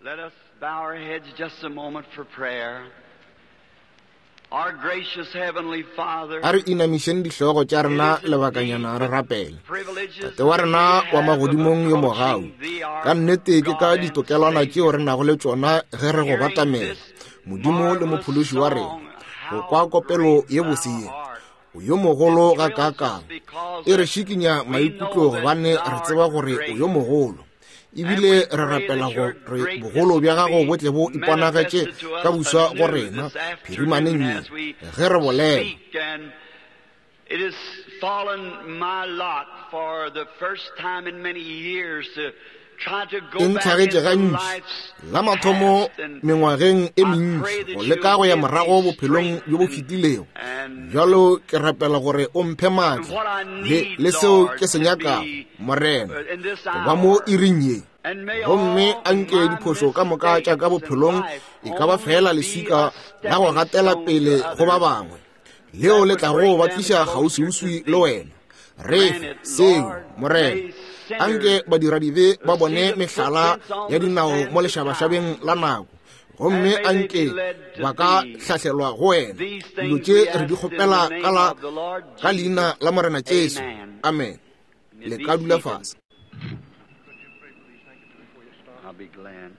Let us bow our heads just a moment for prayer. Our gracious Heavenly Father, A re inamišeng dihlogo tša rena lebakanyana re rapele. Tate wa rena wa magodimong yo mogau, ka nnete ke ka ditokelwana tšeo re nago le tšona ge re go batamela, Modimo le Mophološi wa rena, go kwa kopelo ye bose ye. O yo mogolo gakaakang! E re šikinya maikutlo gobane re tseba gore o yo mogolo. Ebile re rapela gore bogolo bja gago bo tle bo iponagetše ka buswa go rena phirimaneng ye ge re bolela. It has fallen my lot for the first time in many years to E ntlhagetše gantši la mathomo mengwageng e mentši go leka go ya morago bophelong bjo bo fetilego. Bjalo ke rapela gore o mphe maatla le, le seo ke se nyakago, Morena, go ba mo iring ye. Gomme a nke diphošo ka moka tša ka bophelong e ka ba feela leswika la go gatela pele go ba bangwe. leo le tlago ba tliša kgauswiuswi le wena. Re fe seo, Morena. Anke badiradibe ba bone mehlala ya dinao mo lešabašabeng la nako, gomme anke ba ka hlahlelwa go wena. Dilo tše re di kgopela ka la ka leina la Morena Jesu. Amen. Le ka dula fase. I'll be glad.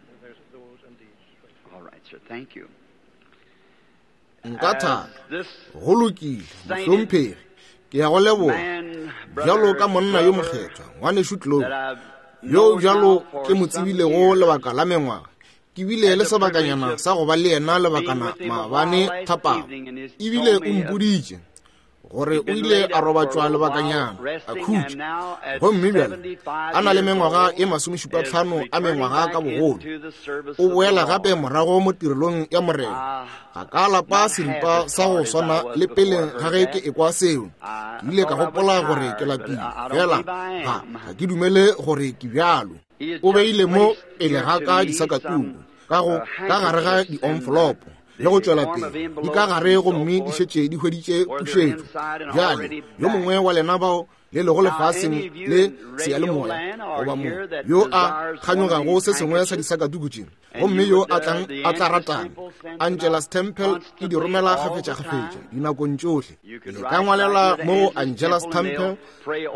All right, sir. Thank you. Nka thaba. Go lokile, mohlomphegi. Ke ya go leboga. Bjalo ka monna yo mokgethwa, ngwanešu Tlo, yo bjalo ke mo tsebilego lebaka la mengwaga, ke bile le sebakanyana sa go ba le yena lebakana maabane thapama. Ebile o mpoditše gore o ile a robatšwa lebakanyana a khutša, gomme bjale a na le mengwaga e masomešupatlhano a mengwaga ka bogolo, o boela gape morago mo tirelong ya Morena. Ga ka lapa seripa sa go swana le pele ga ge ke ekwa seo. Ke ile ka gopola gore ke lapile, fela ga ga ke dumele gore ke bjalo. O beile mo pele ga ka disakatuku ka go ka gare ga di-envelope le go tšwela pele di ka gare gomme di šetše di hweditše pušetšo. Bjale yo mongwe wa lena bao le lego lefaseng le seyalemoya goba mo yo a kganyogago se sengwe sa disakatuku tše gomme yo a tlang a tla ratang Angela's Temple e di romela kgafetšakgafetša dinakong tšohle, le ka ngwalela mo go Angela's Temple,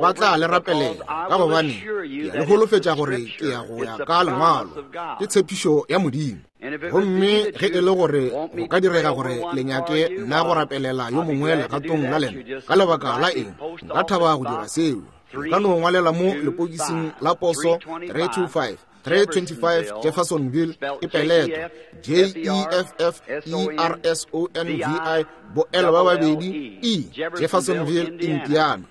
ba tla le rapelela, ka gobane ke a le holofetša gore ke ya go ya ka Lengwalo, ke tshepišo ya Modimo. Gomme ge e le gore go ka direga gore le nyake nna go rapelela yo mongwe legatong la lena, ka lebaka la eng, nka thaba go dira seo. Le ka no ngwalela mo lepokising la poso 325 325 Jeffersonville, e peletwa J E F F E R S O N V I bo L ba babedi E, Jeffersonville, Indiana.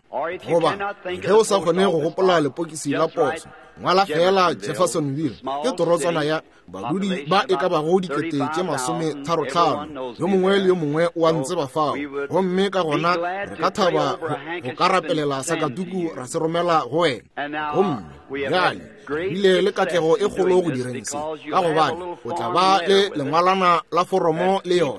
Goba ge o sa kgone go gopola lepokisi la poso, ngwala feela Jeffersonville, ke torotswana ya badudi ba e ka bago dikete tše masometharotlhano. Yo mongwe le yo mongwe o a ntseba fao, gomme ka gona re ka thaba go ka rapelela sakatuku ra se romela go wena. Gomme bjale re bile le katlego e kgolo go direng se, ka gobane o tla ba le lengwalana la foromo le yona,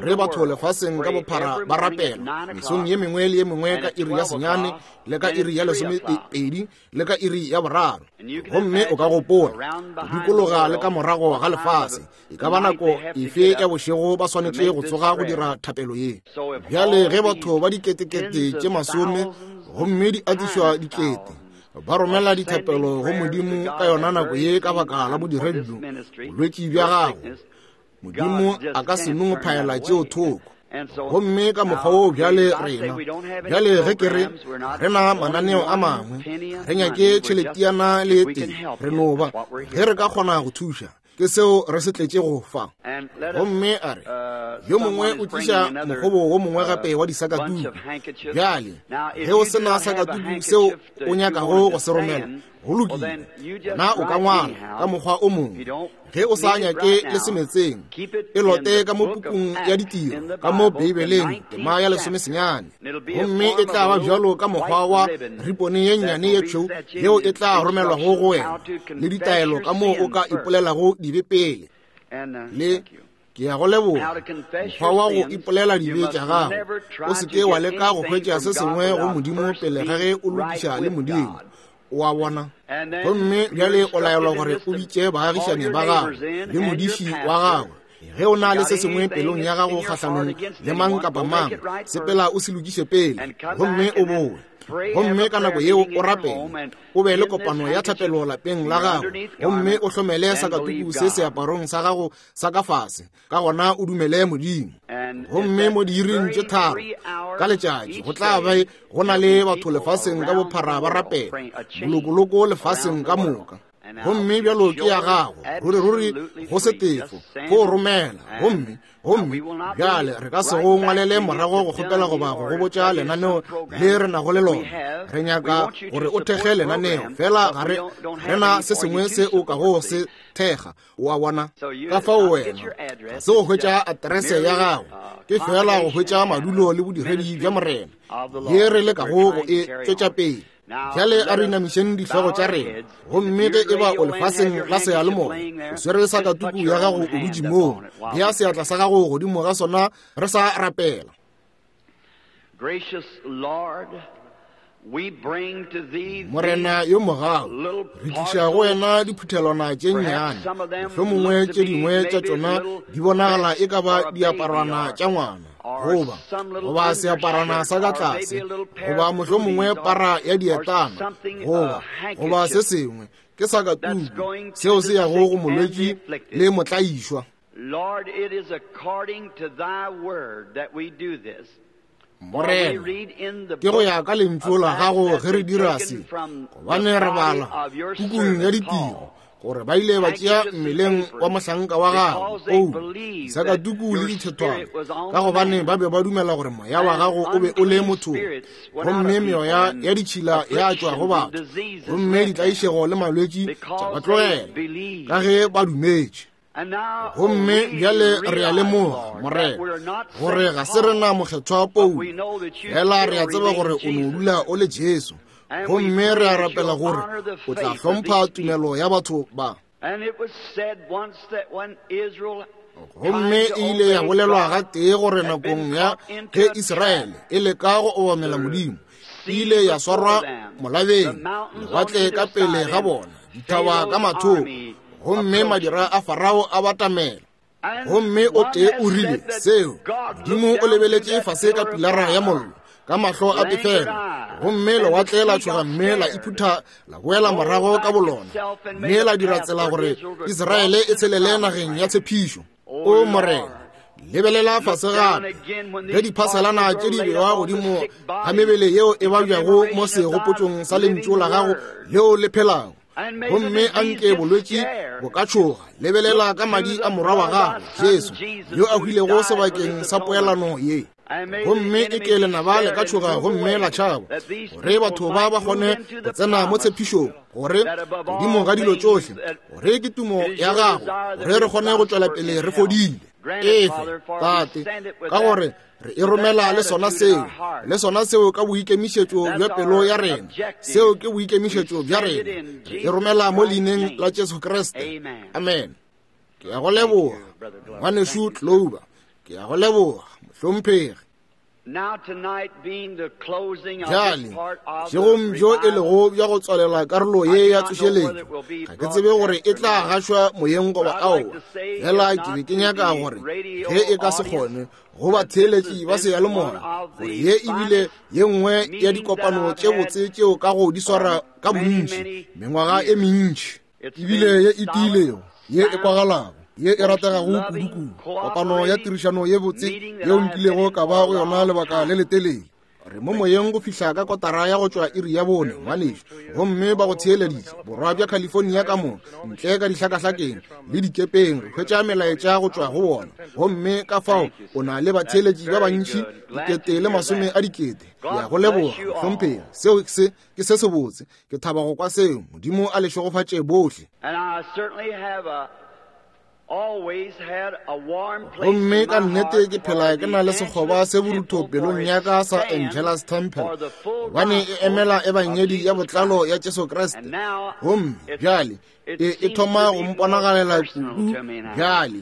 gore batho lefaseng ka bophara ba rapela mesong ye mengwe le ye mengwe ka iri ya senyane le ka iri ya lesomepedi le ka iri ya boraro. Gomme o ka gopola go dikologa le ka morago ga lefase, e ka ba nako efe ya bošego ba swanetše go tsoga go dira thapelo ye. Bjale ge batho ba diketekete tše masome gomme di atišwa dikete ba romela dithapelo go Modimo ka yona nako ye ka baka la bodiredi bjo, bolwetši bja gago, Modimo a ka se no phaela tšeo thoko. Gomme ka mokgwa wo bjale rena, bjale ge ke re re na mananeo a mangwe, re nyake tšheletiana le tee, re no ba ge re ka kgona go thuša, ke seo re se tletše go fa. Gomme a re yo mongwe o tliša mokgobo wo mongwe gape wa disakatuku. Bjale ge o se na sakatuku seo o nyakago go se romela, go lokile, na o ka ngwala ka mokgwa o mongwe. Ge o sa nyake le semetseng, e lote ka mo pukung ya ditiro, ka mo Beibeleng, tema ya lesomesenyane, gomme e tla ba bjalo ka mokgwa wa ripone ye nnyane ye tšhweu yeo e tla romelwago go wena, le ditaelo ka moo o ka ipolelago dibe pele. Le ke ya go leboga mokgwa wa go ipolela dibe tša gago. O se ke wa leka go hwetša se sengwe go Modimo pele ga ge o lokiša le Modimo. O a bona? Gomme bjale o laelwa gore o bitše baagišani ba gago le modiši wa gago. Ge o na le se sengwe pelong ya gago kgahlanong le mang kapa mang, sepela o se lokiše pele, gomme o bowe. Gomme ka nako yeo o rapele, o be le kopano ya thapelo lapeng la gago, gomme o hlomele sakatuku se seaparong sa gago sa ka fase, ka gona o dumele Modimo. Gomme mo diiring tše 3 ka letšatši go tla be go na le batho lefaseng ka bophara ba rapela, bolokoloko lefaseng ka moka. Gomme bjalo ke ya gago, ruri-ruri go se tefo, go romela. Gomme gomme bjale re ka se go ngwalele morago go kgopela goba go go botša lenaneo le re nago le lona. Re nyaka gore o thekge lenaneo, fela ga re rena se sengwe se o kago se thekga. O a bona? Ka fao wena ga se go hwetša aterese ya gago, ke fela go hwetša madulo le bodiredi bja Morena ye re lekago go e tšwetša pele. Bjale a re inamišeng dihlogo tša rena. Gomme ge e ba o lefaseng la seyalemoya, o swere sakatuku ya gago o dutše moo, bea seatla sa gago godimo ga sona re sa rapela. Gracious Lord, we bring to thee Morena yo mogau, re tliša go wena diphuthelwana tše nnyane, mohlomongwe tše dingwe tša tšona di bonagala e ka ba diaparwana tša ngwana, goba goba seaparwana sa ka tlase, goba mohlomongwe para ya dietana, goba goba se sengwe ke sakatuku seo se yago go molwetši le motlaišwa. Lord, it is according to thy word that we do this. Morena, ke go ya ka lentšu la gago ge re dira se, gobane re bala pukung ya ditiro gore ba ile ba tšea mmeleng wa mohlanka wa gago Paulo disakatuku le dithethwana, ka gobane ba be ba dumela gore moya wa gago o be o le mothong, gomme meoya ya ditšhila ya tšwa go batho, gomme ditlaišego le malwetši tša ba tlogela, ka ge ba dumetše. Gomme bjale re a lemoga, Morena, gore ga se rena mokgethwa Paulo, fela re a tseba gore o no dula o le Jesu. Gomme re a rapela gore o tla hlompha tumelo ya batho ba. Gomme e ile ya bolelwa gatee gore nakong ya ge Israele e leka go obamela Modimo, e ile ya swarwa molabeng, lewatle ka pele ga bona, dithaba ka mathoko, gomme madira a Farao a batamela. Gomme o tee o rile seo, Modimo o lebeletše fase ka pilara ya mollo, ka mahlo a pefelo, gomme lewatle la tšhoga mme la iphutha la boela morago ka bolona, mme la dira tsela gore Israele e tshelele nageng ya tshepišo. O Morena, lebelela fase gape ge diphaselana tše di bewa godimo ga mebele yeo e babjago mo segopotšong sa lentšu la gago leo le phelago, gomme a nke bolwetši bo ka tšhoga. Lebelela ka madi a morwa wa gago Jesu, yo a hwilego sebakeng sa poelano ye, gomme e ke lenaba le ka tšhoga gomme la tšhaba, gore batho ba ba kgone go tsena mo tshepišong, gore godimo ga dilo tšohle, gore ke tumo ya gago, gore re kgone go tšwela pele re fodile. Efe, Tate, ka gore re e romela le sona seo, le sona seo ka boikemišetšo bja pelo ya rena. Seo ke boikemišetšo bja rena. Re e romela mo leineng la Jesu Kriste. Amen. Ke ya go leboga, ngwanešu Clover. Ke ya go leboga, mohlomphegi. Bjale, bošegong bjo e lego bja go tswalela karolo ye ya tsošeletšo, ga ke tsebe gore e tla gašwa moyeng goba aowa, fela ke be ke nyaka gore ge e ka se kgone go batheeletši ba seyalemoya, gore ye e bile ye nngwe ya dikopano tše botse tšeo ka go di swara ka bontši mengwaga e mentši, ebile ye e tiilego, ye e kwagalago, ye e rategago kudu-kudu, kopano ya tirišano ye botse yeo nkilego ka ba go yona lebaka le letelele. Re mo moyeng go fihla ka kotara ya go tšwa iri ya 4, ngwanešu, gomme ba go theeleditše borwa bja California ka moka, ntle ka dihlakahlakeng le dikepeng, re hwetša melaetša go tšwa go bona. Gomme ka fao o na le batheeletši ba bantši, 100,000. Ke ya go leboga, mohlomphegi. Seo se ke se sebotse. Ke thaba go kwa seo. Modimo a le šegofatše bohle. Gomme ka nnete ke phela ke na le sekgoba se borutho pelong ya ka sa Angelus Temple, gobane e emela ebangedi ya botlalo ya Jesu Kriste. Gomme bjale e thoma go mponagalela kudu bjale.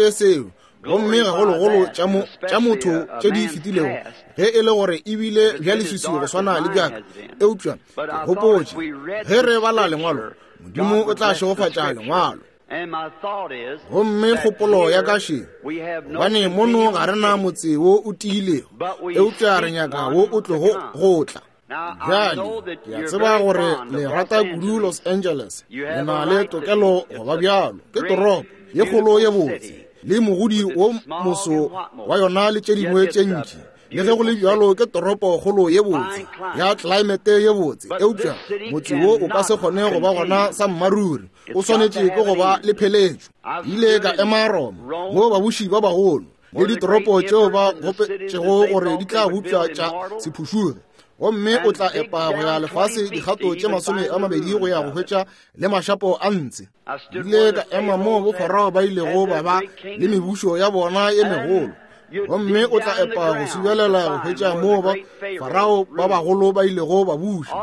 tšee seo. Gomme gagologolo tša motho tše di fetilego, ge e le gore e bile bja leswiswi go swana le bjaka. Eupša ke gopotše, ge re bala Lengwalo, Modimo o tla šegofatša Lengwalo. Gomme kgopolo ya ka še, gobane mono ga re na motse wo o tiilego, eupša re nyaka wo o tlogo go tla. Bjale, ke a tseba gore le rata kudu Los Angeles, le na le tokelo go ba bjalo. Ke toropo ye kgolo ye botse, le mogodi wo moso wa yona le tše dingwe tše ntši. Le ge go le bjalo, ke toropo kgolo ye botse ya tlelaemete ye botse, eupša motse wo o ka se kgone go ba gona sa mmaruri, o swanetše ke go ba le pheletšo. Ke ile ka ema Roma, moo babuši ba bagolo le ditoropo tšeo ba gopetšego gore di tla bopša tša se phušuge, gomme o tla epa go ya lefase dikgato tše 20 go ya go hwetša le mašapo a ntshe. Ile ka ema moo bofarao ba ilego ba ba le mebušo ya bona ye megolo, gomme o tla epa go subelela go hwetša moo ba farao ba bagolo ba ilego ba buša.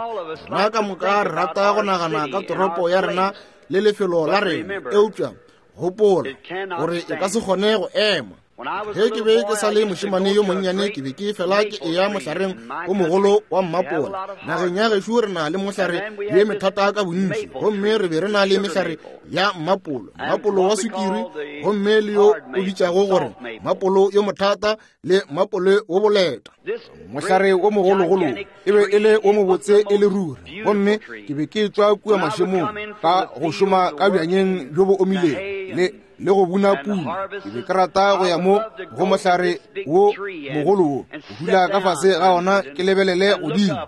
Rena ka moka re rata go nagana ka toropo ya rena le lefelo la rena, eupša gopola gore e ka se kgone go ema. Ge ke be ke sa le mošemane yo monnyane, ke be ke fela ke eya mohlareng o mogolo wa mmapola. Nageng ya gešo re na le mohlare ye methata ka bontši, gomme re be re na le mehlare ya mmapolo, mmapolo wa sukiri, gomme le yo o bitšago gore mmapolo yo mothata le mmapolo wo boleta. Mohlare wo mogologolo e be e le wo mobotse e le ruri, gomme ke be ke tšwa kua mašemong ka go šoma ka bjanyeng bjo bo omilego le go buna puno. Ke be ke rata go ya mo go mohlare wo mogolo wo, go dula ka fase ga ona ke lebelele godimo.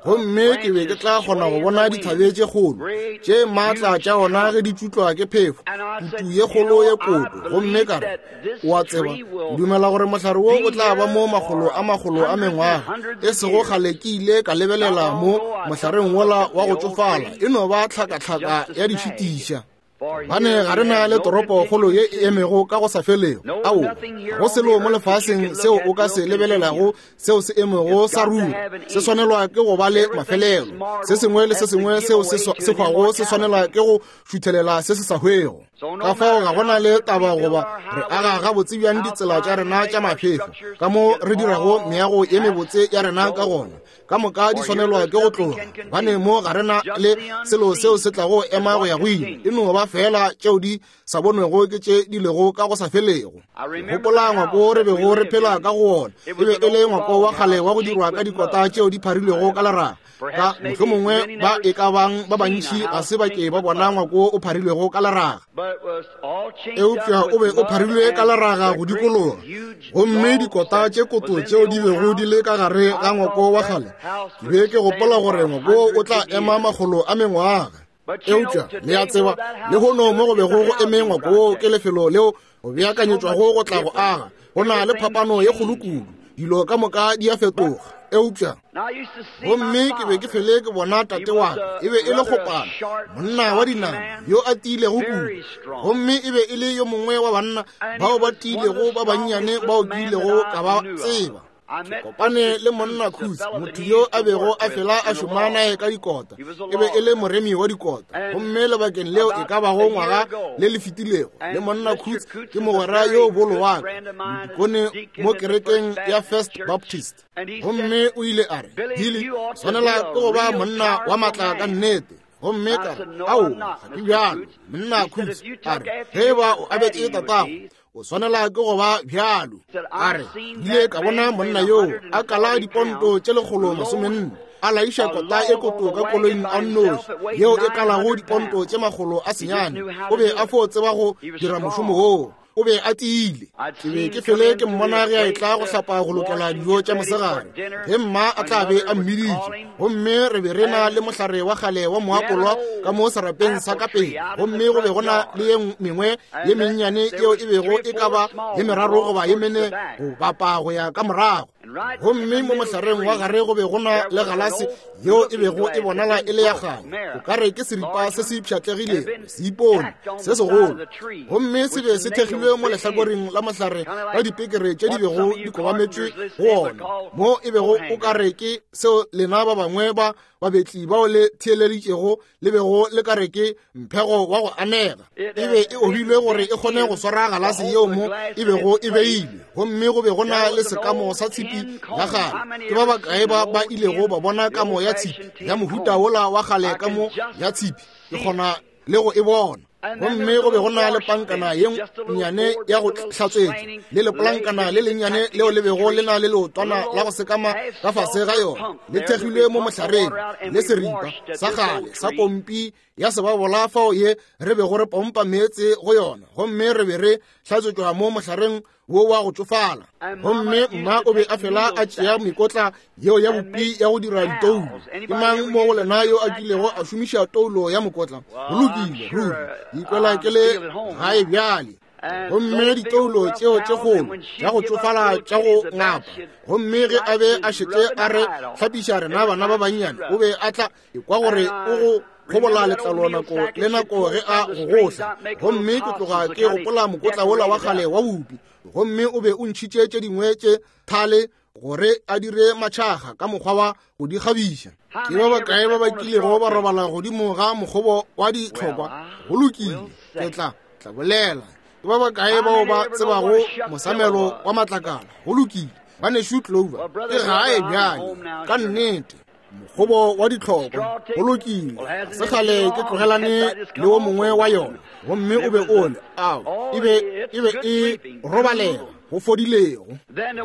Gomme ke be ke tla kgona go bona dithabe tše kgolo tše maatla tša ona ge di tšutlwa ke phefo, kutu ye kgolo ye koto. Gomme ka re, o a tseba, ke dumela gore mohlare wo o tla ba mo makgolo a makgolo a mengwaga. E sego kgale ke ile ka lebelela mo mohlareng wola wa go tšofala, e no ba tlhakatlhaka ya dišitiša. Bane ga re na le toropokgolo ye e emego ka go sa felego. Ao, ga go selo mo lefaseng seo o ka se lebelelago seo se emego sa ruri. Se swanelwa ke go ba le mafelelo. Se sengwe le se sengwe seo se hwago se swanelwa ke go šuthelela se se sa hwego. Ka fao ga go na le taba goba re aga gabotse bjang ditsela tša rena tša maphefo, ka mo re dirago meago ye mebotse ya rena ka gona, ka moka di swanelwa ke go tloga, gobane mo ga re na le selo seo se tlago ema go ya go ile, e no ba feela tšeo di sa bonwego ke tše di lego ka go sa felego. Gopola ngwako re bego re phela ka go wona, e be e le ngwako wa kgale wa go dirwa ka dikota tšeo di pharilwego ka leraga. Ka mohlomongwe ba e ka bang ba bantši ga se ba ke ba bona ngwako o pharilwego ka leraga, eupša o be o pharilwe ka leraga go dikologa, gomme dikota tše koto tšeo di bego di le ka gare ga ngwako wa kgale, ke be ke gopola gore ngwako o tla ema makgolo a mengwaga. Eupša le a tseba, lehono mo go bego go eme ngwako wo ke lefelo leo go beakanyetšwago go tla go aga. Go na le phapano ye kgolo kudu, dilo ka moka di a fetoga. Eupša gomme ke be ke fele ke bona tate wa ka, e be e le kgopana, monna wa dinama yo a tiilego kudu, gomme e be e le yo mongwe wa banna bao ba tiilego ba bannyane bao ke ilego ka ba tseba. Ke kopane le monna Khutsi, motho yo a bego a fela a šoma naye ka dikota, e be e le moremi wa dikota, gomme lebakeng leo e ka bago ngwaga le le fetilego, le monna Khutsi ke mogwera yo bolo wa ka, modikone mo kerekeng ya First Baptist. Gomme o ile a re, Billy, swanela ke go ba monna wa maatla ka nnete. Gomme ka re, Ao, ga ke bjalo, monna Khutsi. A re, Ge e ba o abetše tatago, o swanela ke go ba bjalo. A re, ile ka bona monna yoo a kala diponto tše 140, a laiša kota e koto ka koloing a nnoši yeo e kalago diponto tše 900. O be a fo tseba go dira mošomo woo. O be a tiile. Ke be ke fele ke mmona ge a etla go hlapa go lokela dijo tša mosegare, ge mma a tla be a mmiditše. Gomme re be re na le mohlare wa kgale wa moapolwa ka mo serapeng sa ka pele, gomme go be go na le ye mengwe ye mennyane yeo e bego e ka ba ye meraro goba ye mene go bapa go ya ka morago. Gomme mo mohlareng wa gare go be go na le galase yeo e bego e bonala e le ya kgale, o ka re ke seripa se se pšhatlegilego, seipone se segolo, gomme se be se thekgilwe mo lehlakoreng la mohlare ka dipekere tše di bego di kobametšwe go ona, mo e bego o ka re ke seo lena ba bangwe ba babetli bao le theeleditšego le bego le ka re ke mphego wa go anega. E be e obilwe gore e kgone go swara galase yeo mo e bego e beilwe, gomme go be go na le sekamo sa tshipi ya kgale. Ke ba bakae ba ba ilego ba bona kamo ya tshipi ya mohuta wola wa kgale, kamo ya tshipi? Ke kgona le go e bona. Gomme go be go na le pankana ye nnyane ya go hlatswetša le lepolankana le lennyane leo le bego le na le leotwana la go sekama ka fase ga yona, le thekgilwe mo mohlareng, le seripa sa kgale sa pompi ya sebabola fao ye re bego re pompa meetse go yona, gomme re be re hlatswetšwa mo mohlareng wo wa go tšofala. Gomme mma o be a fela a tšea mekotla yeo ya bopi ya go dira ditoulo. Ke mang mo go lena yo a kilego a šomiša toulo ya mokotla? Go lokile, ruri ikwela ke le gae bjale. Gomme ditoulo tšeo tše kgolo tša go tšofala tša go ngapa, gomme ge a be a šetše a re hlapiša rena bana ba bannyane, o be a tla ekwa gore o go kgobola letlalo nako le nako ge a gogohla. Gomme ke tloga ke gopola mokotla wola wa kgale wa bupi, gomme o be o ntšhitše tše dingwe tše thale gore a dire matšhaga ka mokgwa wa go di kgabiša. Ke ba bakae ba ba kilego ba robala godimo ga mokgobo wa ditlhokwa? Go lokile, ke tla bolela. Ke ba bakae bao ba tsebago mosamelo wa matlakala? Go lokile, banešu Clover, ke gae bjale ka nnete. Mokgobo wa ditlhokwa, go lokile, se kgale ke tlogelane le wo mongwe wa yona, gomme o be o le ao, e be e robalega go fodilego.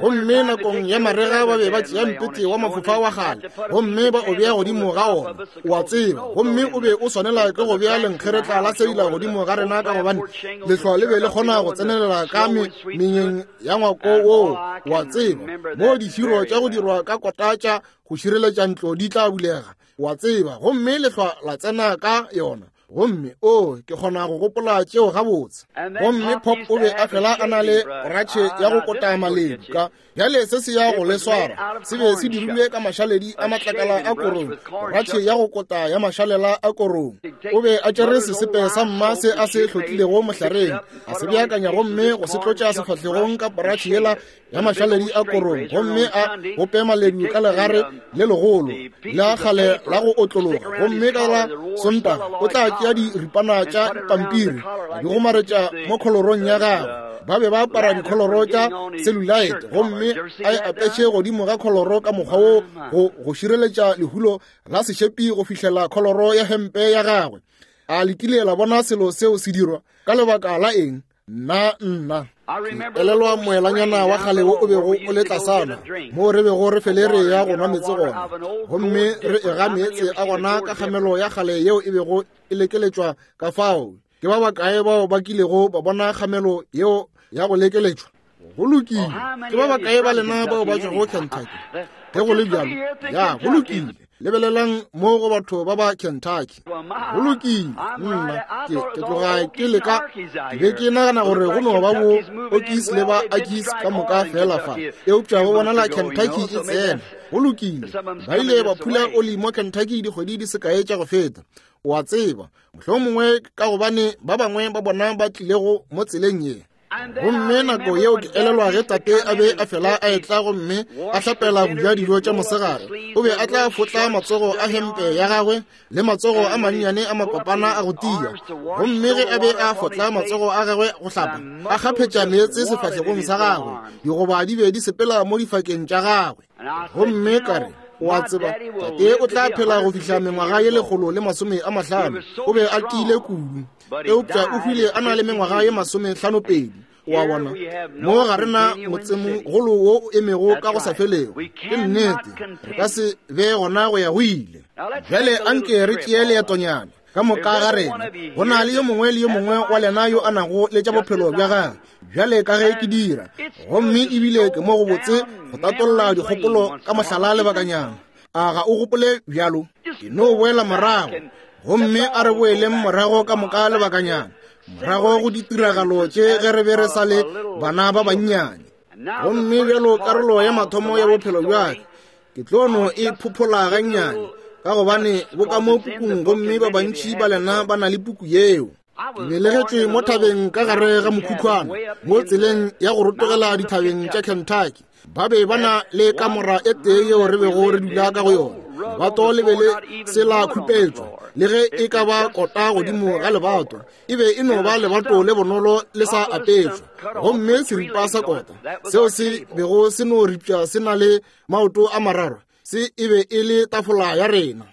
Gomme nakong ya marega ba be ba tšea mpete wa mafofa wa kgale gomme ba o bea godimo ga ona, o a tseba, gomme o be o swanela ke go bea lenkgeretla la seila godimo ga rena, ka gobane lehlwa le be le kgona go tsenelela ka menyeng ya ngwako woo, o a tseba, moo difiro tša go dirwa ka kota tša go šireletša ntlo di tla bulega, wa tseba, gomme lehlwa la tsena ka yona. Gomme o, ke kgona go gopola tšeo gabotse. Gomme Pop o be a fela a na le poratšhe ya go kota maledu ka bjale se se ya go le swara, se be se dirilwe ka mašaledi a matlakala a korong, poratšhe ya go kota ya mašalela a korong. O be a tšere sesepe sa mma se a se hlotlilego mohlareng, a se beakanya gomme go se tlotša sefahlegong ka poratšhe yela ya mašaledi a korong, gomme a bope maledu ka legare le legolo la kgale la go otlologa. Gomme ka la Sontaga o tla tšea diripana tša pampiri a di gomaretša mo kholorong ya gagwe. Ba be ba apara dikholoro tša celluloid, gomme a e apeše godimo ga kholoro ka mokgwa wo go šireletša lehulo la sešepi go fihlela kholoro ya hempe ya gagwe. A le kile la bona selo seo se dirwa? Ka lebaka la eng? Nna nna ke elelwa moelanyana wa kgale wo o bego o le tlasana moo re bego re fele re ya go nwa meetse gona, gomme re ega meetse a gona ka kgamelo ya kgale yeo e bego e lekeletšwa ka fao. Ke ba bakae bao ba kilego ba bona kgamelo yeo ya go lekeletšwa? Go lokile. Ke ba bakae ba lena bao ba tšwago Kentucky? Ge go le bjalo, ya, go lokile. Lebelelang mo go batho ba ba Kentucky. Go lokile, nna ke tloga ke leka, ke be ke nagana gore go no ba bo Okies le ba Akies ka moka fela fa, eupša go bonala Kentucky e tsena. Go lokile, ba ile ba phula oli mo Kentucky dikgwedi di sekae tša go feta, o a tseba, mohlomongwe ka gobane ba bangwe ba bona ba tlilego mo tseleng ye. Gomme nako yeo ke elelwa ge tate a be a fela a etla gomme a hlapela go ja dijo tša mosegare, o be a tla fotla matsogo a hempe ya gagwe le matsogo a mannyane a makopana a go tia. Gomme ge a be a fotla matsogo a gagwe go hlapa, a kgaphetša meetse sefahlegong sa gagwe, digoba di be di sepela mo difakeng tša gagwe. Gomme ka re, o a tseba, tate o tla phela go fihla mengwaga ye 150. O be a tiile kudu, eupša o hwile a na le mengwaga ye 52. O a bona, mo ga rena motsemogolo wo o emego ka go sa felego. Ke nnete, re ka se be gona go ya go ile. Bjale anke re tšee leetonyana ka moka ga rena. Go na le yo mongwe le yo mongwe wa lena yo a nago le tša bophelo bja gagwe bjale ka ge ke dira, gomme ebile ke mo go botse go tatolla dikgopolo ka mohlala lebakanyana. A ga o gopole bjalo? Ke no boela morago, gomme a re boeleng morago ka moka lebakanyana, morago go ditiragalo tše ge re be re sa le bana ba bannyane. Gomme bjalo karolo ya mathomo ya bophelo bja ka ke tlo no e phophola gannyane, ka gobane bo ka mo pukung, gomme ba bantši ba lena ba na le puku yeo. Ke belegetšwe mo thabeng ka gare ga mokhukhwana mo tseleng ya go rotogela dithabeng tša Kentucky. Ba be ba na le kamora e tee yeo re bego re dula ka go yona. Lebato le be le se la khupetšwa, le ge e ka ba kota godimo ga lebato. E be e no ba lebato le bonolo le sa apešwa. Gomme seripa sa kota seo se bego se no ripša se na le maoto a mararo, se e be e le tafola ya rena.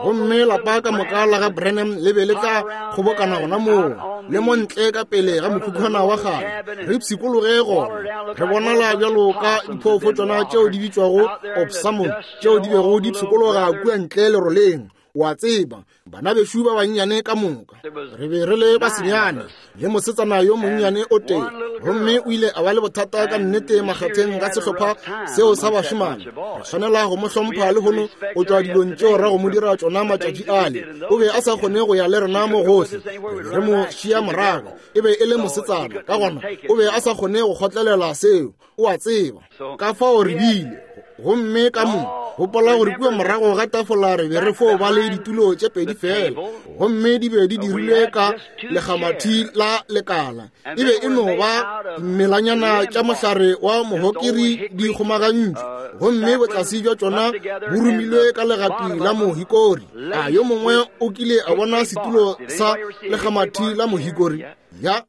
Gomme lapa ka moka la ga Branham le be le tla kgobokana gona moo, le mo ntle ka pele ga mokhukhwana wa kgale, re pshikologe gona, re bonala bjalo ka diphoofotšwana tšeo di bitšwago opossum tšeo di bego di pshikologa kua ntle leroleng, o a tseba, bana bešo ba bannyane ka moka. Re be re le basenyane le mosetsana yo monnyane o tee, gomme o ile a ba le bothata ka nnete makgatheng ga sehlopha seo sa bašemane. Re swanela go mo hlompha lehono go tšwa dilong tšeo ra go mo dira tšona matšatši ale. O be a sa kgone go ya le rena mo gohle, re be re mo šia morago. E be e le mosetsana, ka gona o be a sa kgone go kgotlelela seo, o a tseba. Ka fao re bile, gomme ka mo gopola gore kua morago ga tafola re be re fo ba le ditulo tše pedi fela, gomme di be di dirilwe ka lekgamathi la lekala. E be e no ba melanyana tša mohlare wa mohokiri di kgomagantšwe, gomme botlase bja tšona bo rumilwe ka legapi la mohikori. A yo mongwe o kile a bona setulo sa lekgamathi la mohikori? Ya,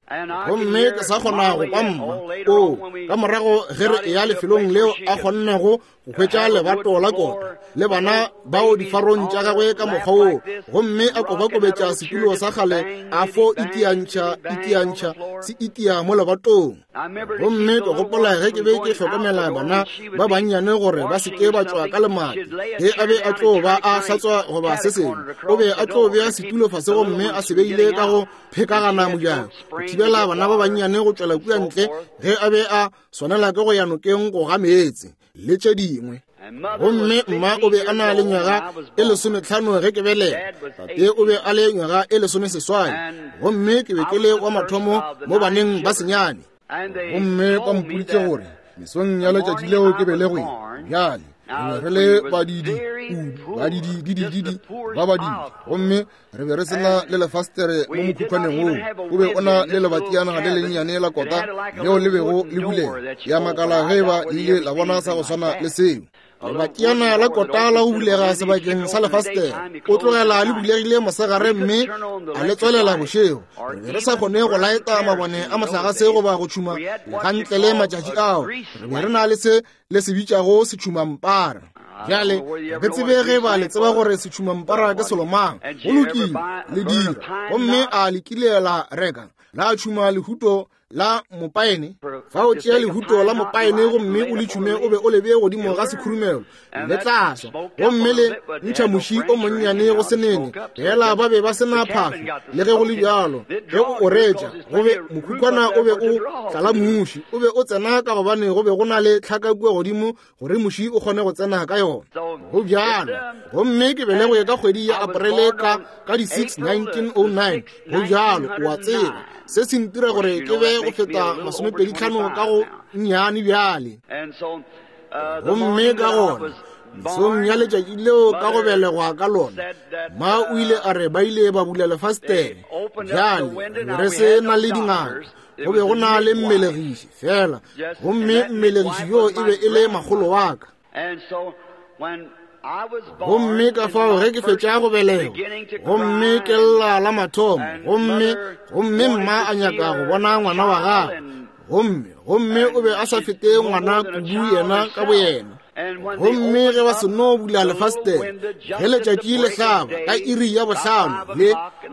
gomme ke sa kgona go kwa mma o ka morago ge re eya lefelong leo a kgonnego go hwetša lebato la kota le bana bao difarong tša gagwe ka mokgwa woo, gomme a kobakobetša setulo sa kgale a fo itiantšha itiantšha se itia mo lebatong. Gomme ke gopola ge ke be ke hlokomela bana ba bannyane gore ba se ke ba tšwa ka lemati, ge a be a tlo ba a hlatswa goba se sengwe, o be a tlo bea setulo fase gomme a se beile ka go phekagana mojako go thibela bana ba bannyane go tšwela kua ntle ge a be a swanela ke go ya nokeng go ga meetse le tše dingwe. Gomme mma o be a na le nywaga e 15 ge ke belega, tate o be a le nywaga e 18, gomme ke be ke le wa mathomo mo baneng ba senyane. Gomme ba mpoditše gore mesong ya letšatši leo ke belegwe, bjale re be re le badidi kudu, badidi didididi ba badidi, gomme re be re se na le lefastere mo mokhukhwaneng woo. O be o na le lebatiana le lennyane la kota leo le bego le bulega. Ya makala ge e ba le ile la bona sa go swana le seo. Lebatiana la kota la go bulega sebakeng sa lefastere, o tlogela le bulegile mosegare mme a le tswelela bošego. Re be re sa kgone go laeta mabone a mohlagase goba go tšhuma gantle le matšatši ao. Re be re na le se le se bitšago setšhumampara. Bjale re tsebe ge ba le tseba gore setšhumampara ke selo mang. Go lokile, le dira. Gomme a le kile la reka la tšhuma lehuto la mopaene? Fa o tšea lehuto la mopaene gomme o le tšhume o be o le bee godimo ga sekhurumelo, le tla swa gomme le ntšha muši o monnyane go senene. Fela ba be ba se na phahlo, le ge go le bjalo. Ge o o retša, go be mokhukhwana o be o tlala muši, o be o tsena ka gobane go be go na le tlhaka kua godimo gore muši o kgone go tsena ka yona. Go bjalo. Gomme ke belegwe ka kgwedi ya Aprele ka ka di 6 1909. Go bjalo, o a tseba. Se se ntira gore ke be go feta 25 ka go nnyane bjale. Gomme ka gona mesong ya letšatši leo ka go belegwa ka lona, ma o ile a re ba ile ba bula lefastere. Bjale re se na le dingaka, go be go na le mmelegiši fela, gomme mmelegiši yoo e be e le makgolo wa ka. Gomme ka fao ge ke fetša go belegwa, gomme ke lla la mathomo, gomme gomme mma a nyaka go bona ngwana wa gagwe, gomme gomme o be a sa fete ngwana kudu yena ka boyena. Gomme ge ba seno bula lefastere, ge letšatši le hlaba ka iri ya 5, le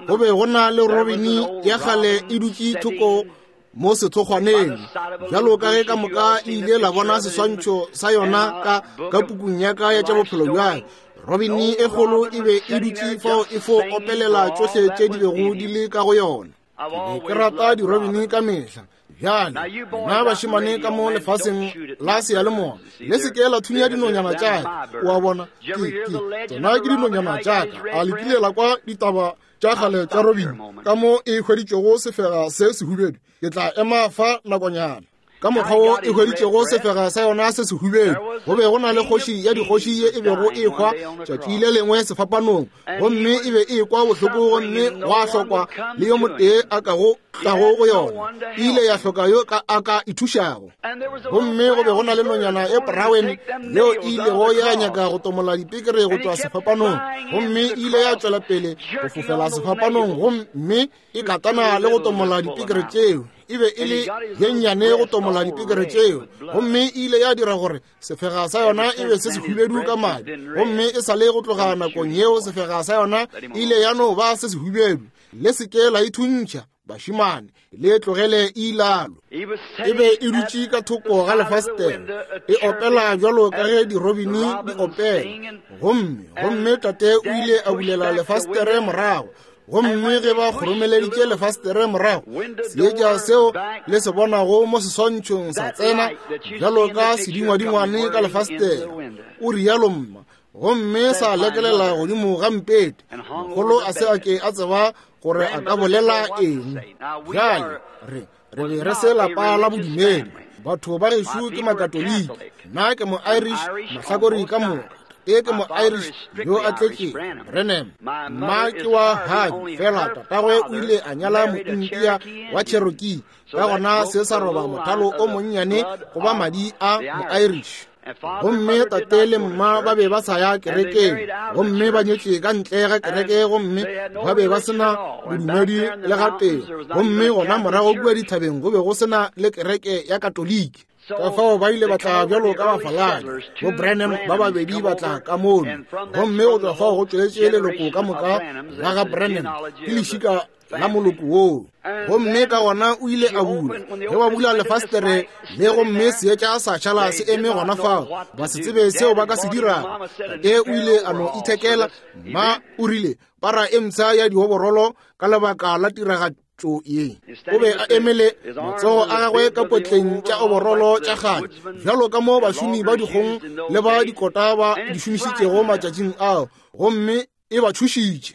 go be go na le robini ya kgale e dutše thoko mo sethokgwaneng, bjalo ka ge ka moka le ile la bona seswantšho sa yona ka ka pukung ya ka ya tša bophelo bja. Robini e kgolo e be e dutše fao e fo opelela tšohle tše di bego di le ka go yona. Ke be ke rata dirobini ka mehla. Bjale nna bašemane ka mo lefaseng la seyalemoya, le se ke la thunya dinonyana tša ka. O a bona, ke ke tsona ke dinonyana tša ka. A le kile la kwa ditaba tša kgale tša robini ka mo e hweditšego sefega se sehubedu? Ke tla ema fa nakonyana. Ka mokgwa wo e hweditšego sefega sa yona se sehubedu. Go be go na le kgoši ya dikgoši ye e bego e hwa tšatši le lengwe sefapanong, gomme e be e ekwa bohloko, gomme gwa hlokwa le yo motee a kago tlago go yona. E ile ya hloka yo a ka ithušago. Gomme go be go na le nonyana e porawen yeo e ilego ya nyaka go tomola dipekere go tšwa sefapanong, gomme e ile ya tšwela pele go fofela sefapanong, gomme e katana le go tomola dipekere tšeo. E be e le ye nnyane go tomola dipekere tšeo, gomme e ile ya dira gore sefega sa yona e be se sehubedu ka madi. Gomme e sa le go tloga nakong yeo sefega sa yona e ile ya no ba se sehubedu. Le se ke la ithuntšha, bašemane, le tlogele e ilalo. E be e dutše ka thoko ga lefastere e opela bjalo ka ge dirobini di opela. Gomme tate o ile a bulela lefastere morago, gomme ge ba kgoromeleditše lefastere morago, seetša seo le se bonago mo seswantšhong sa tsena bjalo ka sedingwadingwane ka lefastere, o rialo mma, gomme sa lekelela godimo ga mpete. Mogolo a se a ke a tseba gore a ka bolela eng. Bjale re be re se lapa la bodumedi. Batho ba gešo ke Makatoliki, nna ke mo-Irish mahlakore ka moka. E ke mo-Irish yo a tletše Brenham. Mma ke wa Harvey, fela tatagwe o ile a nyala mo-India wa Cherokee, ka gona se sa roba mothalo o monnyane go ba madi a mo-Irish. Gomme tate le mma ba be ba sa ya kerekeng, gomme ba nyetše ka ntle ga kereke, gomme ba be ba sena bodumedi le gatee. Gomme gona morago kua dithabeng go be go sena le kereke ya Katoliki. Ka fao ba ile ba tla bjalo ka bafaladi, bo Branham ba babedi ba tla ka mono. Gomme go tšwa fao go tšweletše leloko ka moka la ga Branham, ke lešika la moloko woo. Gomme ka gona o ile a bula, ge ba bula lefastere le, gomme seetša sa šala se eme gona fao, ba se tsebe seo ba ka se dirago. Tate o ile a no ithekela. Mma o rile para e mpsha ya dioborolo ka lebaka la tiragatšo ye. O be a emele matsogo a gagwe ka potleng tša oborolo tša kgale, bjalo ka mo bašomi ba dikgong le ba dikota ba di šomišitšego matšatšing ao, gomme e ba tšhošitše.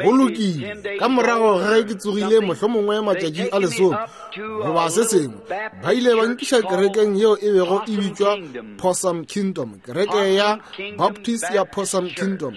Go lokile, ka morago ga ge ke tsogile mohlomongwe matšatši a lesome goba se sengwe, ba ile ba nkiša kerekeng yeo e bego e bitšwa Possum Kingdom, kereke ya Baptist ya Possum Kingdom,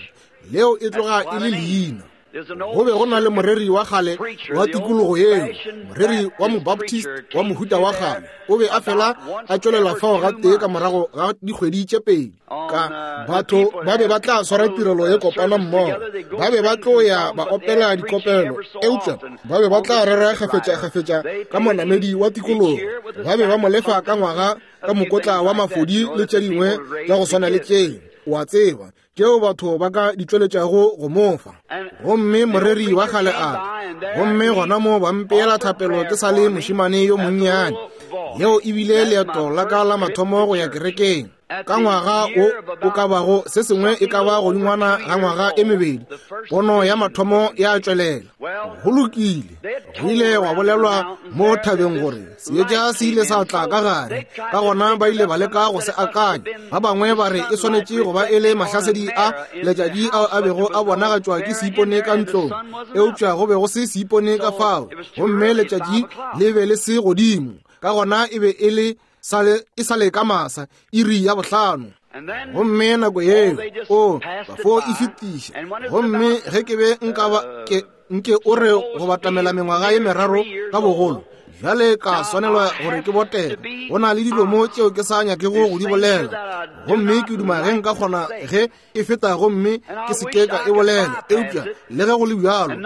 leo e tloga e le leina. Go be go na le moreri wa kgale wa tikologo yeo, moreri wa Mobaptist wa mohuta wa kgale. O be a fela a tšwelela fao gatee ka morago ga dikgwedi tše pedi. Ka batho ba be ba tla swara tirelo ye kopana mmogo, ba be ba tlo ya ba opela dikopelo, eupša ba be ba tla rera kgafetša-kgafetša ka monamedi wa tikologo. Ba be ba mo lefa ka ngwaga ka mokotla wa mafodi le tše dingwe tša go swana le tše, o a tseba, tšeo batho ba ka di tšweletšago go mo fa. Gomme moreri wa kgale a tla, gomme gona mo ba mpeela thapelo ke sa le mošemane yo monnyane. Leo e bile leeto la ka la mathomo go ya kerekeng. Ka ngwaga wo o ka bago se sengwe e ka ba godingwana ga ngwaga e mebedi, pono ya mathomo ya tšwelela. Go lokile, go ile gwa bolelwa mo thabeng gore seetša se ile sa tla ka gare, ka gona ba ile ba leka go se akanya. Ba bangwe ba re e swanetše go ba e le mahlasedi a letšatši ao a bego a bonagatšwa ke seipone ka ntlong, eupša go be go se seipone ka fao, gomme letšatši le be le se godimo, ka gona e be e le e sa le ka masa, iri ya 5. Gomme nako yeo o ba fo e fetiša. Gomme ge ke be nka ba ke nke o re go batamela mengwaga ye meraro ka bogolo, bjale ka swanelwa gore ke botege. Go na le dilo mo tšeo ke sa nyakego go di bolela, gomme ke duma ge nka kgona ge e feta gomme ke se ke ka e bolela. Eupša le ge go le bjalo,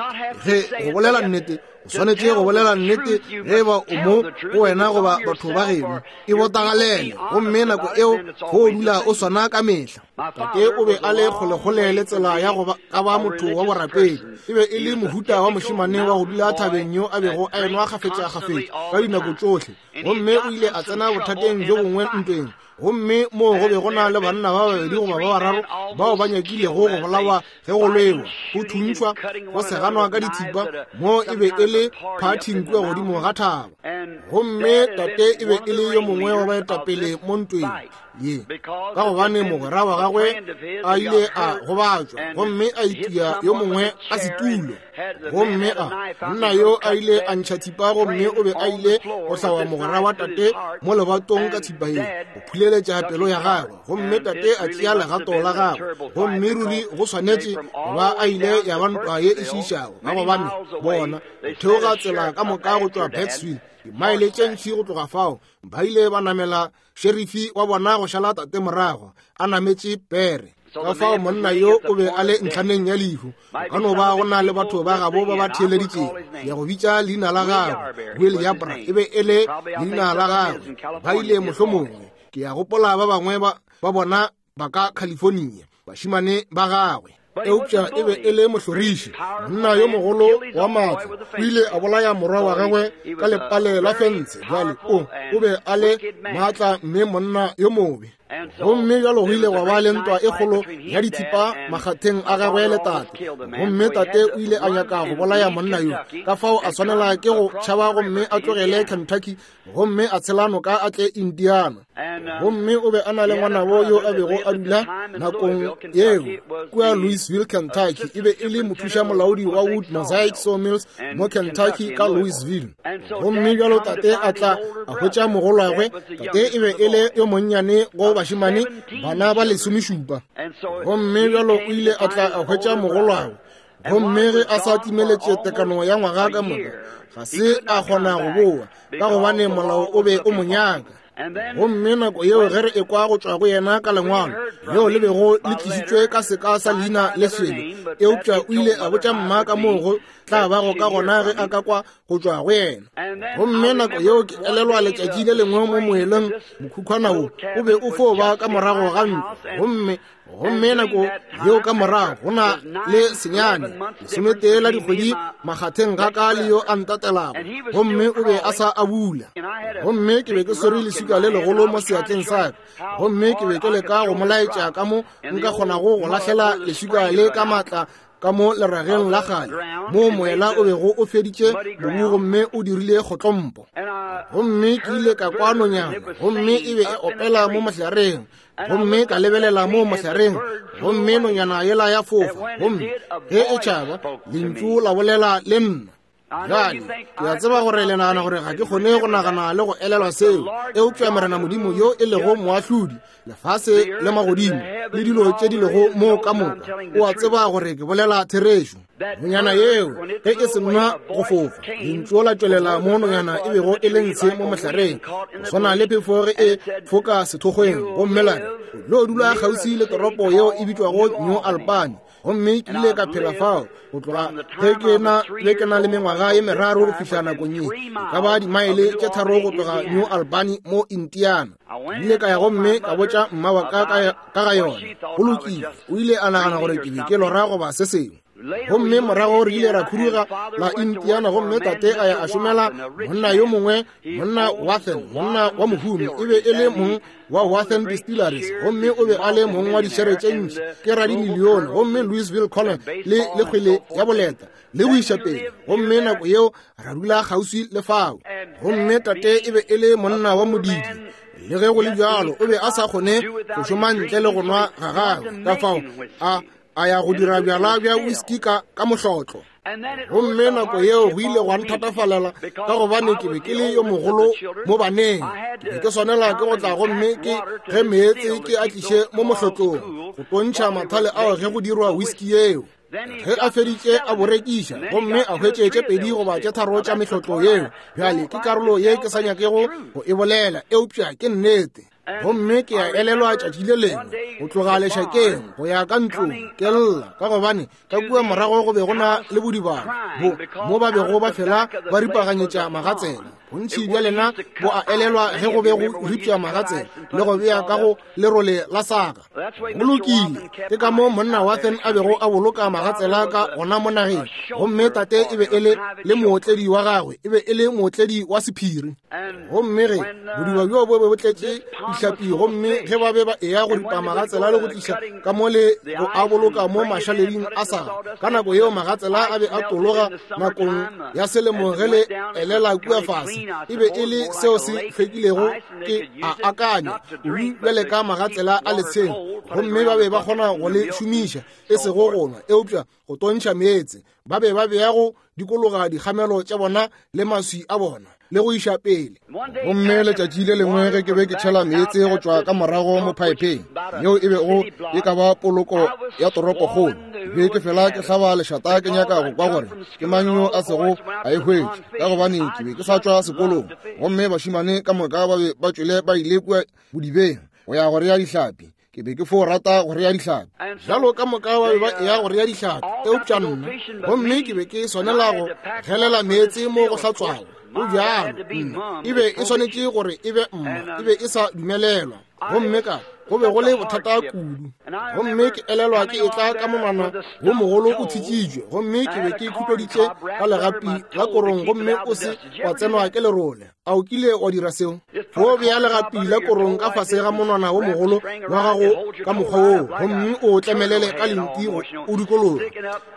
ge go bolela nnete, o swanetše go bolela nnete ge e ba o mo go wena goba batho ba geno, e botagalele, gomme nako eo go dula o swana ka mehla. Tate o be a le kgolekgole le tsela ya go ka ba motho wa borapedi. E be e le mohuta wa mošemane wa go dula thabeng yo a bego a enwa kgafetša-kgafetša ka dinako tšohle, gomme o ile a tsena bothateng bjo bongwe ntweng. Gomme moo go be go na le banna ba babedi goba ba bararo bao ba nyakilego go bolawa ge go lwewa, go thuntšhwa, go seganwa ka dithipa. Mo e be e le phathing kua godimo ga thaba. Gomme tate e be e le yo mongwe wa baetapele mo ntweng. ye, ka gobane mogwera wa gagwe a ile a gobatšwa gomme a itia yo mongwe a setulo, gomme a monna yo a ile a ntšha thipa gomme o be a ile go hlawa mogwera wa tate mo lebatong ka thipa ye go phuleletša pelo ya gagwe, gomme tate a tšea legato la gagwe, gomme ruri go swanetše go ba a ile ya ba ntwa ye e šiišago, ka gobane bona go theoga tsela ka moka go tšwa Batesville, dimaele tše ntši go tloga fao, ba ile ba namela šerifi wa bona go šala tate morago a nametše pere. Ka fao monna yo o be a le ntlhaneng ya lehu. Go ka no ba go na le batho ba gabo ba ba theeleditšego ya go bitša leina la gagwe, Will Yabra e be e le leina la gagwe. Ba ile mohlomongwe, ke ya gopola ba bangwe ba bona ba ka California, bašimane ba gagwe. Eupša e be e le mohloriši, monna yo mogolo wa maatla. O ile a bolaya morwa wa gagwe ka lepale la fentshe. Bjale o be a le maatla mme monna yo mobe. Gomme bjalo go ile gwa ba le ntwa e kgolo ya dithipa makgatheng a gagwe le tate, gomme tate o ile a nyaka go bolaya monna yo, ka fao a swanela ke go tšhaba gomme a tlogele Kentucky gomme a tshela noka a tle Indiana. Gomme o be a na le ngwanabo yo a bego a dula nakong yeo kua Louisville, Kentucky. E be e le mothuša molaodi wa Wood Mosaic Sawmills mo Kentucky ka Louisville. Gomme bjalo tate a tla a hwetša mogolwagwe. Tate e be e le yo monnyane go bašemane bana ba 17. Gomme bjalo o ile a tla a hwetša mogolwagwe. Gomme ge a sa timeletše tekano ya ngwaga ka moka, ga se a kgona go boa, ka gobane molao o be o mo nyaka. Gomme nako yeo ge re ekwa go tšwa go yena ka lengwalo leo le bego le tlišitšwe ka seka sa leina le sele, eupša o ile a botša mma ka moo go tla bago ka gona ge a ka kwa go tšwa go yena. Gomme nako yeo ke elelwa letšatši le lengwe mo moeleng, mokhukhwana wo o be o fo ba ka morago ga ntlo, gomme nako yeo ka morago go na le senyane 11 la dikgwedi makgatheng ga ka le yo a ntatelago, gomme o be a sa a bula. Gomme ke be ke swere leswika le legolo mo seatleng sa ka, gomme ke be ke leka go mo laetša ka mo nka kgonago go lahlela leswika le ka maatla ka mo lerageng la kgale moo moela o bego o feditše mobu gomme o dirile kgotlompo. Gomme ke ile ka kwa nonyana, gomme e be e opela mo mohlareng, gomme ka lebelela mo mohlareng, gomme nonyana yela ya fofa, gomme ge e tšhaba lentšu la bolela le nna. Bjale ke a tseba gore le nagana gore ga ke kgone go nagana le go elelwa seo, eupša Morena Modimo yo e lego moahlodi lefase le magodimo le dilo tše di lego mo ka moka, o a tseba gore ke bolela therešo. Nonyana yeo ge e se nwa go fofa, lentšu la tšwelela mo nonyana e bego e le ntshe mo mohlareng, go swana le phefo ge e foka sethokgweng, gomme la re, o tlo dula kgauswi le toropo yeo e bitšwago New Albany. Gomme ke ile ka phela fao go tloga ge ke na le mengwaga ye 3 go fihla nakong ye, e ka ba dimaele tše 3 go tloga New Albany mo Indiana. Ke ile ka ya gomme ka botša mma wa ka ka ga yona. Go lokile, o ile a nagana gore ke be ke lora goba se sengwe. Gomme morago re ile ra khuduga la Indiana, gomme tate a ya a šomela monna yo mongwe, monna Wathen, monna wa mohumi. E be e le mong wa Wathen Distilleries, gomme o be a le mong wa dišere tše ntši, ke radimilione, gomme Louisville Colon le kgwele ya boleta le go iša pele. Gomme nako yeo ra dula kgauswi le fao. Gomme tate e be e le monna wa modidi, le ge go le bjalo o be a sa kgone go šoma ntle le go nwa ga gagwe, ka fao a ya go dira bjala bja whisky ka mohlotlo. Gomme nako yeo go ile gwa nthatafalela, ka gobane ke be ke le yo mogolo mo baneng. Ke be ke swanela ke go tla gomme ke ge meetse ke a tliše mo mohlotlong go tontšha mathale ao ge go dirwa whisky yeo. Ge a feditše a bo rekiša, gomme a hwetše tše 2 goba tše 3 tša mehlotlo yeo. Bjale ke karolo ye ke sa nyakego go e bolela, eupša ke nnete. Gomme ke a elelwa tšatši le lengwe go tloga lešakeng go ya ka ntlong ke lla, ka gobane ka kua morago go be go na le bodibana bo mo ba bego ba fela ba ripaganyetša magatsela. Bontši bja lena bo a elelwa ge go be go ripša magatsela le go bea ka go lerole la saka. Go lokile, ke ka mo monna Wathen a bego a boloka magatsela ka gona mo nageng. Gomme tate e be e le mootledi wa gagwe, e be e le mootledi wa sephiri. Gomme ge bodiba bjo bo be bo tletše dihlapi, gomme ge ba be ba eya go ripa magatsela le go tliša ka mo le go a boloka mo mašaleding a saga, ka nako yeo magatsela a be a tologa nakong ya selemo ge le elela kua fase. meetse. E be e le seo se hlwekilego, ke a akanya, kudu bjale ka magatsela a letsheng, gomme ba be ba kgona go le šomiša, e sego go nwa, eupša go tontšha meetse. Ba be ba bea go dikologa dikgamelo tša bona le maswi a bona le go iša pele. Gomme letšatši le lengwe ge ke be ke tšhela meetse go tšwa ka morago mo phaepheng yeo e bego e ka ba poloko ya toropokgolo, be ke fela ke hlaba lešata ke nyaka go kwa gore ke mang yo a sego a e hwetša, ka gobane ke be ke sa tšwa sekolong gomme bašemane ka moka ba be ba tšwele ba ile kua bodibeng go ya go rea dihlapi. Ke be ke fo rata go rea dihlapi bjalo ka moka ba be ba eya go rea dihlapi, eupša nna, gomme ke be ke swanela go gelela meetse mo go hlatswago. Go bjalo, nna e be e swanetše gore e be mma, e be e sa dumelelwa, gomme ka go be go le bothata kudu. Gomme ke elelwa ke etla ka monwana wo mogolo o thitšitšwe, gomme ke be ke khupeditše ka legapi la korong, gomme o se wa tsenwa ke lerole. A o kile wa dira seo? Go bea legapi la korong ka fase ga monwana wo mogolo wa gago ka mokgwa woo, gomme o tlemelele ka lenti go o dikologa.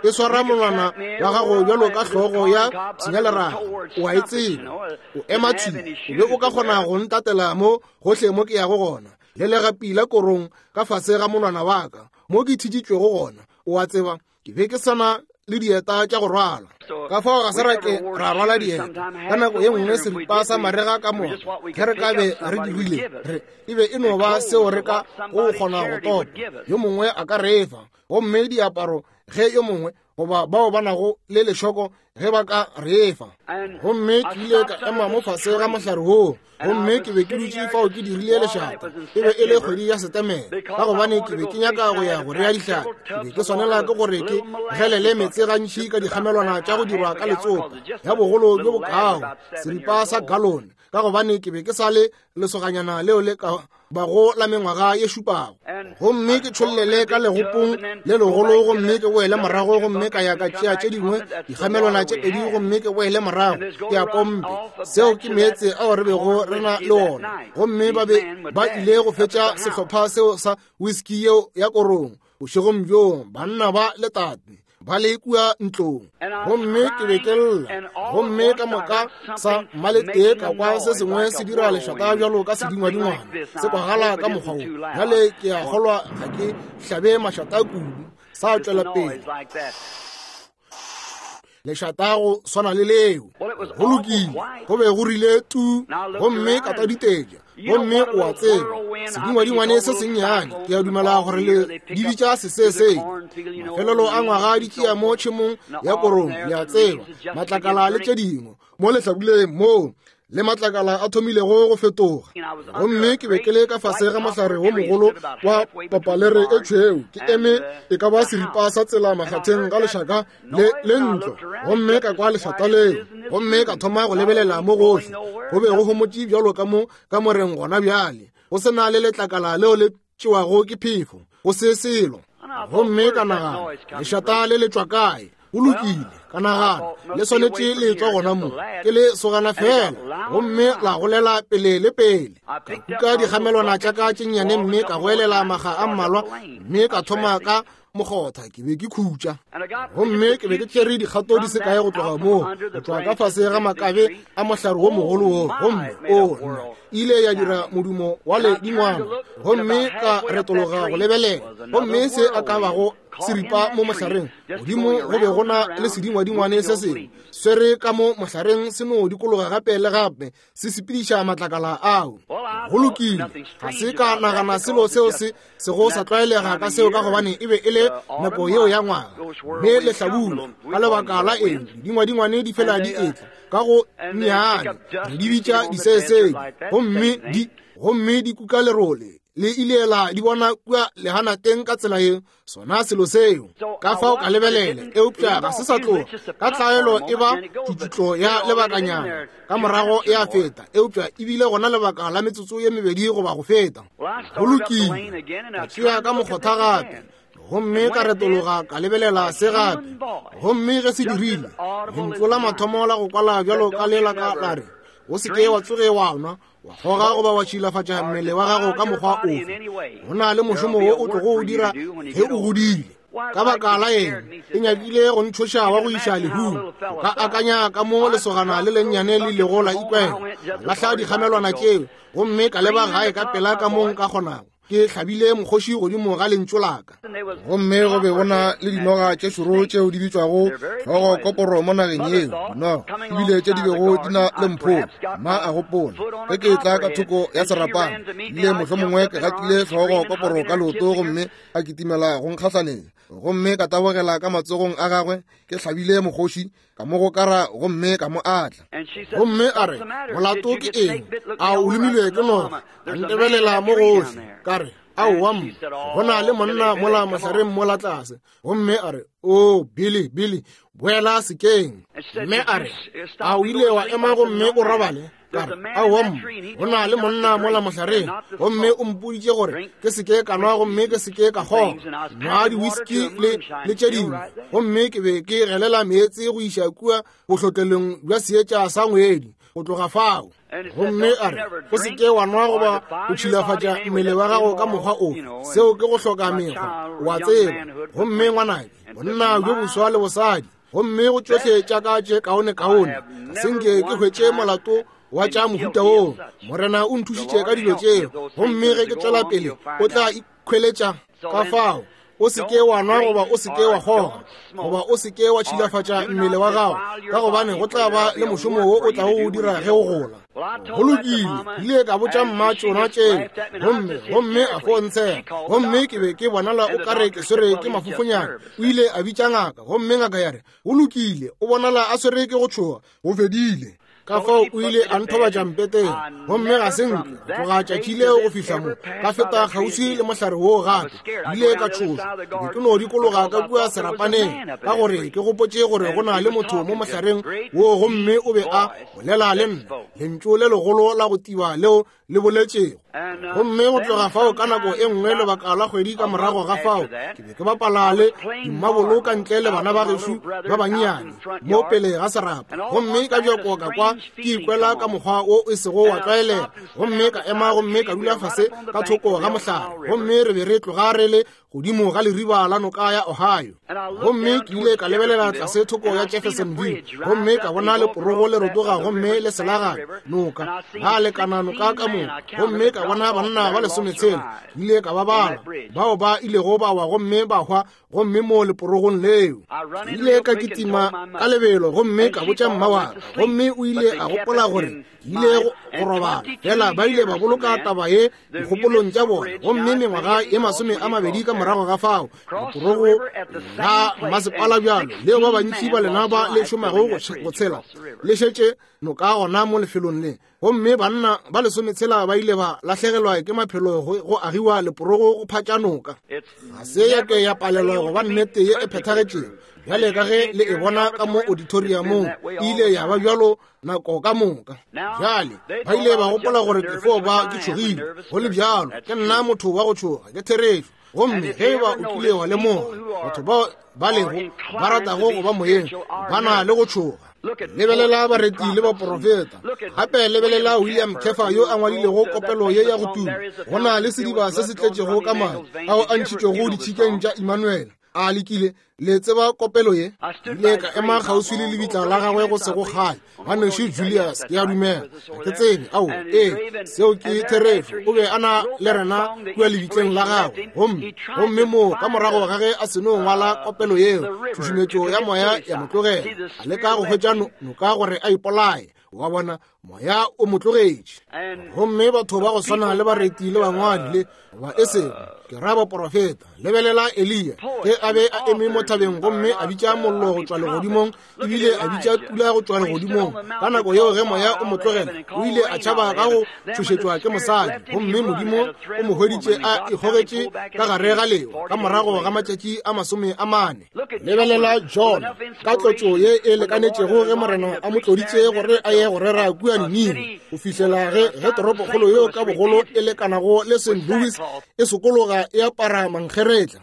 E swara monwana wa gago bjalo ka hlogo ya pshinyaleraga. O a e tseba. O ema thwi. O be o ka kgona go ntatela mo gohle mo ke yago gona, le legapi la korong ka fase ga monwana wa ka, mo ke thitšitšwego gona. O a tseba, ke be ke sana le dieta tša go rwala, ka fao ga se ra ke ra rwala dieta. Ka nako ye nngwe seripa sa marega ka moka ge re ka be re dirile, re e be e no ba seo re ka go kgona go topa, yo mongwe a ka re fa, gomme diaparo ge yo mongwe goba bao ba nago le lešoko ge ba ka re fa. Gomme ke ile ka ema mo fase ga mohlare woo, gomme ke be ke dutše fao ke dirile lešata. E be e le kgwedi ya Setemere, ka gobane ke be ke nyaka go ya go rea dihlapi. Ke be ke swanela ke gore ke gelele meetse gantši ka dikgamelwana tša go dirwa ka letsopa ya bogolo bjo bokao, seripa sa galone, ka gobane ke be ke sa le lesoganyana leo le ka bago la mengwaga ye šupago. Gomme ke tšhollele ka legopong le legolo, gomme ke boele morago, gomme ka ya ka tšea tše dingwe dikgamelwana tše pedi, gomme ke boele morago ke ya pompe. Seo ke meetse ao re bego re na le ona. Gomme ba be ba ile go fetša sehlopha seo sa whisky yeo ya korong bošegong bjoo, banna ba le tate ba le kua ntlong. Gomme ke be ke lla, gomme ka moka sa mmaletee ka kwa se sengwe se dira lešata bjalo ka sedingwadingwana, se kwagala ka mokgwa wo. Bjale ke a kgolwa ga ke hlabe mašata kudu, sa tšwela pele lešata go swana le leo. Go lokile, go be go rile tu, gomme ka taditetša. Gomme o a tseba, sedingwadingwane se sennyane, ke a dumela gore le di bitša sesesedi, mafelelo a ngwaga di tšea mo tšhemong ya korong, le a tseba, matlakala le tše dingwe mo lehlabuleng moo le matlakala a thomilego go fetoga. Gomme ke be ke le ka fase ga mohlare wo mogolo wa papalere e tšhweu, ke eme e ka ba seripa sa tsela makgatheng ga lešaka le le ntlo, gomme ka kwa lešata leo, gomme ka thoma go lebelela mo gohle. Go be go homotše bjalo ka mo kamoreng gona bjale, go se na le letlakala leo le tšewago ke phefo, go se selo. Gomme ka nagana, lešata le le tšwa kae? Go lokile, ka nagana, le swanetše le tšwa gona mo, ke le sogana fela. Gomme la golela pele le pele. Ka kuka dikgamelwana tša ka tše nnyane mme ka goelela maga a mmalwa, mme ka thoma ka mokgotha. Ke be ke khutša, gomme ke be ke tšere dikgato di se kae go tloga moo, go tšwa ka fase ga makabe a mohlare wo mogolo wo, gomme o nna ile ya dira modumo wa ledingwana. Gomme ka retologa go lebelela, gomme se a ka bago seripa mo mohlareng godimo go be go na le sedingwadingwane se sengwe swere ka mo mohlareng, se no dikologa gape le gape, se sepediša matlakala ao. Go lokile, ga se ka nagana selo seo se sego sa tlwaelega ka seo, ka gobane e be e le nako yeo ya ngwaga mme lehlabula. Ka lebaka la eng dingwadingwane di fela di etla ka go nnyane, re di bitša disesedi, gomme di kuka lerole le ile la di bona kua lehanateng ka tsela ye, sona selo seo. Ka fao ka lebelela, eupša ga se sa tloga. Ka tlwaelo e ba tšutšutlo ya lebakanyana, ka morago ya feta, eupša e bile gona lebaka la metsotso ye mebedi goba go feta. Go lokile, ka tšea ka mokgotha gape, gomme ka retologa ka lebelela se gape. Gomme ge se dirile, lentšu la mathomo la go kwala bjalo ka le la ka la re, o se ke wa tsoge wa nwa, wa kgoga goba wa tšhilafatša mmele wa gago ka mokgwa ofe. Go na le mošomo wo o tlogo o dira ge o godile. Ka baka la eng e nyakile go ntšhoša wa go iša lehung? O ka akanya ka mo lesogana le lennyane le ilego la ikwela. Lahla dikgamelwana tšeo gomme ka leba gae ka pela ka mo nka kgonago. Ke hlabile mokgoši godimo ga lentšu la ka. Gomme go be go na le dinoga tše šoro tšeo di bitšwago hlogo koporo mo nageng yeo, dinoga ebile tše di bego di na le mpholo. Mma a gopola, ge ke etla ka thoko ya serapana, ebile mohlomongwe ke gatile hlogo koporo ka leoto gomme a kitimela go nkgahlaneng, gomme ka tabogela ka matsogong a gagwe, ke hlabile mokgoši, ka mo gokara gomme ka mo atla. Gomme a re, Molato ke eng? A o lomilwe ke noga? A ntebelela mo gohle. Ka re, Aowa, mma, go na le monna mola mohlareng mola tlase. Gomme a re, O, Billy, Billy, boela sekeng. Mme a re, A o ile wa ema gomme o robale? Ka re, Aowa, mma, go na le monna mola mohlareng, gomme o mpoditše gore ke se ke ka nwa gomme ke se ke ka kgoga, nwa di-whisky le, le tše dingwe. Gomme ke be ke gelela meetse go iša kua bohlotlelong bja seetša sa ngwedi, go tloga fao. Gomme a re, O se ke wa nwa goba go tšhilafatša mmele wa gago ka mokgwa ofe. Seo ke go hloka mekgwa, o a tseba. Gomme ngwanake, bonna bjo boswa le bosadi, gomme go tšohle tša ka tše kaonekaone, ga se nke ke hwetše molato wa tša mohuta woo. Morena o nthušitše ka dilo tšeo, gomme ge ke tšwela pele o tla ikhweletša. Ka fao, o se ke wa nwa goba o se ke wa kgoga goba o se ke wa tšhilafatša mmele wa gago, ka gobane go tla ba le mošomo wo o tlago o dira ge o gola. Go lokile, ke ile ka botša mma tšona tšeo, gomme, gomme a fo ntshega, gomme ke be ke bonala o kare ke swere ke mafofonyana. O ile a bitša ngaka, gomme ngaka ya re, Go lokile, o bonala a swere ke go tšhoga, go fedile. Ka fao o ile a nthobatša mpeteng, gomme ga se nke go tloga tšatši leo go fihla mo ka feta kgauswi le mohlare woo gape. Ke ile ka tšhošwa, ke be ke no dikologa ka kua serapaneng, ka gore ke gopotše gore go na le motho mo mohlareng woo, gomme o be a bolela le nna, lentšu le legolo la go tiba leo le boletšego. Gomme go tloga fao ka nako e nngwe lebaka la kgwedi ka morago ga fao, ke be ke bapala le dimmabolo ka ntle le bana ba gešo ba bannyane mo pele ga serapa, gomme ka bjako ka kwa ke ikwela ka mokgwa wo e sego wa tlwaelega, gomme ka ema gomme ka dula fase ka thoko ga mohlare, gomme re be re tloga re le godimo ga leriba la noka ya Ohio. Gomme ke ile ka lebelela tlase thoko ya Jeffersonville, gomme ka bona leporogo le rotoga gomme le selaganya noka, la lekana noka ka moka, gomme ka bona banna ba lesometshela, ke ile ka ba bala, bao ba ilego ba wa gomme ba hwa, gomme mo leporogong leo. Ke ile ka kitima ka lebelo gomme ka botša mma wa ka, gomme o ile a gopola gore ke ile go robala. Fela ba ile ba boloka taba ye dikgopolong tša bona, gomme mengwaga ye 20 ka morago ga fao, leporogo la mmasepala bjalo leo ba bantši ba lena ba le šomago go tshela le šetše noka gona mo lefelong le, gomme banna ba lesometshela ba ile ba lahlegelwa ke maphelo go agiwa leporogo go phatša noka. Ga se ya ke ya palelwa go ba nnete ye e phethagetšego bjale ka ge le e bona ka mo auditoriumong, e ile ya ba bjalo nako ka moka. Bjale ba ile ba gopola gore ke fo ba ke tšhogile. Go le bjalo, ke nna motho wa go tšhoga, ke therešo. Gomme ge e ba o kile wa lemoga, batho bao ba lego ba ratago go ba moyeng ba na le go tšhoga. Lebelela bareti le baporofeta. Gape lebelela William Kefa yo a ngwadilego kopelo ye ya go tuma, Go na le sediba se se tletšego ka madi ao a ntšhitšwego ditšhikeng tša Immanuel. A lekile le tseba kopelo ye? Ile ka ema kgauswi le lebitla la gagwe go sego kgale. Ngwanešu Julius, ke a dumela, ga ke tsebe. Ao, ee, seo ke therešo. O be a na le rena kua lebitleng la gagwe. Gomme, gomme moo ka morago ga ge a seno ngwala kopelo yeo, tšhušumetšo ya moya ya mo tlogela. A leka go hwetša noka gore a ipolaye. Wa bona, moya o mo tlogetše. Gomme batho ba go swana le bareti le bangwadi le goba e sego ke ra baporofeta. Lebelela Eliya ge a be a eme mo thabeng gomme a bitša mollo go tšwa legodimong, ebile a bitša pula go tšwa legodimong. Ka nako yeo ge moya o mo tlogela, o ile a tšhaba ka go tšhošetšwa ke mosadi, gomme Modimo o mo hweditše a ikgogetše ka gare ga lewa ka morago ga matšatši a 40. Lebelela Jona ka tlotšo ye e lekanetšego ge Morena a mo tloditše gore a ye go rera kua Ninive, go fihlela ge ge toropokgolo yeo ka bogolo e lekanago le St. Louis e sokologa e apara mankgeretla.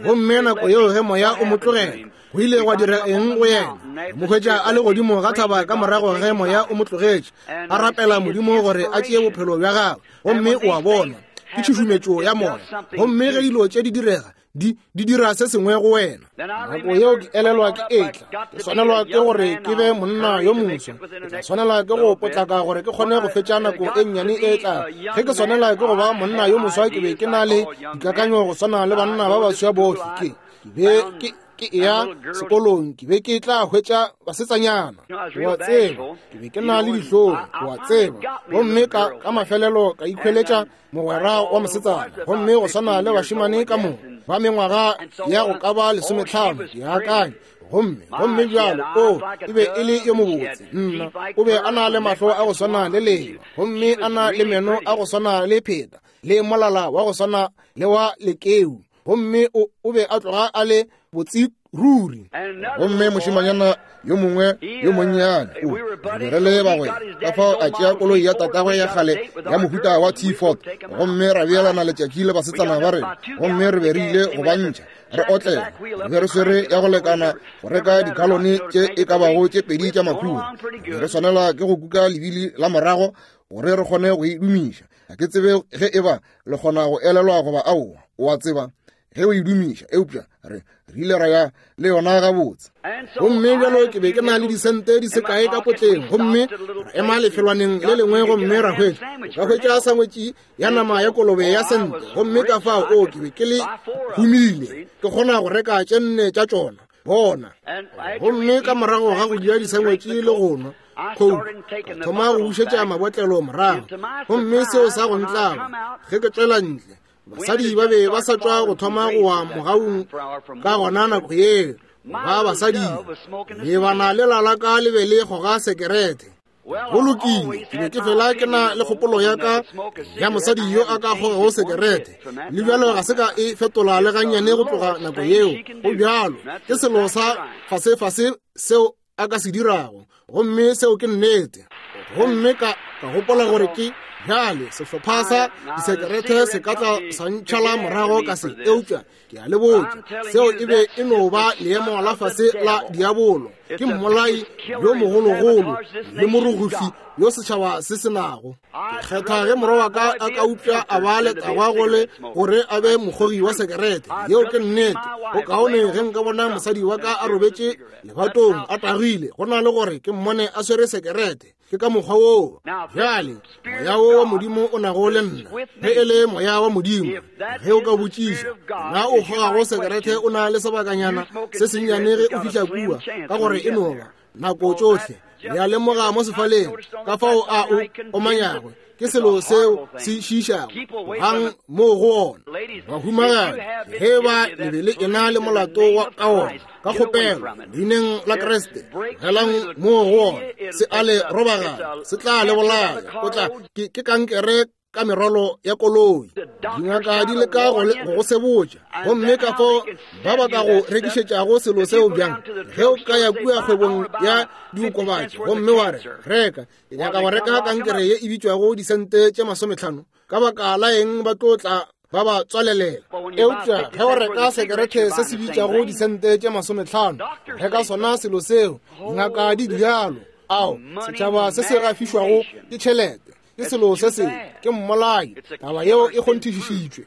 Gomme nako yeo ge moya o mo tlogela, go ile gwa dira eng go yena? Mo hwetša a le godimo ga thaba ka morago ge moya o mo tlogetše, a rapela Modimo gore a tšee bophelo bja gagwe. Gomme o a bona, ke tšhušumetšo ya moya. Gomme ge dilo tše di direga, Di, di dira se sengwe go wena. Nako yeo ke elelwa ke etla, ke swanelwa ke gore ke be monna yo moswa. Ke tla swanela ke go potlaka gore ke kgone go fetša nako e nnyane e tla. Ge ke swanela ke go ba monna yo moswa, ke be ke na le dikakanyo go swana le banna ba baswa bohle. Ke, ke be ke, ke eya sekolong, ke be ke tla hwetša basetsanyana. O a tseba, ke be ke na le dihlong, o a tseba. Gomme ka, ka mafelelo ka ikhweletša mogwera wa mosetsana, gomme go swana le bašemane ka moka ba mengwaga ya go ka ba 15, ke akanya. Gomme, gomme bjalo, o, e be e le yo mobotse. Nna, o be a na le mahlo a go swana le leba, gomme a na le meno a go swana le pheta, le molala wa go swana le wa lekeu. Gomme o, o be a tloga a le botse ruri. Gomme mošemanyana yo mongwe yo monnyane, o, re be re le bagwera, ka fao a tšea koloi ya tatagwe ya kgale ya mohuta wa T-Ford, gomme ra beelana letšatši le basetsana ba rena, gomme re be re ile go ba ntšha re otlela. Re be re swere ya go lekana go reka digalone tše e ka bago tše 2 tša makhura. Re be re swanela ke go kuka lebili la morago gore re kgone go e dumiša. Ga ke tsebe ge e ba le kgona go elelwa goba aowa, o a tseba, ge o e dumiša, eupša re ile ra ya le yona gabotse. Gomme bjalo ke be ke na le disente di se kae ka potleng, gomme ra ema lefelwaneng le lengwe gomme ra hwetša, ka hwetša sangwetši ya nama ya kolobe ya sente. Gomme ka fao, o, ke be ke le humile, ke kgona go reka tše 4 tša tšona. Bona. Gomme ka morago ga go ja disangwetši le go nwa coke, ka thoma go bušetša mabotlelo morago. Gomme seo sa go ntlaba, ge ke tšwela ntle, basadi ba be ba sa tšwa go thoma go wa mogaung ka gona nako yeo. Ba basadi lebana le la ka le be le goga sekerete. Go lokile, ke be ke fela ke na le kgopolo ya ka ya mosadi yo a ka kgogago sekerete, le bjalo ga se ka e fetola le gannyane go tloga nako yeo. Go bjalo, ke selo sa fasefase seo a ka se dirago, gomme seo ke nnete. Gomme ka gopola gore ke bjale sehlopha sa disekerete se ka tla sa ntšhala morago ka se, eupša ke a le botša, seo e be e no ba leemo la fase la diabolo. Ke mmolai yo mogologolo le moruguhli yo setšhaba se se nago. Ke kgetha ge morwa wa ka a ka upša a ba letagwa go le gore a be mokgogi wa sekerete. Yeo ke nnete. Go kaone ge nka bona mosadi wa ka a robetše lebatong a tagile, go na le gore ke mmone a swere sekerete. Ke ka mokgwa woo bjale moya wo wa Modimo o nago le nna. Ge e le moya wa Modimo, ge o ka botšiša na o kgogago sekerete o na le sebakanyana se sennyane ge o fihla kua, ka gore e no ba nako tšohle. Le a lemoga mo sefaleng ka fao a o omanyago, ke selo seo se šiišago gang moo go ona. Bahumagadi, ge ba le be le ena le molato wa ka ona, ka kgopelo leineng la Kriste, tlogelang moo go ona. Se a le robagana, se tla le bolaya. O tla, ke kankere ka merwalo ya koloi. Dingaka di leka go go sebotša, gomme ka fao ba ba ka go rekišetšago selo seo bjang. Ge o ka ya kua kgwebong ya diokobatši gomme wa re, reka, ke nyaka go reka kankere ye e bitšwago disente tše 50, ka baka la eng ba tlo tla ba ba tswalelela. Eupša ge o reka sekerete se se bitšago disente tše 50, reka sona selo seo. Dingaka di bjalo. Ao, setšhaba se se gafišwago ke tšhelete ke selo se sengwe, ke mmolai. Taba yeo e kgonthišišitšwe.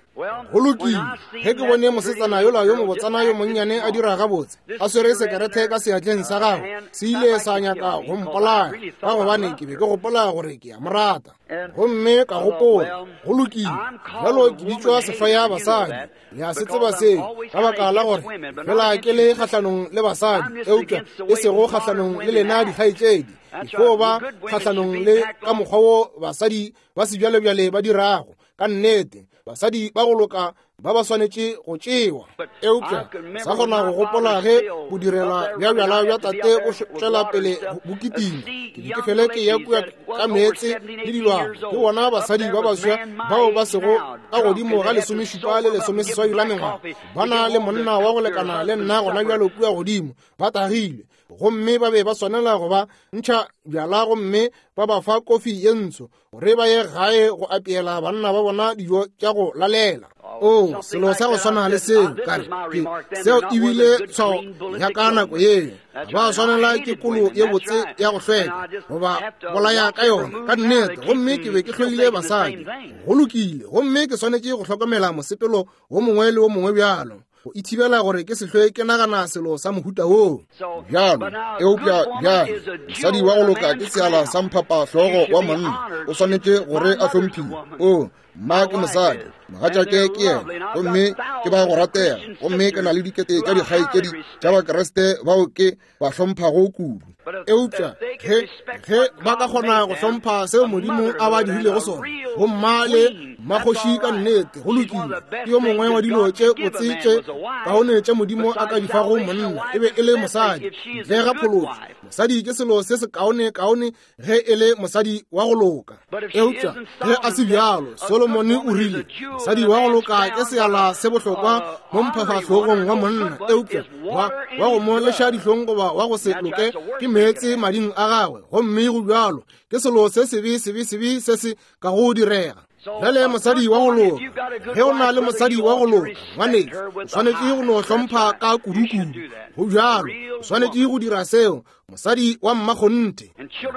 Go lokile, ge ke bone mosetsana yola yo mobotsana yo monnyane a dira gabotse, a swere sekerete ka seatleng sa gagwe, se ile sa nyaka go mpolaya, ka gobane ke be ke gopola gore ke a mo rata. Gomme ka gopola, go lokile, bjalo ke bitšwa sehloya basadi. Le a se tseba seo, ka baka la gore fela ke le kgahlanong le basadi, eupša e sego kgahlanong le lena dikgaetšedi. Ke fo ba kgahlanong le ka mokgwa wo basadi ba sebjalebjale ba dirago. Ka nnete, basadi ba go loka ba ba swanetše go tšewa. Eupša sa kgona go gopola ge bodirela bja bjala bja tate bo tšwela pele bo kitima. Ke be ke fele ke ya kua ka meetse le dilwana, ke bona basadi ba baswa bao ba sego ka godimo ga 17 le 18 la mengwaga, ba na le monna wa go lekana le nna gona bjalo kua godimo, ba tagilwe, gomme ba be ba swanela go ba ntšha bjala gomme ba ba fa kofi ye ntsho gore ba ye gae go apeela banna ba bona dijo tša go lalela. O, selo sa go swana le seo, ka re, ke seo ebile tshwao ya ka nako yeo. Ba swanela ke kolo ye botse ya go hlweka goba bolaya ka yona, ka nnete. Gomme ke be ke hloile basadi. Go lokile, gomme ke swanetše go hlokomela mosepelo wo mongwe le wo mongwe bjalo. go ithibela gore ke se hlwe ke nagana selo sa mohuta woo. Bjalo, eupša bjale, mosadi wa go loka ke seala sa mphapahlogo wa monna, o swanetše gore a hlomphiwe. O, mma ke mosadi, mogatšake ke yena, gomme ke ba go ratega, gomme ke na le dikete tša dikgaetšedi tša Bakriste bao ke ba hlomphago kudu. Eupša ge ge ba ka kgona go hlompha seo Modimo a ba dirilego sona, go mma le mmakgoši ka nnete, go lokile. Ke yo mongwe wa dilo tše botse tše kaone tše Modimo a ka di fago monna, e be e le mosadi. Ntle ga phološo, mosadi ke selo se sekaone kaone ge e le mosadi wa go loka. Eupša ge a se bjalo, Solomone o rile, mosadi wa go loka ke seala se bohlokwa mo mphafahlogong wa monna, eupša wa go mo leša dihlong goba wa go se loke ke meetse mading a gagwe. Gomme go bjalo, ke selo se sebe sebe sebe se se ka go direga. Bjale mosadi wa go loka, ge o na le mosadi wa go loka, ngwanešu, o swanetše go no hlompha ka kudukudu. Go bjalo, o swanetše go dira seo, mosadi wa mmakgonthe.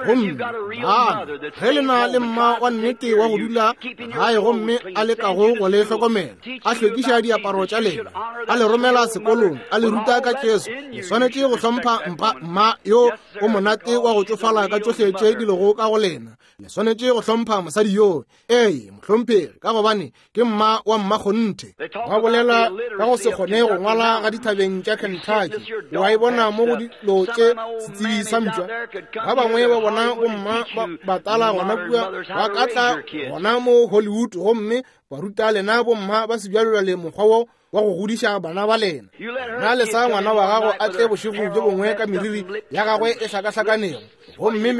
Gomme bana, ge le na le mma wa nnete wa go dula gae gomme a lekago go le hlokomela, a hlwekiša diaparo tša lena, a le romela sekolong, a le ruta ka Jesu, le swanetše go hlompha mma yo o monate wa go tšofala ka tšohle tše di lego ka go lena. Le swanetše go hlompha mosadi yoo, ee, mohlomphegi, ka gobane ke mma wa mmakgonthe. Ba bolela ka go se kgone go ngwala ga dithabeng tša Kentucky. O a e bona mo go dilo tše setsebi sa mpša. Ba bangwe ba bona bomma ba batala gona kua, ba ka tla gona mo Hollywood gomme ba ruta lena bomma ba sebjalebjale mokgwa wo wa go godiša bana ba lena. Na lesa ngwana wa gago a tle bošego bjo bongwe ka meriri ya gagwe e hlakahlakanego, gomme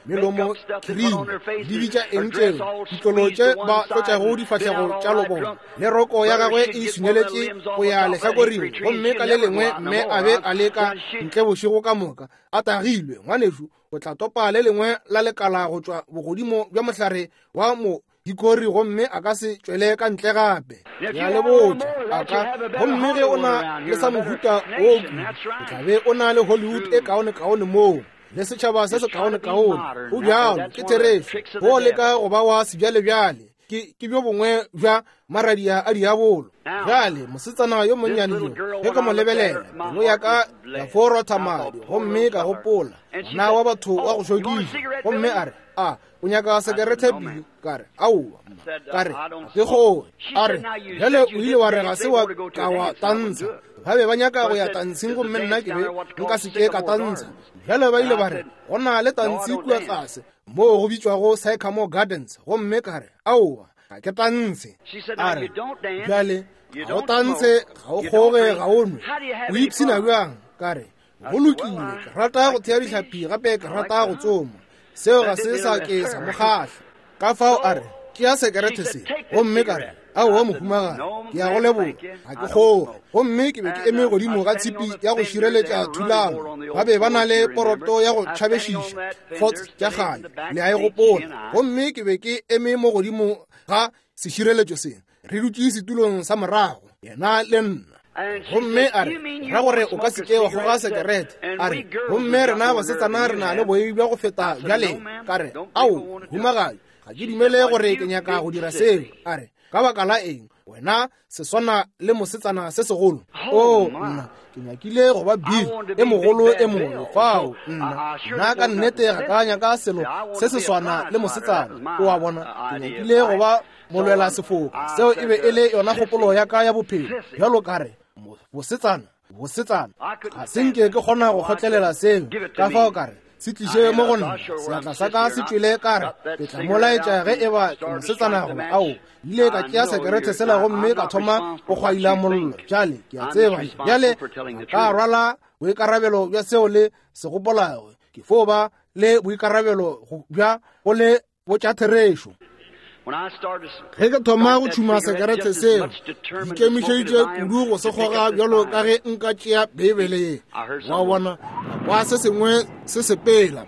melomo khirimi, di bitša eng tšeo, ditlolo tše ba tlotšago difahlego tša lobona, le roko ya gagwe e sunyeletše go ya lehlakoring, gomme ka le lengwe mme a be a le ka ntle bošego ka moka a tagilwe. Ngwanešu, o tla topa le lengwe la lekala go tšwa bogodimo bja mohlare wa mo dikori, gomme a ka se tšwele ka ntle gape. Ya le botša, a ka. Gomme ge o na le sa mohuta wo kudu, o tla be o na le Hollywood e kaone-kaone moo, le setšhaba se se kaone-kaone. Go bjalo, ke therešo. Go leka go ba wa sebjalebjale, ke bjo bongwe bja maradia a diabolo. Bjale, mosetsana yo monnyane yo, ge ke mo lebelela, pelo ya ka ya fo rotha madi, gomme ka gopola, ngwana wa batho wa go šokiša. Gomme a re, a o nyaka sekerete Billy? Ka re, aowa, mma. Ka re, ga ke kgoge. A re, bjale o ile wa re ga se wa ka wa tantsha. Ba be ba nyaka go ya tantshing gomme nna ke be nka se ke ka tantsha. Bjale ba ile ba re, go na le tantshi kua tlase moo go bitšwago Sycamore Gardens, gomme ka re, aowa, ga ke tantshe. A re, bjale ga o tantshe, ga o kgoge, ga o nwe, o ipshina bjang? Ka re, go lokile, ke rata go thea dihlapi gape ke rata go tsoma. Seo ga se sa ke sa mo kgahla. Ka fao a re, tšea sekerete se. Gomme ka re, aowa mohumagadi, ke ya go leboga, ga ke kgoge. Gomme ke be ke eme godimo ga tshipi ya go šireletša thulano. Ba be ba na le poroto ya go tšhabešiša, forts tša kgale, le a e gopola. Gomme ke be ke eme mo godimo ga sešireletšo se, re dutše setulong sa morago, yena le nna. Gomme a re, ra gore o ka se ke wa kgoga sekerete. A re, gomme rena basetsana re na le boei bja go feta bja lena. Ka re, ao, mohumagadi, ga ke dumele gore ke nyaka go dira seo. A re, ka baka la eng, wena se swana le mosetsana se segolo. Oo, nna, ke nyakile go ba Bill e mogolo e mobe fao. Nna, nna ka nnete ga ka nyaka selo se se swana le mosetsana. O a bona, ke nyakile go ba molwela sefoka. Seo e be e le yona kgopolo ya ka ya bophelo. Bjalo ka re, bosetsana, bosetsana, ga se nke ke kgona go kgotlelela seo. Ka fao ka re, se tliše mo go nna, seatla sa ka se tšwele. Ka re, ke tla mo laetša ge e ba ke mosetsana goba ao. Ile ka tšea sekerete sela gomme ka thoma go kgwaila mollo. Bjale ke a tseba, bjale ka rwala boikarabelo bja seo le se gopolago. Ke fo ba le boikarabelo bja go le botša therešo. Ge ke thoma go tšhuma sekerete seo, ke ikemišeditše kudu go se kgoga bjalo ka ge nka tšea Beibele ye. Wa bona, ka kwa se sengwe se sepela.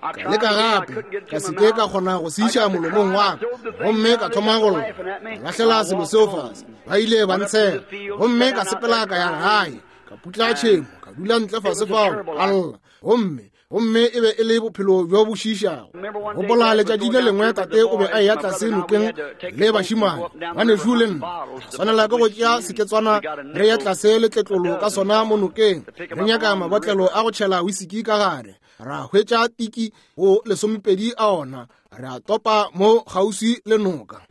Ka leka gape, ka se ke ka kgona go se iša molomong wa ka, gomme ka thoma go lla. Ka lahlela selo seo fase, ba ile ba ntshega, gomme ka sepela ka ya gae, ka putla tšhemo, ka dula ntle fase fao, ka lla. Gomme Gomme e be e le bophelo bjo bo šiišago. Gopola letšatši le lengwe tate o be a eya tlase nokeng le bašimane, ngwanešu le nna. Swanela ke go tšea seketswana re ye tlase le tletlolo ka sona mo nokeng, re nyaka mabotlelo a go tšhela wisiki ka gare. Ra hwetša tiki go 12 a ona, re a topa mo kgauswi le noka.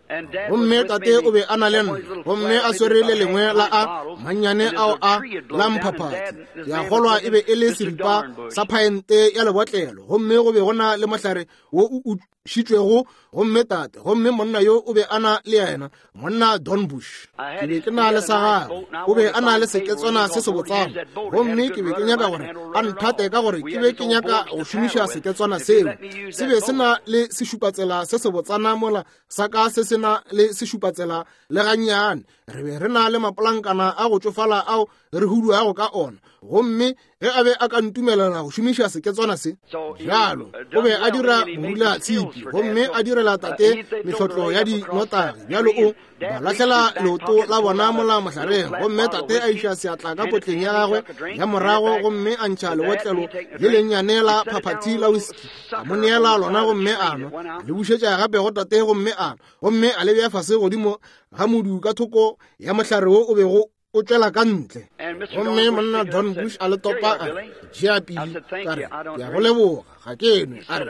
Gomme tate o be a na le nna, gomme a swere le lengwe la a mannyane ao a la mphaphathi. Ke a kgolwa e be e le seripa sa phaente ya lebotlelo, gomme go be go na le mohlare wo o ušitšwego. Gomme tate, gomme monna yo o be a na le yena, monna Don Bush, ke be ke na le sa gagwe. O be a na le seketswana se sebotsana, gomme ke be ke nyaka gore a nthate ka gore ke be ke nyaka go šomiša seketswana seo. Se be se na le sešupatsela se sebotsana mola sa ka se se na le sešupatsela le gannyane. Re be re na le mapolankana a go tšofala ao re huduago ka ona, gomme ge a be a ka ntumelela go šomiša seketswana se bjalo, o be a dira morula tshipi gomme a direla tate mehlotlo ya dinotagi. Bjalo o ba lahlela leoto la bona mola mohlareng, gomme tate a iša seatla ka potleng ya gagwe ya morago gomme a ntšha lebotlelo le lennyane la phaphathi la whisky, a mo neela lona gomme a nwa, a le bušetša gape go tate gomme a nwa, gomme a le bea fase godimo ga modu ka thoko ya mohlare wo o bego o tšwela ka ntle. Gomme monna Don Bush a le topa, a re, Tšea pili. Ka re, Ke a go leboga, ga ke nwe. A re,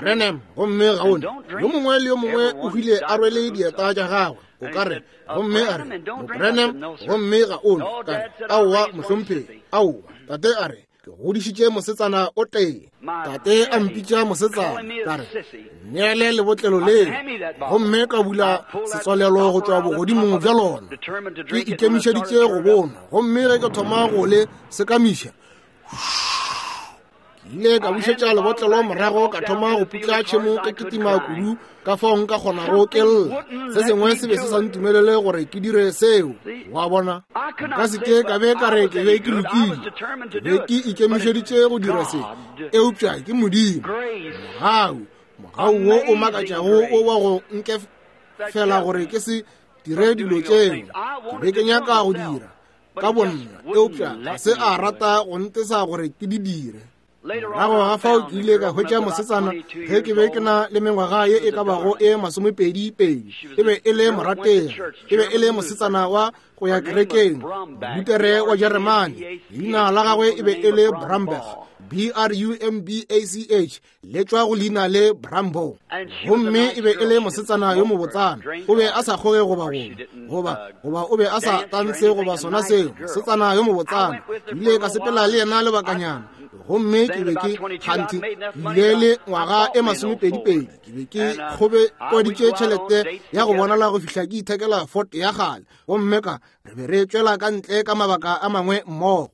Branham, gomme ga o nwe. Yo mongwe le yo mongwe o hwile a rwele dieta tša gagwe, o ka re. Gomme a re, Branham, gomme ga o nwe. Ka re, Aowa, mohlomphegi, aowa. Tate a re, Ke godišitše mosetsana o tee. Tate a mpitša mosetsana. Ka re, Neele lebotlelo leo, gomme ka bula setswalelo go tšwa bogodimong bja lona. Ke ikemišeditše go bonwa, gomme ge ke thoma go le sekamiša, ke ile ka bušetša lebotlelo morago, ka thoma go putla tšhemo ka kitima kudu ka fao nka kgonago ke lla. Se sengwe se be se sa ntumelele gore ke dire seo. Wa bona, nka se ke ka be ka re ke be ke lokile, ke be ke ikemišeditše go dira se, eupša ke Modimo, mogau, mogau wo o makatšago o wa go nkefela gore ke se dire dilo tšeo ke be ke nyaka go dira ka bonna, eupša ga se a rata go ntesa gore ke di dire. Morago ga fao ke ile ka hwetša mosetsana ge ke be ke na le mengwaga ye e ka bago e 22. E be e le morategi, e be e le mosetsana wa go ya kerekeng, Lutere wa Jeremane. Leina la gagwe e be e le Brambach, B-R-U-M-B-A-C-H, le tšwa go leina le Brambo. Gomme e be e le mosetsana yo mobotsana. O be a sa kgoge goba goba goba o be a sa tantshe goba sona seo, mosetsana yo mobotsana. Ke ile ka sepela le yena lebakanyana, gomme ke be ke kganthe ke ile le ngwaga e 22. Ke be ke kgobekwaditše tšhelete ya go bonala go fihla ke ithekela Ford ya kgale, gomme ka re be re tšwela ka ntle ka mabaka a mangwe mmogo.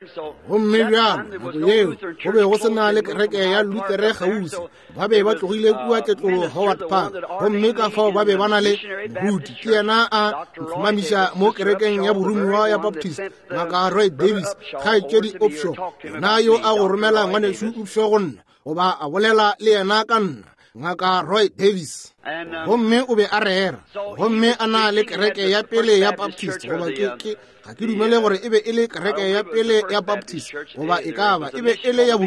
Gomme bjalo nako yeo go be go se na le kereke ya Lutere kgauswi, ba be ba tlogile kua tletlolo Howard Park, gomme ka fao ba be ba na le moruti, ke yena a ntlhomamiša mo kerekeng ya boromiwa ya Baptist, Ngaka Roy Davis, kgaetšedi Upshaw, yena yo a go romela ngwanešu Upshaw go nna, goba a bolela le yena ka nna, Ngaka Roy Davis. Gomme o be a rera, gomme a na le kereke ya pele ya Baptist, goba ke, ke, ga ke dumele gore e be e le kereke ya pele ya Baptist, goba e ka ba e be e le ya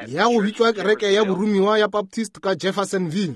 ya go bitšwa kereke ya boromiwa ya Baptist ka Jeffersonville.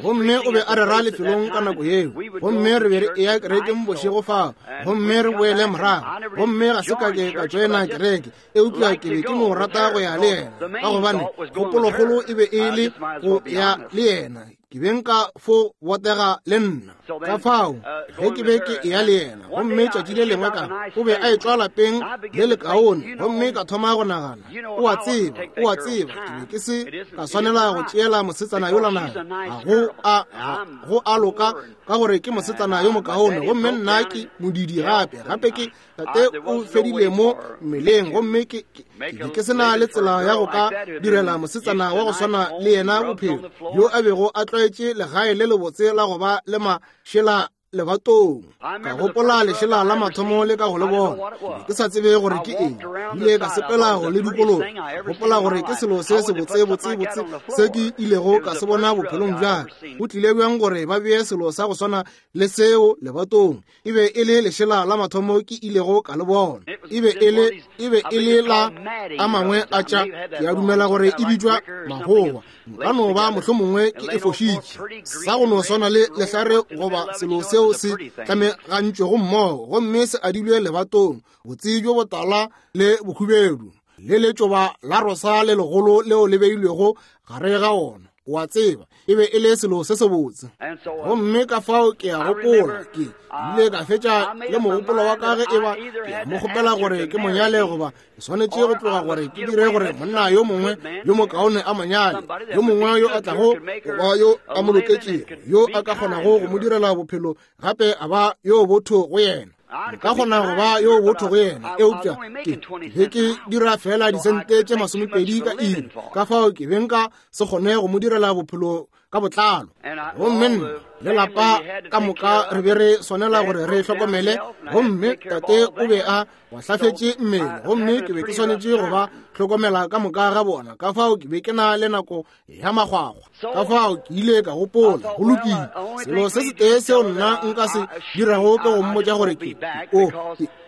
Gomme o be a rera lefelong ka nako yeo, gomme re be re eya kerekeng bošego fao, gomme re boele morago. Gomme ga se ka ke ka tšoena kereke, eupša ke be ke no rata go ya le yena, ka gobane kgopolokgolo e be e le go ya le yena. Ke be nka fo botega le nna. Ka fao ge ke be ke eya le yena, gomme tšatši le lengwe ka o be a etšwa lapeng le lekaone, gomme ka thoma go nagana, o a tseba, o a tseba, ke be ke se ka swanela go tšeela mosetsana yola naga, ga go a loka, ka gore ke mosetsana yo mokaone, gomme nna ke modidi gape, gape ke tate o fedile mo mmeleng, gomme ke be ke se na le tsela ya go ka direla mosetsana wa go swana le yena bophelo, yo a bego a tlwaetše legae le lebotse la go ba le mašela lebatong. Ka gopola lešela la mathomo le ka go le bona, ke be ke sa tsebe gore ke eng. Ile ka sepela go le dikologa, gopola gore ke selo se sebotse botse botse se ke ilego ka se bona bophelong bja ka. Go tlile bjang gore ba bee selo sa go swana le seo lebatong? E be e le lešela la mathomo ke ilego ka le bona. E be e le, e be e le la a mangwe a tša, ke a dumela gore e bitšwa magowa. Nka no ba mohlomongwe ke e fošitše. Sa go no swana le lehlare goba selo seo se tlamegantšwego mmogo gomme se adilwe lebatong, botse bjo botala le bohubedu, le letšoba la rosa le legolo leo le beilwego gare ga ona. O a tseba, e be e le selo se sebotse. Gomme ka fao ke a gopola, ke ile ka fetša le mogopolo wa ka ge e ba ke mo kgopela gore ke monyale goba ke swanetše go tloga gore ke dire gore monna yo mongwe yo mokaone a monyale, yo mongwe yo a tlago go ba yo a mo loketšego, yo a ka kgonago go mo direla bophelo gape a ba yo botho go yena. Nka kgona go ba yo botho go yena, eupša ke be ke dira fela disente tše 20 ka iri, ka fao ke be nka se kgone go mo direla bophelo ka botlalo. Gomme nna le lapa ka moka re be re swanela gore re hlokomele, gomme tate o be a gwahlafetše mmele, gomme ke be ke swanetše go ba hlokomela ka moka ga bona, ka fao ke be ke na le nako ya magwagwa. Ka fao ke ile ka gopola, go lokile, selo se setee seo nna nka se dirago ke go mmotša gore ke o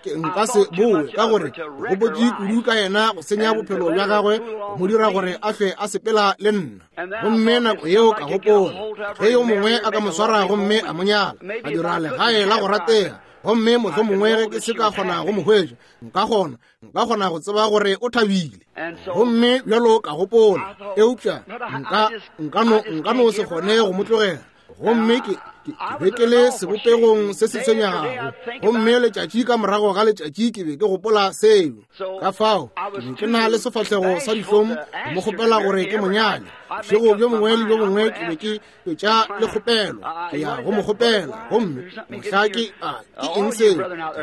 ke nka se bowe, ka gore ke gopotše kudu ka yena go senya bophelo bja gagwe, go mo dira gore a hlwe a sepela le nna. Gomme nako yeo ka gopola, ge yo mongwe a ka mo swara gomme a mo nyala, a dira legae la go ratega, gomme mohlomongwe ge ke se ka kgona go mo hwetša, nka kgona nka kgona go tseba gore o thabile. Gomme bjalo ka gopola, eupša nka nka no nka no se kgone go mo tlogela. Gomme ke ke be ke le sebopegong se se tshwenyegago, gomme letšatši ka morago ga letšatši ke be ke gopola seo. Ka fao ke be ke na le sefahlego sa dihlong go mo kgopela gore ke monyale. Bošego bjo bongwe le bjo bongwe ke be ke fetša le kgopelo, ke ya go mo kgopela, gomme mohla ke a ke eng seo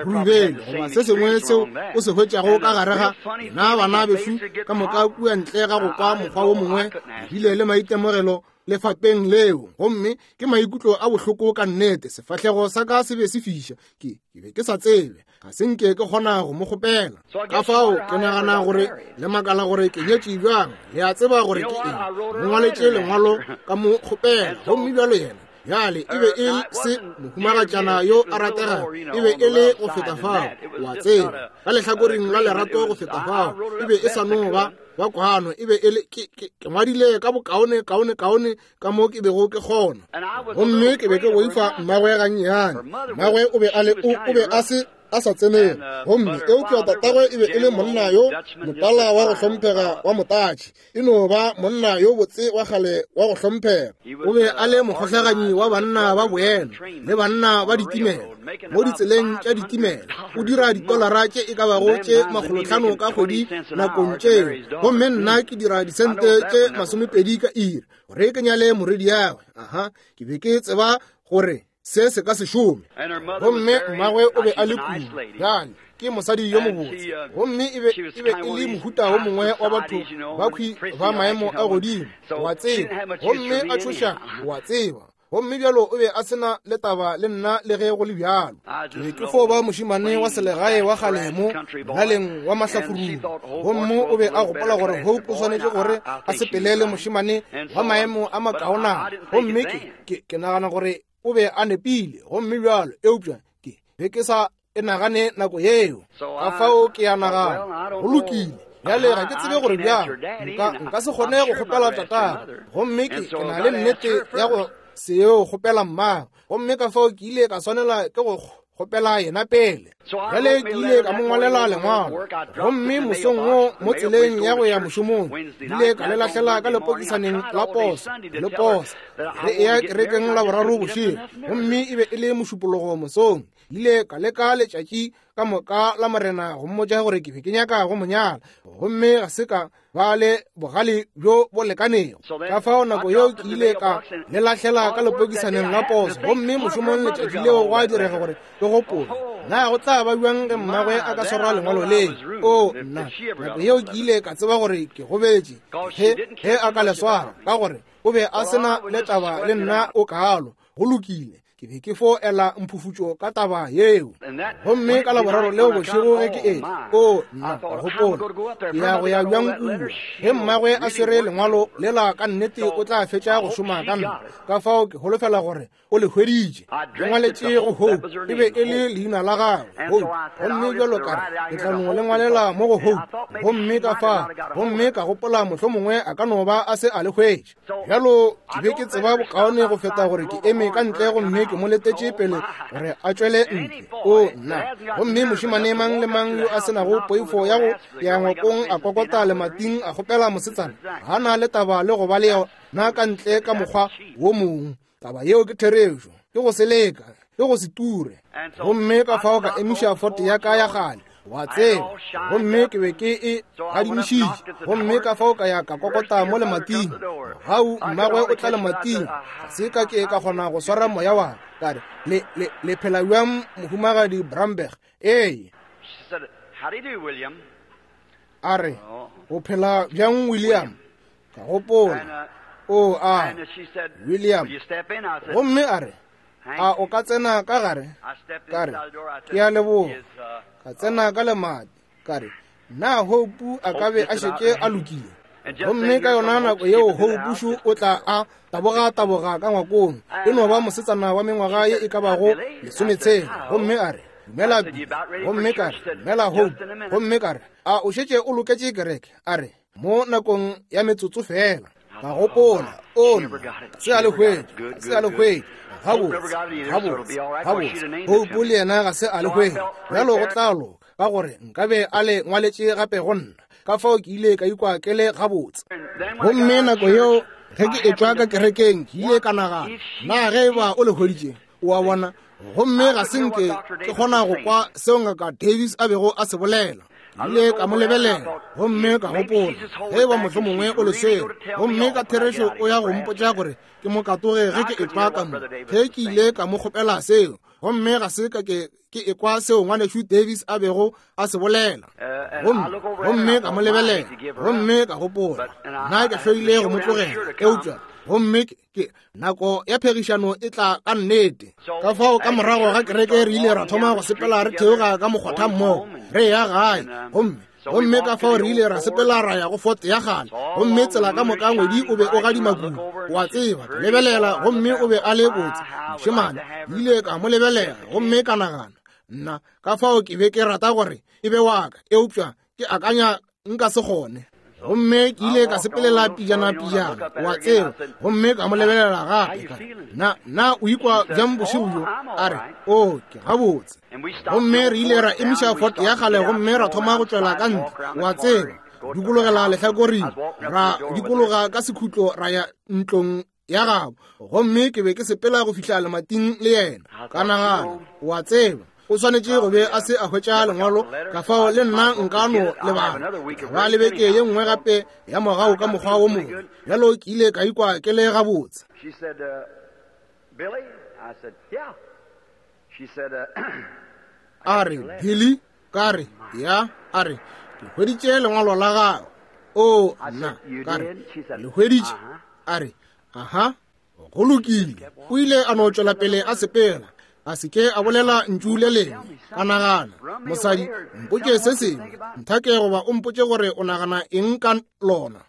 rubele goba se sengwe seo o se hwetšago ka gare ga nna bana bešu ka moka kua ntle ga go kwa mokgwa wo mongwe, bile le maitemogelo lefapeng leo, gomme ke maikutlo a bohloko ka nnete. Sefahlego sa ka se be se fiša, ke be ke sa tsebe, ga se nke ke kgona go mo kgopela. Ka fao ke nagana gore le makala gore ke nyetše bjang. Le a tseba gore ke eng, mo ngwaletše lengwalo ka mo kgopela, gomme bjalo yena bjale e be e se mohumagatšana yo a rategago, e be e le go feta fao, wa tseba, ka lehlakoreng la lerato go feta fao, e be e sa no ba ba kwano, e be e le ke ngwadile ka bokaone kaone kaone ka mo ke bego ke kgona. Gomme ke be ke boifa mmagwe gannyane. Mmagwe o be a le o be a se a sa tsenele, gomme eupša tatagwe e be e le monna yo motala wa go hlomphega wa motatši, e no ba monna yo botse wa kgale wa go hlomphega. O be a le mokgohlaganyi wa banna ba boena le banna ba ditimela mo ditseleng tša ditimela, o dira ditolara tše e ka bago tše 500 ka kgwedi nakong tšeo, gomme nna ke dira disente tše 20 ka iri gore ke nyale morwediagwe. Aha, ke be ke tseba gore se se ka se šome. Gomme mmagwe o be a le kudu bjale, ke mosadi yo mobotse, gomme e be e le mohuta wo mongwe wa batho ba khwi ba maemo a godimo, wa tseba, gomme a tšhoša, wa tseba. Gomme bjalo o be a se na le taba le nna le ge go le bjalo. Ke be ke fo ba mošemane wa selegae wa kgale mo molaleng wa mahlafurung, gomme o be a gopola gore Hope o swanetše gore a sepele le mošemane wa maemo a makaonana, gomme ke nagana gore o be a nepile. Gomme bjalo, eupša ke be ke sa e nagane nako yeo. Ka fao ke a nagana, go lokile bjale, ga ke tsebe gore bjang nka se kgone go kgopela tatagwe, gomme ke na le nnete ya go se yo kgopela mmagwe, gomme ka fao ke ile ka swanela ke go kgopela yena pele. Bjale ke ile ka mo ngwalela lengwalo, gomme mosong wo mo tseleng ya go ya mošomong, ile ka le lahlela ka lepokisaneng la poso le posa re eya kerekeng la boraro bošego, gomme e be e le mošupologo mosong. Ile ka leka letšatši ka moka la Morena go mmotša gore ke be ke nyaka go mo nyala, gomme ga se ka ba le bogale bjo bo lekanego. Ka fao nako yeo ke ile ka le lahlela ka lepokisaneng la poso, gomme mošomong letšatši leo gwa direga gore ke gopole, na go tla ba bjang ge mmagwe a ka swara lengwalo le? O nna, nako yeo ke ile ka tseba gore ke gobetše ge a ka le swara, ka gore o be a se na le taba le nna o kaalo. Go lokile. Ke be ke fo ela mphufutšo ka taba yeo. Gomme ka Laboraro leo bošego ge ke etla, oo, nna, ka gopola, Ke ya go ya bjang kua? Ge mmagwe a swere lengwalo lela ka nnete o tla fetša go šoma ka nna. Ka fao ke holofela gore o le hweditše. Ke ngwaletše go Hope, e be e le leina la gagwe, Hope. Gomme bjalo ka re, ke tla no le ngwalela mo go Hope. Gomme ka fa, gomme ka gopola mohlomongwe a ka no ba a se a le hwetša. Bjalo ke be ke tseba bokaone go feta gore ke eme ka ntle gomme ke mo letetše pele gore a tšwele ntle. O, nna! Gomme mošemane mang le mang yo a se nago poifo ya go ya ngwakong a kokota lemating a kgopela mosetsana, ga na le taba le go ba le yona ka ntle ka mokgwa wo mongwe. Taba yeo ke therešo, ke go se leka, ke go se ture. Gomme ka fao ka emiša fote ya ka ya kgale, wa tseba, gomme ke be ke e gadimišitše. Gomme ka fao ka ya ka kokota mo lemating. Mogau mmagwe o tla lemating, ga se ka ke ka kgona go swara moya wa ka. Re, le, le, le phela bjang, Mohumagadi Bramberg? Ee. A re, O phela bjang, William? Ka gopola, o a, William. Gomme a re, a o ka tsena ka gare? Ka re, ke a leboga. Ka tsena ka lemati. Ka re, na Hope a ka be a šetše a lokile? Gomme ka yona nako yeo Hope šo o tla a taboga-taboga ka ngwakong, e no ba mosetsana wa mengwaga ye e ka bago 60. Gomme a re, dumela Billy. Gomme ka re, dumela Hope. Gomme ka re, a o šetše o loketše kereke? A re, mo nakong ya metsotso fela. Ka gopola, o nna, se a le hwetša, se a le hwetša. Gabotse, gabotse, gabotse. Hope le yena ga se a le hwetša. Bjalo go tla loka, ka gore nkabe a le ngwaletše gape go nna. Ka fao ke ile ka ikwa ke le gabotse. Gomme nako yeo ge ke etšwa ka kerekeng, ke ile ka nagana, na ge e ba o le hweditše, o a bona? Gomme ga se nke ke kgona go kwa seo Ngaka Davis a bego a se bolela. Ke ile ka mo lebelela gomme ka gopola, ge e ba mohlomongwe o le swere, gomme ka therešo o ya go mpotša gore ke mo katoge ge ke etšwa ka mo. Ge ke ile ka mo kgopela seo, gomme ga se ka ke ke ekwa seo Ngwanešu Davis a bego a se bolela. Gomme, gomme ka mo lebelela gomme ka gopola, nna ke hloile go mo tlogela, eupša gomme ke nako ya phegišano e tla ka nnete. Ka fao ka morago ga kereke re ile ra thoma go sepela re theoga ka mokgotha mmogo re ya gae, gomme gomme ka fao re ile ra sepela ra ya go Fort ya kgale, gomme tsela ka moka ngwedi o be o gadima kudu, wa tseba. Ka lebelela gomme o be a le botse mošemane, ke ile ka mo lebelela gomme ka nagana, nna ka fao ke be ke rata gore e be wa ka, eupša ke akanya nka se kgone. Gomme ke ile ka sepelela pijana pijana, wa tseba, gomme ka mo lebelela gape, ka re, na, na o ikwa bjang bošego bjo? A re, o, ke gabotse. Gomme re ile ra emiša Ford ya kgale gomme ra thoma go tšwela ka ntle, wa tseba, dikologela lehlakoring, ra dikologa ka sekhutlo ra ya ntlong ya gabo. Gomme ke be ke sepela go fihla lemating le yena. Ka nagana, wa tseba, o swanetše go be a se a hwetša lengwalo, ka fao le nna nka no lebala. Ba le beke ye nngwe gape ya morago ka mokgwa wo mongwe. Bjalo ke ile ka ikwa ke le gabotse. A re, Billy, ka re, ya. A re, ke hweditše lengwalo la gago. O, nna, ka re, le hweditše? A re, aha, go lokile. O ile a no tšwela pele a sepela, a se ke a bolela ntšu le lengwe. Ka nagana, mosadi, mpotše se sengwe, nthake goba o mpotše gore o nagana eng ka lona.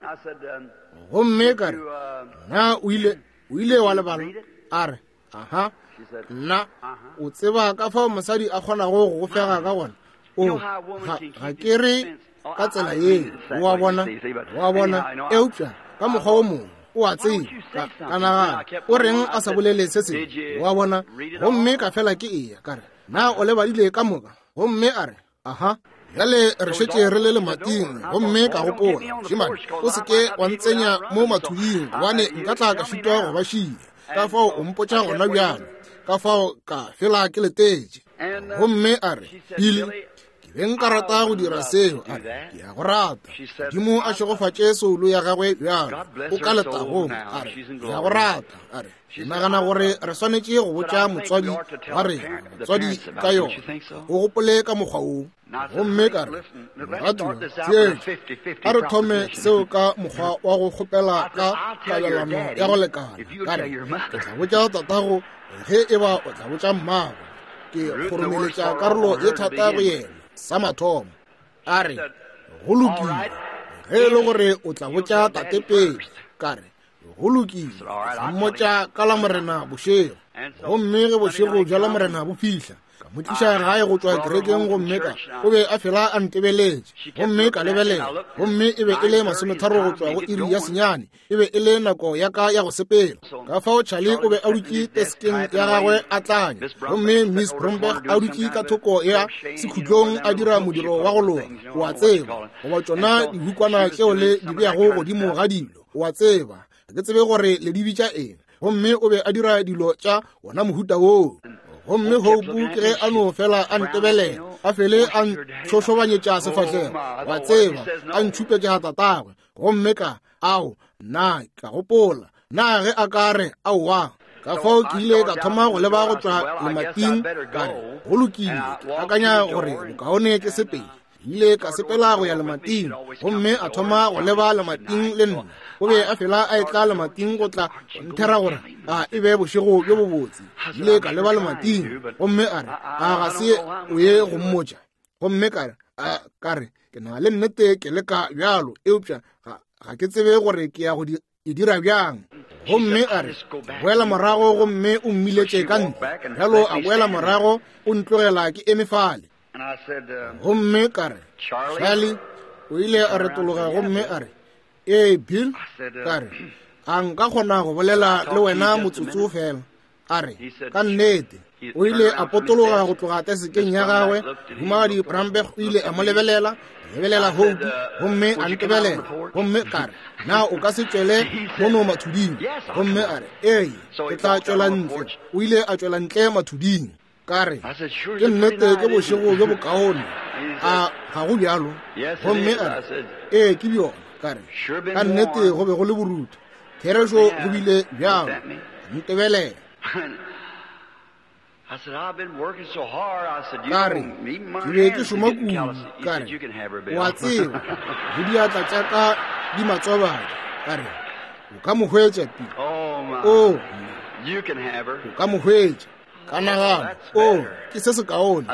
Gomme ka re, na o ile, o ile wa lebala? A re, aha, nna, o tseba ka fao mosadi a kgonago go go fega ka gona. O, ga, ga ke re ka tsela ye, o a bona, o a bona, eupša ka mokgwa wo mongwe, o a tseba. Ka, ka nagana, o reng a sa bolele se sengwe, o a bona. Gomme ka fela ke eya, ka re, na o lebadile ka moka? Gomme a re, aha. Bjale re šetše re le lemating, gomme ka gopola, mošemane, o se ke wa ntsenya mo mathuding, gobane nka tla ka šitwa go ba šia. Ka fao o mpotša gona bjalo. Ka fao ka fela ke letetše. Gomme a re, Billy, Ke be nka rata go dira seo. A re, Ke a go rata. Modimo a šegofatše soulo ya gagwe bjalo. O ka letagong. A re, Ke a go rata. A re, Ke nagana gore re swanetše go botša motswadi wa rena, motswadi ka yona. O gopole ka mokgwa woo. Gomme ka re, Moratiwa, theetša, a re thome seo ka mokgwa wa go kgopela ka kabelano ya go lekana. Ka re, Ke tla botša tatago ge e ba o tla botša mmago. Ke kgoromeletša karolo ye thata go yena, sa mathomo. A re, Go lokile, ge e le gore o tla botša tate pele. Ka re, Go lokile, ke tla mmotša ka Lamorena bošego. Gomme ge bošego bja Lamorena bo fihla, ka mo tliša gae go tšwa kerekeng gomme ka o be a fela a ntebeletše gomme ka lebelela gomme e be e le masometharo go tšwa go iri ya senyane e be e le nako ya ka ya go sepela ka fao Charlie o be a dutše teskeng ya gagwe a tlanya gomme Miss Bromberg a dutše ka thoko ya sekhutlong a dira modiro wa go loga o a tseba goba tšona dihukwana tšeo le di beago godimo ga dilo o a tseba ga ke tsebe gore le di bitša eng gomme o be a dira dilo tša wona mohuta woo gomme Hope ke ge a no fela a ntebelela a fele a ntšhošobanyetša sefahlego wa tseba a ntšhupetša tatagwe gomme ka ao na ka gopola na ge a ka re aowa ka fao ke ile ka thoma go leba go tšwa lemating ka re go lokile ke akanya gore bokaone ke sepele ile ka sepela go ya lemating gomme a thoma go leba lemating le nna o be a fela a etla lemating go tla nthera gore a e be bošego bjo bobotse ile ka leba lemating gomme a re a ga se o ye go mmotša gomme ka re ka re ke na le nnete ke leka bjalo eupša ga ke tsebe gore ke ya go e dira bjang gomme a re boela morago gomme o mmiletše ka ntle bjalo a boela morago o ntlogela ke eme fale gomme ka re Charlie o ile a retologa gomme a re ee Bill ka re a nka kgona go bolela le wena motsotso fela a re ka nnete o ile a potologa go tloga tesekeng ya gagwe humagadi Bramberg o ile a mo lebelela lebelela Hope gomme a ntebelela gomme ka re na o ka se tšwele mono mathuding gomme a re ee ke tla tšwela ntle o ile a tšwela ntle mathuding ka re ke nnete ke bošego bjo bokaone a ga go bjalo gomme a re ee ke bjona ka re ka nnete go be go le borutho therešo go bile bjalo ntebelela ka re ke be ke šoma kudu ka re o a tseba le diatla tša ka di matsobadi ka re o ka mo hwetša pi o o ka mo hwetša ka nagana o ke se sekaone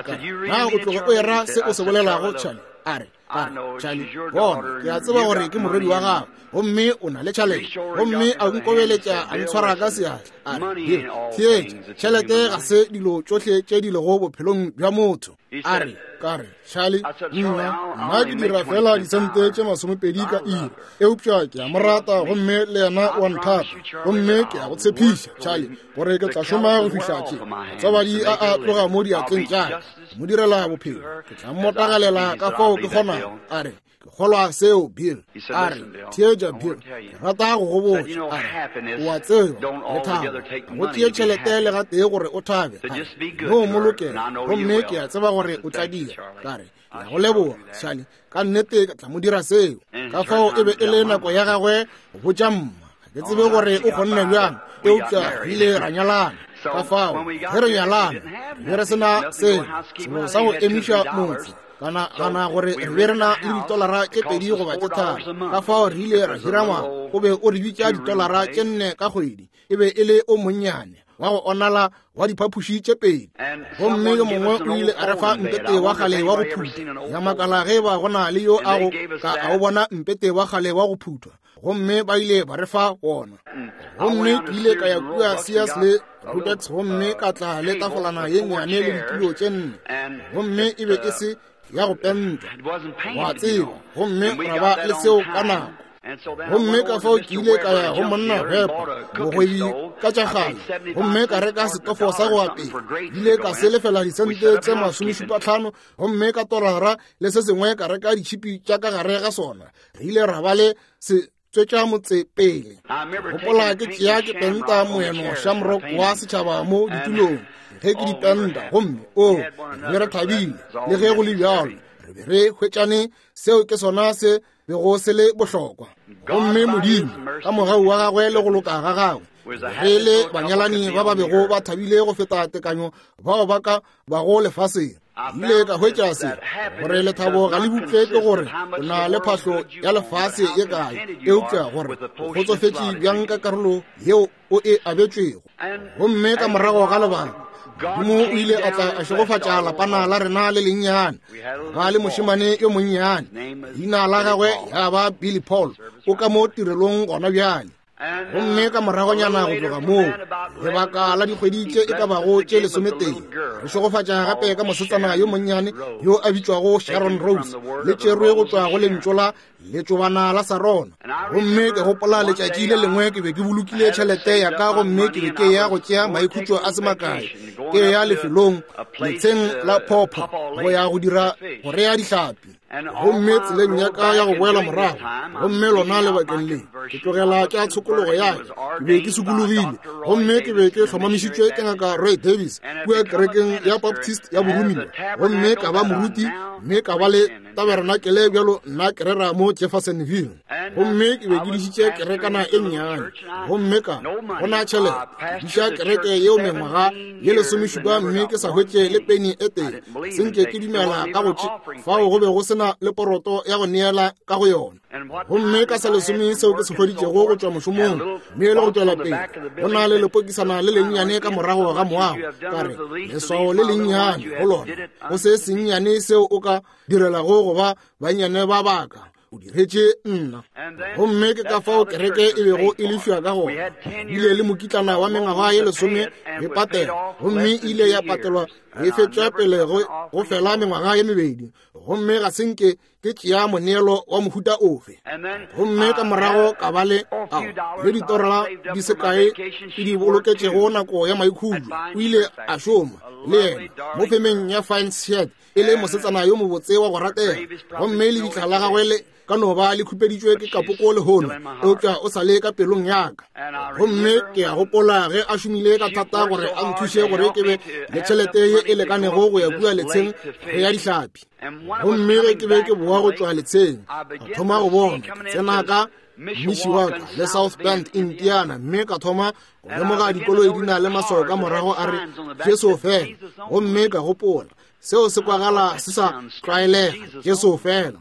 na o tloge o era se o se bolelago Charlie a re a re Charlie bona ke a tseba gore ke morwedi wa gago gomme o na le tšhalete gomme a nkobeletša a ntshwara ka seatla a re theetša tšhelete ga se dilo tšohle tše di lego bophelong bja motho a re ka re Charlie nna nna ke dira fela disente tše masomepedi ka iri eupša ke a mo rata gomme le yena o a nthata gomme ke a go tshepiša Charlie gore ke tla šoma go fihla tše matswabadi a a tloga mo diatleng tša ka mo direla bophelo ke tla mmotagalela ka fao ke kgonago a re ke kgolwa seo Bill a re theetša Bill ke rata go go botša a re o a tseba lethabo go tšee tšhelete le gatee gore o thabe no mo lokela gomme ke a tseba gore o tla dira ka re ke a go leboga Charlie ka nnete ka tla mo dira seo ka fao e be e le nako ya gagwe go botša mma ga ke tsebe gore o kgonne bjang eupša re ile ra nyalana ka fao ge re nyalana re be re sena selo selo sa go emiša motse kana gana gore re be re na le ditolara tše 2 goba tše 3 ka fao re ile ra hira ngwana o be o re bitša ditolara tše 4 ka kgwedi e be e le o monnyane wa go onala wa diphapoši tše 2 gomme yo mongwe o ile a re fa mpete wa kgale wa go phuthwa ya makala ge ba go na le yo a go ka a o bona mpete wa kgale wa go phuthwa gomme ba ile ba re fa wona gomme ke ile ka ya kua Sears le Roberts gomme ka tla le tafolana ye nnyane le ditulo tše 4 gomme e be e se ya go pentwa wa tseba gomme ra ba le seo ka nako gomme ka fao ke ile ka ya go monna Weber mogwebi ka tša kgale gomme ka reka setofo sa go apea ile ka se lefela disente tše 75 gomme ka tolara le se sengwe ka reka ditšhipi tša ka gare ga sona re ile ra ba le se tswetša motse pele gopola ke tšea ke penta moeno shamrock wa setšhaba mo ditulong ge ke di penta, gomme o be re thabile. Le ge go le bjalo, re be re hwetšane, seo ke sona se bego se le bohlokwa. Gomme Modimo, ka mogau wa gagwe le go loka ga gagwe, re le banyalani ba ba bego ba thabile go feta tekanyo bao ba ka bago lefaseng. Ile ka hwetša se, gore lethabo ga le bupše ke gore o na le phahlo ya lefase ye kae, eupša gore o kgotsofetše bjang ka karolo yeo o e abetšwego. Gomme ka morago ga lebaka, Modimo o ile a tla a šegofatša lapana la rena le lennyane, ba le mošemane yo monnyane, leina la gagwe ya ba Billy Paul, o ka mo tirelong gona bjale. Gomme ka moragonyana go tloga moo, lebaka la dikgwedi tše e ka bago tše 11, re šegofatša gape ka mosetsana yo monnyane yo a bitšwago Sharon Rose, le tšerwe go tšwa go lentšu la letšobana la Sarona. Gomme ke gopola letšatši le lengwe ke be ke bolokile tšhelete ya ka, gomme ke be ke ya go tšea maikhutšo a se makae, ke ya lefelong letsheng la Phopho go ya go dira go rea dihlapi. Gomme tseleng ya ka ya go boela morago, gomme lona lebakeng le ke tlogela tša tshokologo ya ka, ke be ke sokologile, gomme ke be ke hlomamišitšwe ke Ngaka Roy Davis kua kerekeng ya Baptist ya Boromiwa, gomme ka ba moruti, mme ka ba le taberenakele bjalo nna ke rera mo Jeffersonville. Gomme ke be ke dišitše kerekana e nnyane, gomme ka gona tšhelete ke diša kereke yeo mengwaga ye 17, mme ke sa hwetše le peni e tee. Senke ke dumela ka go tše fao go be go sena le poroto ya go neela ka go yona. Gomme ka sa lesome seo ke se hweditšego go tšwa mošomong, mme le go tšwela pele, go na le lepokisana le lennyane ka morago ga moago, ka re leswao le lennyane go lona, go se sennyane seo o ka direlago go ba bannyane ba baka, o diretše nna. Gomme ke ka fao kereke e bego e lefiwa ka gona. Bile le mokitlana wa mengwaga ye 10 re patela, gomme e ile ya patelwa re fetša pele go fela mengwaga ye 2, gomme ga se nke ke tšea moneelo wa mohuta ofe. Gomme ka morago ka ba le ao le ditorela di se kae ke di boloketšego nako ya maikhutšo. O ile a šoma le yena mo femeng ya Fine Shirt, e le mosetsana yo mobotse wa go ratega, gomme lebitla la gagwe le ka no ba le khupeditšwe ke kapoko lehono, eupša o sa le ka pelong ya ka. Gomme ke a gopola ge a šomile ka thata gore a nthuše gore ke be le tšhelete ye e lekanego go ya kua letsheng go ya dihlapi. Gomme ge ke be ke boa go tšwa letsheng, ka thoma go bona ke tsena ka Mishawaka le South Bend, Indiana, mme ka thoma go lemoga dikoloi di na le maswao ka morago a re Jesu fela. Gomme ka gopola, seo se kwagala se sa tlwaelega, Jesu fela.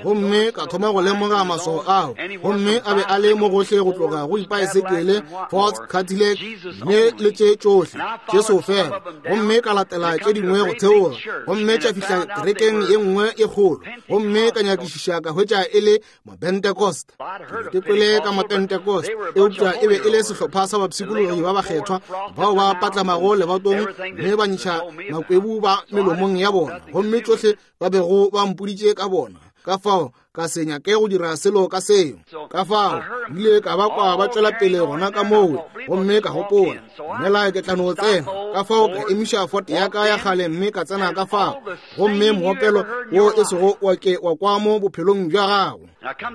Gomme ka thoma go lemoga maswao ao, gomme a be a le mo gohle go tloga go dipaesekele, Ford, Cadillac, mme le tše tšohle, Jesu fela. Gomme ka latela tše dingwe go theoga, gomme tša fihla kerekeng ye nngwe e kgolo, gomme ka nyakišiša ka hwetša e le Mapentecost. Ke kwele ka Mapentecost, eupša e be e le sehlopha sa bapshikologi ba bakgethwa bao ba patlamago lebatong mme ba ntšha makwebu ba melomong ya bona, gomme tšohle ba bego ba mpoditše ka bona. Ka fao ka se nyake go dira selo ka seo. Ka fao ile ka ba kwa ba tšwela pele gona ka moo, gomme ka gopola, mela ke tla no tsena. Ka fao ka emiša Ford ya ka ya kgale mme ka tsena ka fao, gomme moopelo wo e sego wa ke wa kwa mo bophelong bja gago.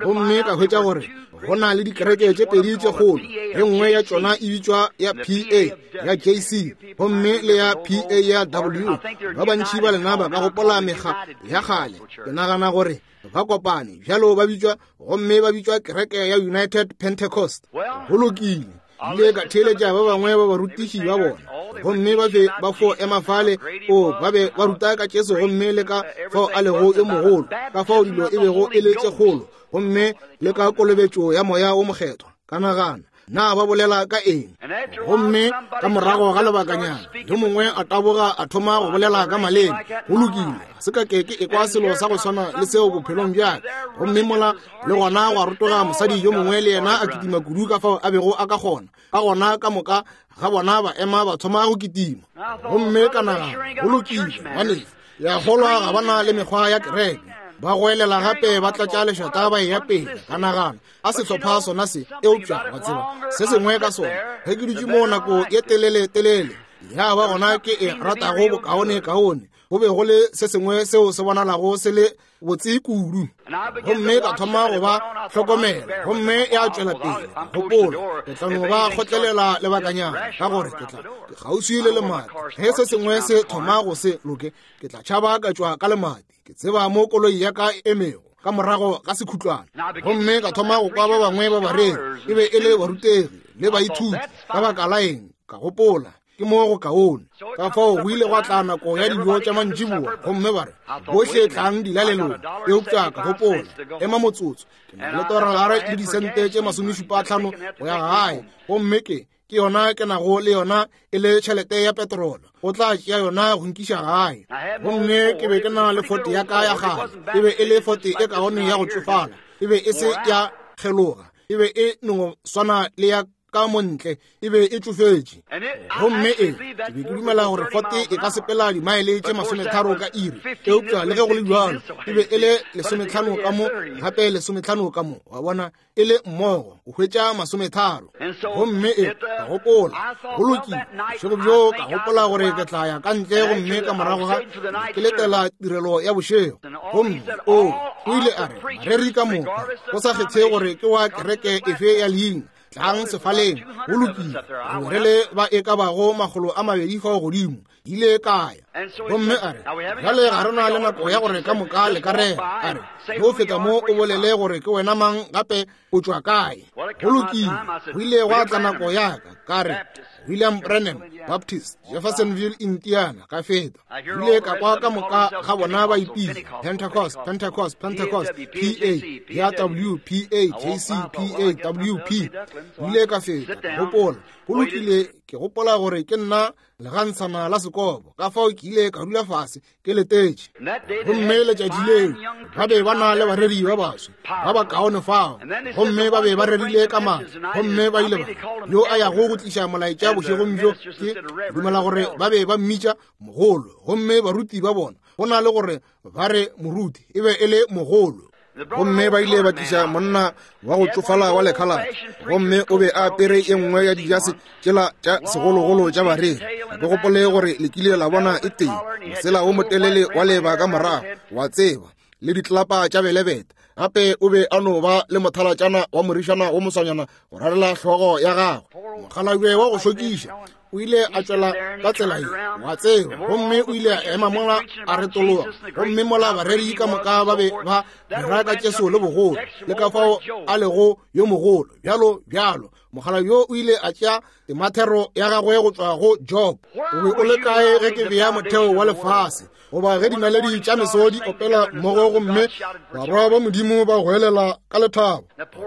Gomme ka hwetša gore go na le dikereke tše pedi tše kgolo, ye nngwe ya tšona e bitšwa ya PA ya JC, gomme le ya PA ya W. Ba bantši ba lena ba ka gopola mekga ya kgale. Ke nagana gore ba kopane bjalo ba bitšwa, gomme ba bitšwa kereke ya United Pentecost. Go lokile, ile ka theeletša ba bangwe ba barutiši ba bona, gomme ba be ba fo ema fale, o ba be ba ruta ka Jesu gomme le ka fao a lego yo mogolo, ka fao dilo e bego e le tše kgolo, gomme le ka kolobetšo ya Moya wo Mokgethwa. Ka nagana, na ba bolela ka eng? Gomme ka morago ga lebakanyana yo mongwe a taboga a thoma go bolela ka maleme. Go lokile, ga se ka ke ke ekwa selo sa go swana le seo bophelong bja ka. Gomme mola le gona gwa rotoga mosadi yo mongwe le yena a kitima kudu ka fao a bego a ka kgona. Ka gona ka moka ga bona ba ema ba thoma go kitima. Gomme ka nagana, go lokile, ngwanešu, ya kgolwa ga ba na le mekgwa ya kereke. Ba goelela gape ba tlatša lešata ba eya pele. Ka nagana, a sehlopha sona se, eupša wa tseba se sengwe ka sona, ge ke dutše mo nako ye telele telele, ya ba gona ke e ratago bokaone kaone. Go be go le se sengwe seo se bonalago se le botse kudu. Gomme ka thoma go ba hlokomela, gomme ya tšwela pele. Gopola, ke tla no ba kgotlelela lebakanyana, ka gore ke tla ke kgauswi le lemati. Ge se sengwe se thoma go se loke, ke tla tšhaba ka tšwa ka lemati. Ke tseba mo koloi ya ka e emego ka morago ga sekhutlwana. Gomme ka thoma go kwa ba bangwe ba bareri, e be e le barutegi le baithuti. Ka baka la eng, ka gopola, ke mo go kaone. Ka fao go ile gwa tla nako ya dijo tša mantšiboa, gomme ba re, bohle tlang dilalelong. Eupša ka gopola, ema motsotso, ke na le tolara le disente tše 75 go ya gae, gomme ke yona ke nago le yona e le tšhelete ya petrolo, o tla tšea yona go nkiša gae. Gomme ke be ke na le Ford ya ka ya kgale, e be e le Ford e kaone ya go tšofala, e be e se ya kgeloga, e be e no swana le ya ka montle, e be e tšofetše. Gomme e ke be ke dumela gore Ford e ka sepela dimaele tše 30 ka iri, eupša le ge go le bjalo e be e le 15 ka mo, gape 15 ka mo, wa bona, e le mmogo o hwetša 30. Gomme e ka gopola, go lokile, bošego bjo ka gopola gore ke tla ya ka ntle, gomme ka morago ga ke letela tirelo ya bošego. Gomme o ile a re, bareri ka moka, go sa kgethe gore ke wa kereke efe ya leina, tlang sefaleng. Go lokile, re be re le ba e ka bago 200 fao godimo. Ile ka ya. Gomme a re, bjale ga re na le nako ya gore ka moka le ka rera. A re, ge o feta mo o bolele gore ke wena mang, gape o tšwa kae. Go lokile, go ile gwa tla nako ya ka. Ka re, William Branham, Baptist, Jeffersonville, Indiana. Ka feta. Ile ka kwa ka moka ga bona ba ipitša Pentecost, Pentecost, Pentecost, P A ya W P A J C P A W P. Ile ka feta. Gopola, go lokile, ke gopola gore ke nna legantshana la sekobo. Ka fao ke ile ka dula fase ke letetše. Gomme letšatši leo ba be ba na le bareri ba baswa ba ba kaone fao, gomme ba be ba rerile ka matla, gomme ba ile ba yo a yago go tliša molaetša bošegong bjo, ke dumela gore ba be ba mmitša mogolo. Gomme baruti ba bona, go na le gore ba re moruti, e be e le mogolo. Gomme ba ile ba tliša monna wa go tšofala wa lekhalate, gomme o be a apere e nngwe ya dijase tšela tša segologolo tša bareri. Ga ke gopole gore le kile la bona e tee, mosela wo motelele wa leba ka morago, wa tseba, le ditlelapa tša belebete. Gape o be a no ba le mothalatšana wa morišana wo moswanyana go rarela hlogo ya gagwe, mokgalabje wa go šokiša. O ile a tšwela ka tsela ye, wa tseba, gomme o ile a ema mola a retologa. Gomme mola bareri ka moka ba be ba rera ka Jesu le bogolo, le ka fao a lego yo mogolo, bjalo bjalo. Mogala yo o ile a tšea temathero ya gagwe go tšwa go Job. O be o le kae ge ke bea motheo wa lefase, goba ge dinaledi tša meso di opela mmogo, gomme barwa ba Modimo ba goelela ka lethabo?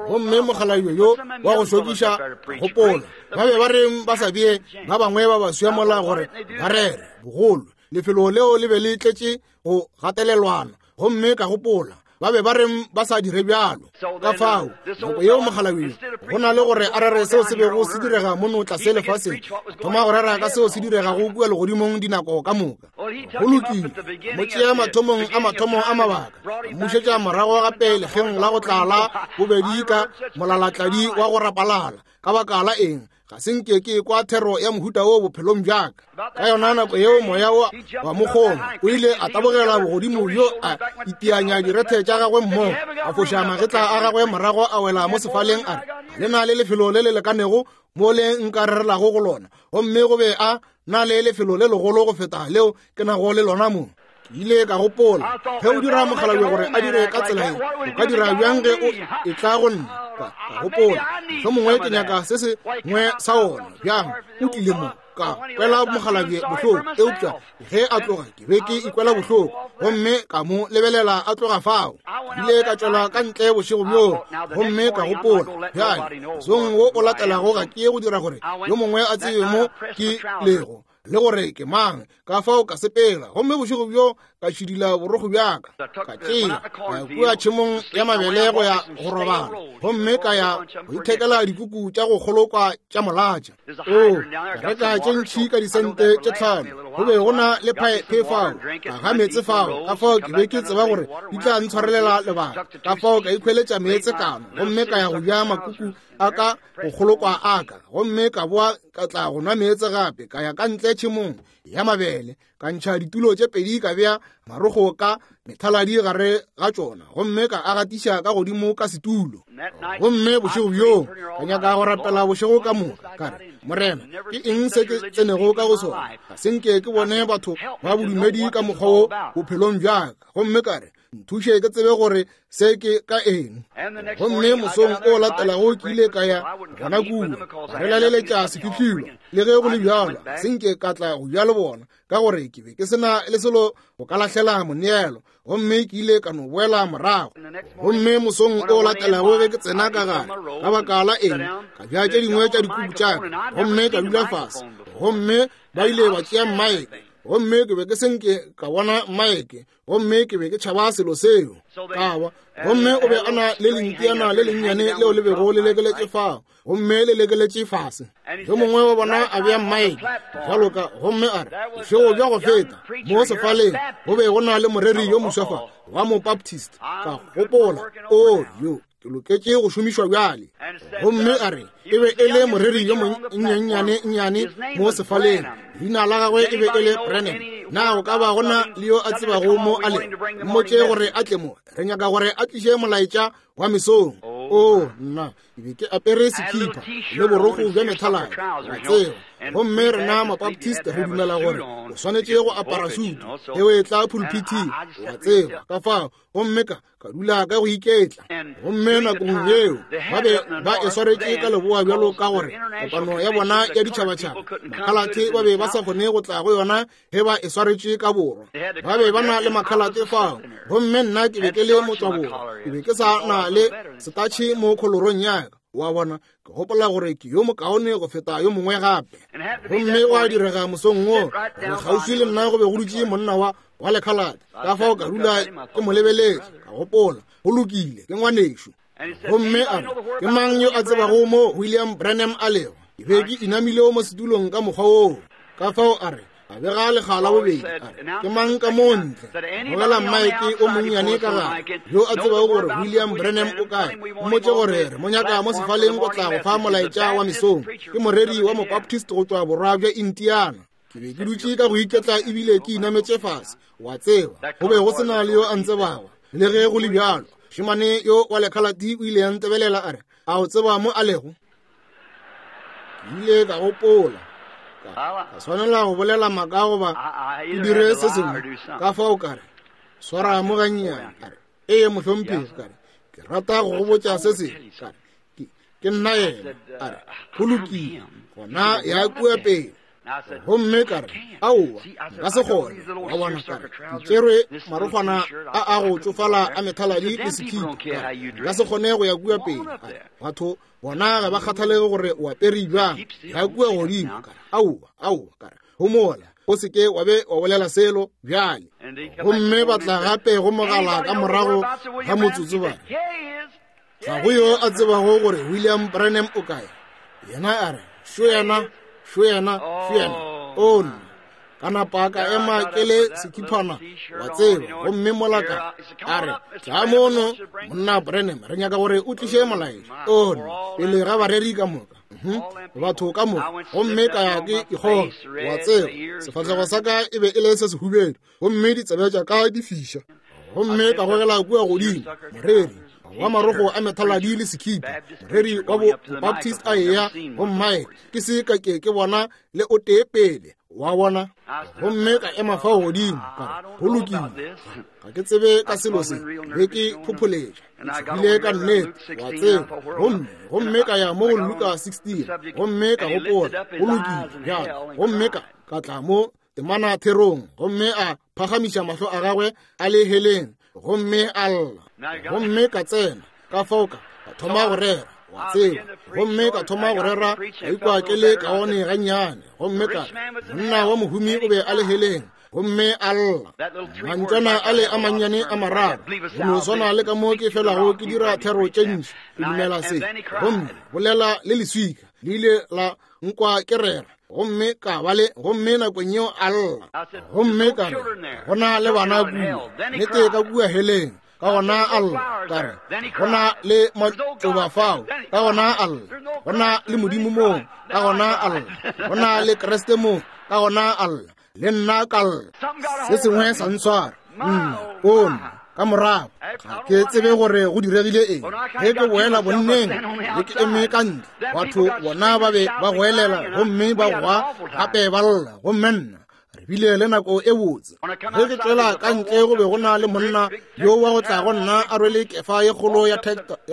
Gomme mokgalabje yo wa go šokiša, gopola, ba be ba reng ba sa bee ba bangwe ba baswa mola gore ba rere bogolo? Lefelo leo le be le tletše go gatelelwana. Gomme ka gopola, ba be ba reng ba sa dire bjalo? Ka fao nako yeo mokgalabje, go na le gore a rere seo se bego se direga mono tlase lefaseng, a thoma go rera ka seo se diregago kua legodimong dinako ka moka. Go lokile, mo tšea mathomong a mathomo a mabaka, mmušetša morago gape lekgeng la go tlala bobedi ka molalatladi wa go rapalala. Ka baka la eng? Ga se nke ke kwa thero ya mohuta wo bophelong bjaka. Ka yona nako yeo moya wa mokgoma o ile a tabogela bogodimo bjo, a itianya direthe tša gagwe mmogo, a foša magetla a gagwe morago, a wela mo sefaleng, a re, le na le lefelo le le lekanego mo le nka rerelago go lona? Gomme go be a na le lefelo le legolo go feta leo ke nago le lona mo. Ke ile ka gopola, ge o dira mokgalabje gore a dire ka tsela ye, o ka dira bjang ge o e tla go nna? Ka gopola, mohlomongwe ke nyaka se sengwe sa ona. Bjang, o tlile mo, ka kwela mokgalabje bohloko, eupša ge a tloga ke be ke ikwela bohloko, gomme ka mo lebelela a tloga fao. Ke ile ka tšwela ka ntle bošego bjoo, gomme ka gopola, bjale mosong wo o latelago ga ke ye go dira gore yo mongwe a tsebe mo ke lego le gore ke mang. Ka fao ka sepela, gomme bošego bjo ka šidila borokgo bjaka, ka tšea ka ya kua tšhemong ya mabele go ya go robala, gomme ka ya go ithekela dikuku tša go kgolokwa tša molatša. O, ka reka tše ntšhi ka disente tše 5. Go be go na le phaephe fao, ka ga meetse fao, ka fao ke be ke tseba gore di tla ntshwarelela lebaka. Ka fao ka ikhweletša meetse kano, gomme ka ya go ja makuku a ka go kgolokwa a ka, gomme ka boa. ka tla go nwa meetse gape, ka ya ka ntle tšhemong ya mabele, ka ntšha ditulo tše pedi, ka bea marogo ka methaladi gare ga tšona, gomme ka a gatiša ka godimo ka setulo. Gomme bošego bjoo ka nyaka go rapela bošego ka moka, ka re, Morena, ke eng se ke tsenego ka go sona? Ga se nke ke bone batho ba bodumedi ka mokgwa wo bophelong bja ka. Gomme ka re, nthuše ke tsebe gore se ke ka eng. Gomme mosong o latelago ke ile ka ya gona kua, re laleletša sefihlilo. Le ge go le bjalo, ga se nke ka tla go ja le bona, ka gore ke be ke se na le selo go ka lahlela moneelo, gomme ke ile ka no boela morago. Gomme mosong o latelago ge ke tsena ka gare, ka baka la eng, ka bja tše dingwe tša dikuku tša ka, gomme ka dula fase, gomme ba ile ba tšea mmaeke, gomme ke be ke se nke ka bona mmaeke, gomme ke be ke tšhaba selo seo ka wa. Gomme o be a na le lentiana le lennyane leo le bego le lekeletše fao, gomme le lekeletše fase. Yo mongwe wa bona a bea mmaeke bjalo ka, gomme a re, bošego bja go feta mo sefaleng go be go na le moreri yo moswa fa wa Mobaptist. Ka gopola, o yo ke loketše go šomišwa bjale. Gomme a re, e be e le moreri yo monnyane-nnyane mo sefaleng, leina la gagwe e be e le Branham. Na go ka ba go na le yo a tsebago mo a lego? Mmotše gore a tle mo, re nyaka gore a tliše molaetša wa mesong. O nna, ke be ke apere sekhipha le borokgo bja methaladi, wa tseba. Gomme rena Mabaptist re dumela gore o swanetše go apara sutu ge o etla pulpithing, wa tseba. Ka fao, gomme ka ka dula ka go iketla. Gomme nakong yeo ba be ba e swaretše ka leboa bjalo ka gore kopano ya bona ya ditšhabatšhaba, makhalate ba be ba sa kgone go tla go yona ge ba e swaretše ka borwa. Ba be ba na le makhalate fao, gomme nna ke be ke le motswaborwa, ke be ke sa na le setatšhe mo kholorong ya ka, wa bona. Ke gopola gore ke yo mokaone go feta yo mongwe gape. Gomme wa direga mosong wo gore kgauswi le nna go be go dutše monna wa lekhalate, ka fao ka dula ke mo lebeletše, ka gopola, go lokile, ke ngwanešo. Gomme a re, ke mang yo a tsebago mo William Branham a lego? Ke be ke inamile mo setulong ka mokgwa woo. Ka fao a re, a bega lekga la bobedi, a re, ke mang ka mo ntle? Gogela mmaeke o monnyane ka gare, yo a tsebago gore William Branham o kae. Mmotše gore re mo nyaka mo sefaleng go tla go fa molaetša wa mesong. Ke moreri wa Mobaptist go tšwa borwa bja Indiana. Ke be ke dutše ka go iketla ebile ke inametše fase, wa tseba, go be go se na le yo a ntsebago. Le ge go le bjalo, mošemane yo wa lekhalati o ile a ntebelela a re, a o tseba mo a lego? Ke ile ka gopola, ka swanela go bolela maaka goba ke dire se sengwe. Ka fao ka re, swara mo gannyane. A re, ee mohlomphegi. Ka re, ke rata go go botša se sengwe. Ka re, ke nna yena. A re, go lokile, gona ya kua pele. Gomme ka re, aowa, nka se kgone. Wa bona, ka re, ke tšerwe marokgwana a a go tšofala a methaladi le sekhipha. Ka re, nka se kgone go ya kua pele. A re, batho bona ga ba kgathalege gore o apere bjang, ya kua godimo. Ka re, aowa, aowa. Ka re, homola, o se ke wa be wa bolela selo bjale. Gomme ba tla gape go mogala ka morago ga motsotso ba re, ga go yo a tsebago gore William Branham o kae. Yena a re, šo yena, šo yena, šo yena. O nna, ka napa ka ema ke le sekhiphana, wa tseba. Gomme mola ka a re, tla mono, monna Branham, re nyaka gore o tliše molaetša. O nna, pele ga bareri ka moka, batho ka moka. Gomme ka ya ke ikgoga, wa tseba, sefahlego sa ka e be e le se sehubedu, gomme ditsebe tša ka di fiša. Gomme ka gogela kua godimo, moreri wa marogo a methaladi le sekhipa, moreri wa Baptist a eya go mmae, ke se ka ke ke bona le o tee pele, wa bona. Gomme ka ema fao godimo, ka re, go lokile, ga ke tsebe ka selo se, be ke phopholetša, ke tshogile ka nnete, wa tseba. Gomme ka ya mo go Luka 16, gomme ka gopola, go lokile bjale. Gomme ka tla mo temana therong, gomme a phagamiša mahlo a gagwe a le heleng, gomme a lla. Gomme ka tsena ka fao ka thoma go rera, wa tseba. Gomme ka thoma go rera, ka ikwa ke le kaone gannyane. Gomme ka re, monna wa mohumi o be a le heleng, gomme a lla. Mantšwana a le a mannyane a mararo, go no swana le ka mo ke felago ke dira thero tše ntši, ke dumela se. Gomme bolela le leswika, le ile la nkwa ke rera. Gomme ka ba le, gomme nakong yeo a lla. Gomme ka re, go na le bana kua, nnete ka kua heleng. Ka gona a lla. Ka re, Go na le matšoba fao. Ka gona a lla. Go na le Modimo moo. Ka gona a lla. Go na le Kriste moo. Ka gona a lla. Le nna ka lla. Se sengwe sa ntshwara. Nna, o nna, ka morago ga ke tsebe gore go diregile eng. Ge ke boela bonneng le ke eme ka ntle, batho bona ba be ba goelela gomme ba goa gape ba lla, gomme nna re bile le nako e botse. Ge ke tšwela ka ntle go be go na le monna yo wa go tla go nna a rwele kefa ye kgolo ya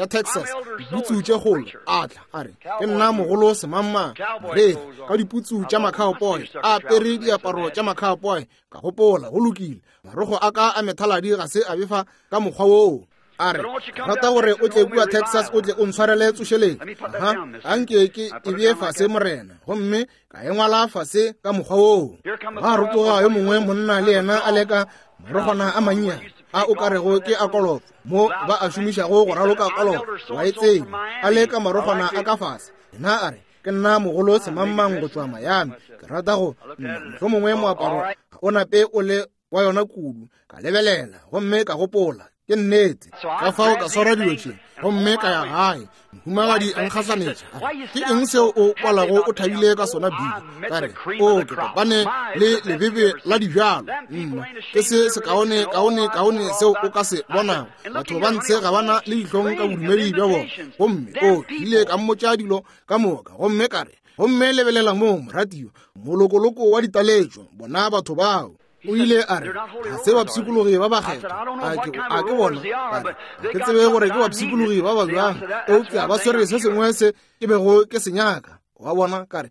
Texas, diputsu tše kgolo. A tla a re, Ke nna mogolo semangmang, moreri, ka diputsu tša macowboy, a apere diaparo tša macowboy. Ka gopola, go lokile, marogo a ka a methaladi ga se a befa ka mokgwa woo. A re, rata gore o tle kua Texas o tle o ntshwarele tsošeletšo. Aha, anke ke e bee fase, Morena. Gomme ka e ngwala fase ka mokgwa woo. Gwa rotoga yo mongwe monna le yena a leka marogwana a mannyane a o ka rego ke a kolofo, mo ba a šomišago go raloka kolofo, wa e tseba, a leka marogwana a ka fase. Yena a re, Ke nna mogolo semangmang go tšwa Miami. Ke rata go, nna, mohlomongwe moaparo ga o nape o le wa yona kudu. Ka lebelela gomme ka gopola, ke nnete. Ka fao ka swara dilo tše gomme ka ya gae. Mohumagadi a nkgahlanetša, a re, Ke eng seo o kwalago o thabile ka sona, Billy? Ka re, O, ke kopane le lebebe la dibjalo. Nna, ke se sekaone kaone kaone seo o ka se bonago. Batho ba ntshe ga ba na le dihlong ka bodumedi bja bona. Gomme o, ke ile ka mmotša dilo ka moka, gomme ka re, Gomme lebelela mo, moratiwa, molokoloko wa ditaletšo, bona batho bao. O ile a re, Ga se bapshikologi ba bakgethwa. A ke bona? A re, Ga ke tsebe gore ke bapshikologi ba ba bjang, eupša ba swere se sengwe se ke bego ke se nyaka. Wa bona? Ka re,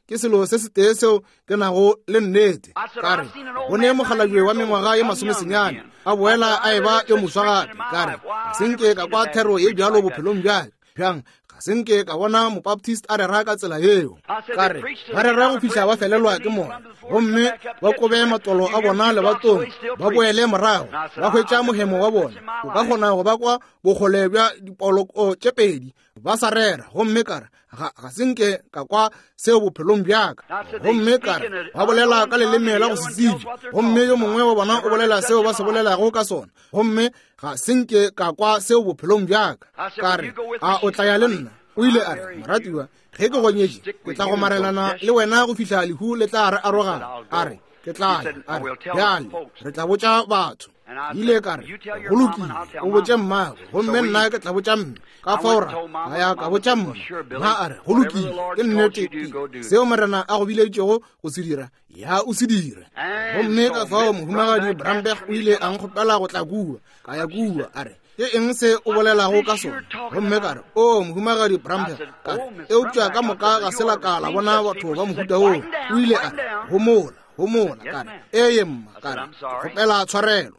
Ke selo se setee seo ke nago le nnete. Ka re, Go ne mokgalabje wa mengwaga ye masomesenyane a boela a eba yo moswa gape. Ka re, Ga se nke ka kwa thero ye bjalo bophelong bja ka. Bjang, ga se nke ka bona Mobaptist a rera ka tsela yeo. Ka re, ba rera go fihla ba felelwa ke moya, gomme ba kobe matolo a bona lebatong, ba boele morago, ba hwetša mohemo wa bona. O ka kgona go ba kwa bokgole bja dipoloko tše pedi ba sa rera. Gomme ka re, ga se nke ka kwa seo bophelong bja ka. Gomme ka re, ba bolela ka leleme la go se tsebje, gomme yo mongwe wa bona o bolela seo ba se bolelago ka sona, gomme ga se nke ka kwa seo bophelong bja ka. Ka re, A o tla ya le nna? O ile a re, Moratiwa, ge ke go nyetše, ke tla gomarelana le wena go fihla lehu le tla re arogana. A re, Ke tla ya. A re, Bjale re tla botša batho. Ke ile ka re, Go lokile, o botše mmago, gomme nna ke tla botša mme. Ka fao ra ka ya ka botša mma. Mma a re, Go lokile, ke nnete, ke seo Morena a go bileditšego go se dira, ya o se dire. Gomme ka fao Mohumagadi Bramberg o ile a nkgopela go tla kua. Ka ya kua. A re, Ke eng se o bolelago ka sona? Gomme ka re, O Mohumagadi Bramberg, ka re, eupša ka moka ga se la ka la bona batho ba mohuta woo. O ile a re, Homola, homola. Ka re, Eye mma. Ka re, Ke kgopela tshwarelo.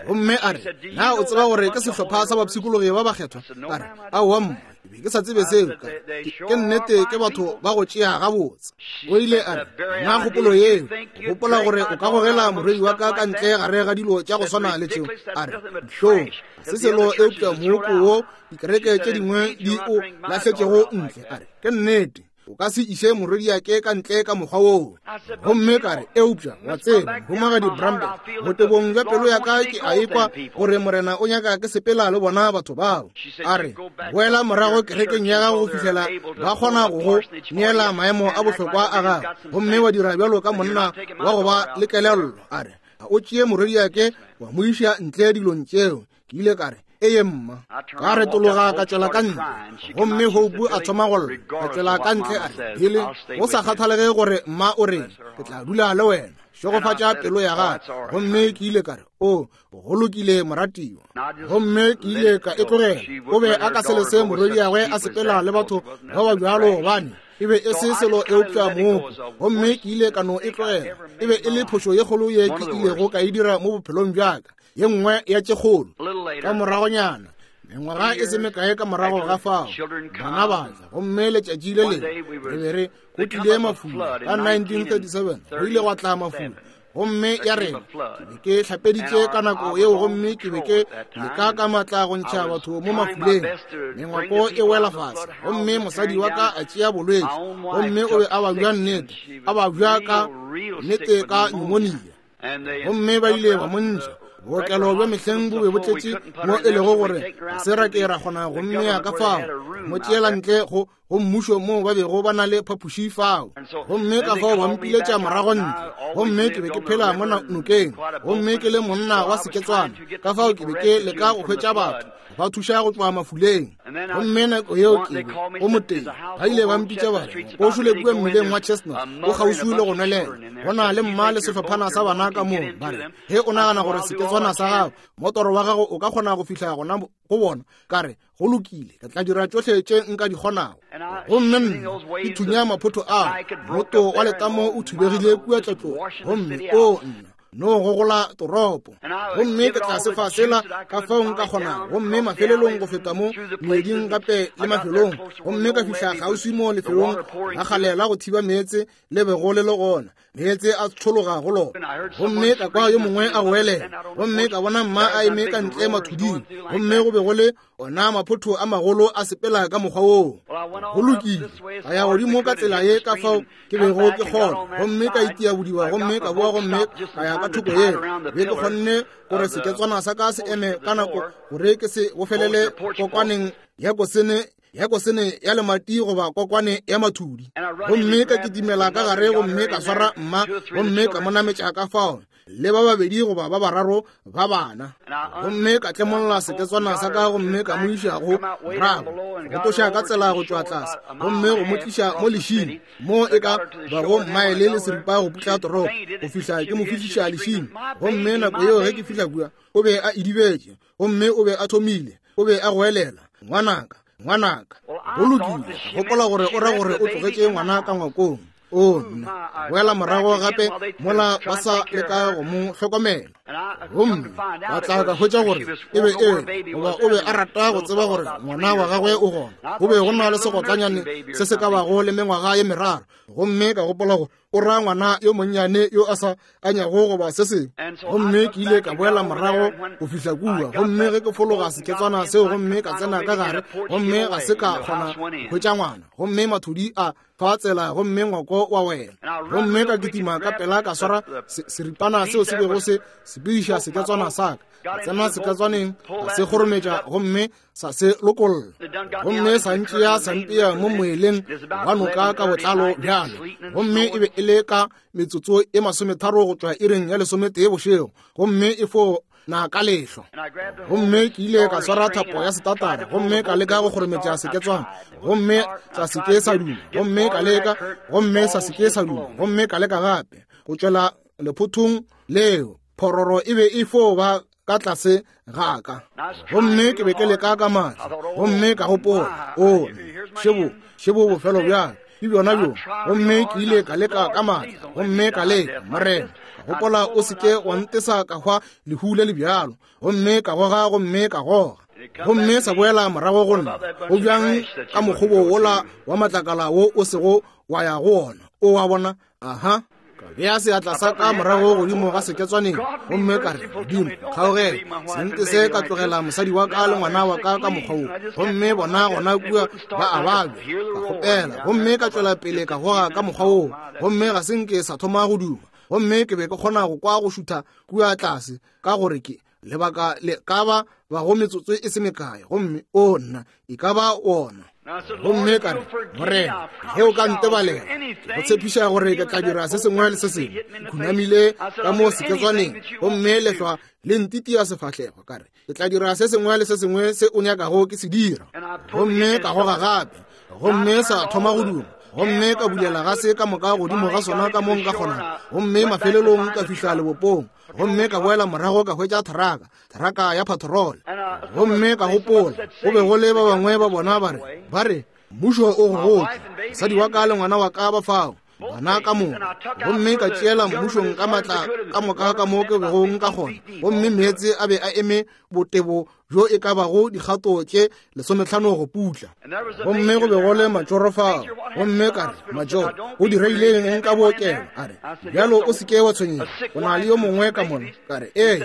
Gomme a re, Na o tseba gore ke sehlopha sa bapshikologi ba bakgethwa? Ka re, Aowa mma, ke be ke sa tsebe seo. Ka re, Ke nnete ke batho ba go tšea gabotse. O ile a re, Na kgopolo yeo, o gopola gore o ka gogela morwedi wa ka ka ntle gare ga dilo tša go swana le tšeo? A re, Dihlong, ga se selo eupša mooko wo dikereke tše dingwe di o lahletšego ntle. A re, Ke nnete, o ka se iše morwediake ka ntle ka mokgwa woo. Gomme ka re, Eupša, wa tseba, Mohumagadi Bramberg, botebong bja pelo ya ka ke a ekwa gore Morena o nyaka ke sepela le bona batho bao. A re, Boela morago kerekeng ya gago go fihlela ba kgona go go neela maemo a bohlokwa a gago, gomme wa dira bjalo ka monna wa go ba le kelello. A re, A o tšee morwediake wa mo iša ntle dilong tšeo. Ke ile ka re, Eye mma. Ka retologa ka tšwela ka ntle, gomme Hope a thoma go lla. Ka tšwela ka ntle a re, Billy, go sa kgathalege gore mma o reng, ke tla dula le wena. Šegofatša pelo ya gago. Gomme ke ile ka re, O, go lokile moratiwa. Gomme ke ile ka e tlogela. O be a ka se lese morwediagwe a sepela le batho ba ba bjalo, gobane e be e se selo eupša mooko. Gomme ke ile ka no e tlogela. E be e le phošo ye kgolo ye ke ilego ka e dira mo bophelong bja ka, ye nngwe ya tše kgolo. Ka moragonyana, mengwaga e se mekae ka morago ga fao, bana ba tla, gomme letšatši le lengwe re be re go tlile mafula. Ka 1937 go ile gwa tla mafula, gomme ya rena ke be ke hlapeditše ka nako yeo, gomme ke be ke leka ka matla go ntšha batho mo mafuleng. Mengwako e wela fase, gomme mosadi wa ka a tšea bolwetši, gomme o be a babja nnete, a babja ka nnete ka pneumonia, gomme ba ile ba mo ntšha. Bookelo bja mehleng bo be bo tletše mo e lego gore ga se ra ke ra kgona go mmea ka fao, mo tšeela ntle go go mmušo moo ba bego ba na le phapoši fao. Gomme ka fao ba mpiletša morago ntle, gomme ke be ke phela mo nokeng, gomme ke le monna wa seketswana, ka fao ke be ke leka go hwetša batho ba thuša go tšwa mafuleng. Gomme nako yeo ke be go moteng, ba ile ba mpitša ba re, O šole kua mmileng wa Chestnut, o kgauswi le go nwelela, go na le mma le sehlophana sa bana ka moo. Ba re, Ge o nagana gore seketswana sa gago, motoro wa gago o ka kgona go fihla gona go bona, ka re, Go lokile, ke tla dira tšohle tše nka di kgonago. Gomme nna ke thunya maphotho ao, mmoto wa letamo o thubegile kua tlatlong, gomme o nna no gogola toropo. Gomme ke tla sefa sela ka fao nka kgonago, gomme mafelelong go feta mo moeding gape le mafelong, gomme ka fihla kgauswi mo lefelong la kgale la go thiba meetse le bego le le gona, meetse a tshologa go lona. Gomme ka kwa yo mongwe a goelela, gomme ka bona mma a eme ka ntle mathuding, gomme go be go le ona maphotho a magolo a sepela ka mokgwa woo. Go lokile, ka ya godimo ka tsela ye ka fao ke bego ke kgona, gomme ka itia bodiba, gomme ka boa gomme ka ya ka thoko yeo. Be ke kgonne gore seketswana sa ka se eme ka nako gore ke se bofelele kokwaneng ya kosene ya kosene ya lemati goba kokwane ya mathudi. Gomme ka kitimela ka gare gomme ka swara mma gomme ka mo nametša ka fao le ba babedi goba ba bararo ba bana. Gomme ka tlemolla seketswana sa ka gomme ka mo iša go morago, go tloša ka tsela go tšwa tlase, gomme go mo tliša mo lešing mo e ka bago mmaele le seripa go putla toropo, go fihla ke mo fihliša lešing. Gomme nako yeo ge ke fihla kua, o be a idibetše, gomme o be a thomile, o be a goelela, Ngwanaka, ngwanaka. Go lokile, gopola gore o ra gore o tlogetše ngwana ka ngwakong. O nna, boela morago gape mola ba sa leka go mo hlokomela. Gomme ba tla ka hwetša gore e be e goba o be a rata go tseba gore ngwana wa gagwe o gona. Go be go na le segotlanyane se se ka bago le mengwaga ye meraro, gomme ka gopola gore o ra ngwana yo monnyane yo a sa anyago goba se sengwe. Gomme ke ile ka boela morago go fihla kua, gomme ge ke fologa seketswana seo gomme ka tsena ka gare, gomme ga se ka kgona go hwetša ngwana, gomme mathudi a fa tsela gomme ngwako wa wela. Gomme ka kitima ka pela ka swara seripana seo se bego se sepediša seketswana sa ka, ka tsena seketswaneng ka se kgorometša gomme sa se lokolla, gomme sa ntšea sa mpea mo moeleng wa noka ka botlalo bjalo. Gomme e be e le ka metsotso e 30 go tšwa iring ya 11 bošego, gomme e fo na ka lehlo. Gomme ke ile ka swara thapo ya setatara gomme ka leka go kgorometša seketswana, gomme sa se ke sa duma, gomme ka leka, gomme sa se ke sa duma, gomme ka leka gape go tšwela lephothong leo. Phororo e be e fo ba ka tlase ga ka, gomme ke be ke leka ka maatla, gomme ka gopola, o šebo, šebo bofelo bjang ke bjona bjo. Gomme ke ile ka leka ka maatla, gomme ka leka, Morena, ka gopola, o se ke wa ntesa ka hwa lehu le le bjalo. Gomme ka goga, gomme ka goga, gomme sa boela morago go nna. Go bjang ka mokgobo wola wa matlakala wo o sego wa ya go wona, o wa bona? Aha. Ka bea seatla sa ka morago godimo ga seketswaneng, gomme ka re, Modimo, kgaogela, se ntese ka tlogela mosadi wa ka le ngwana wa ka ka mokgwa wo, gomme bona gona kua ba a babja. Ka kgopela, gomme ka tšwela pele ka goga ka mokgwa woo, gomme ga se nke sa thoma go duma. Gomme ke be ke kgona go kwa go šutha kua tlase, ka gore ke lebaka le ka ba bago metsotso e se mekae, gomme o nna e ka ba wona. Gomme ka re, Morena, ge o ka ntebalela, ke go tshepiša gore ke tla dira se sengwe le se sengwe. Ke khunamile ka mo seketswaneng, gomme lehlwa le ntitia sefahlego. Ka re, ke tla dira se sengwe le se sengwe se o nyakago ke se dira. Gomme ka goga gape, gomme sa thoma go duma, gomme ka bulela gase ka moka godimo ga sona ka mo nka kgonago, gomme mafelelong ka fihla lebopong. Gomme ka boela morago ka hwetša theraka, theraka ya patrol. Gomme ka gopola, go be go le ba bangwe ba bona ba re, ba re, mmušo o go gotše, mosadi wa ka le ngwana wa ka ba fao, bana ka moka. Gomme ka tšeela mmušong ka matla ka moka ka mo ke bego nka kgona, gomme meetse a be a eme botebo bjo e ka bago dikgato tše 15 go putla. Gomme go be go le matšoro fao. Gomme ka re, Matšoro, go diregile eng ka bookelo? A re, Bjalo o se ke wa tshwenyega, go na le yo mongwe ka mona. Ka re, Ee,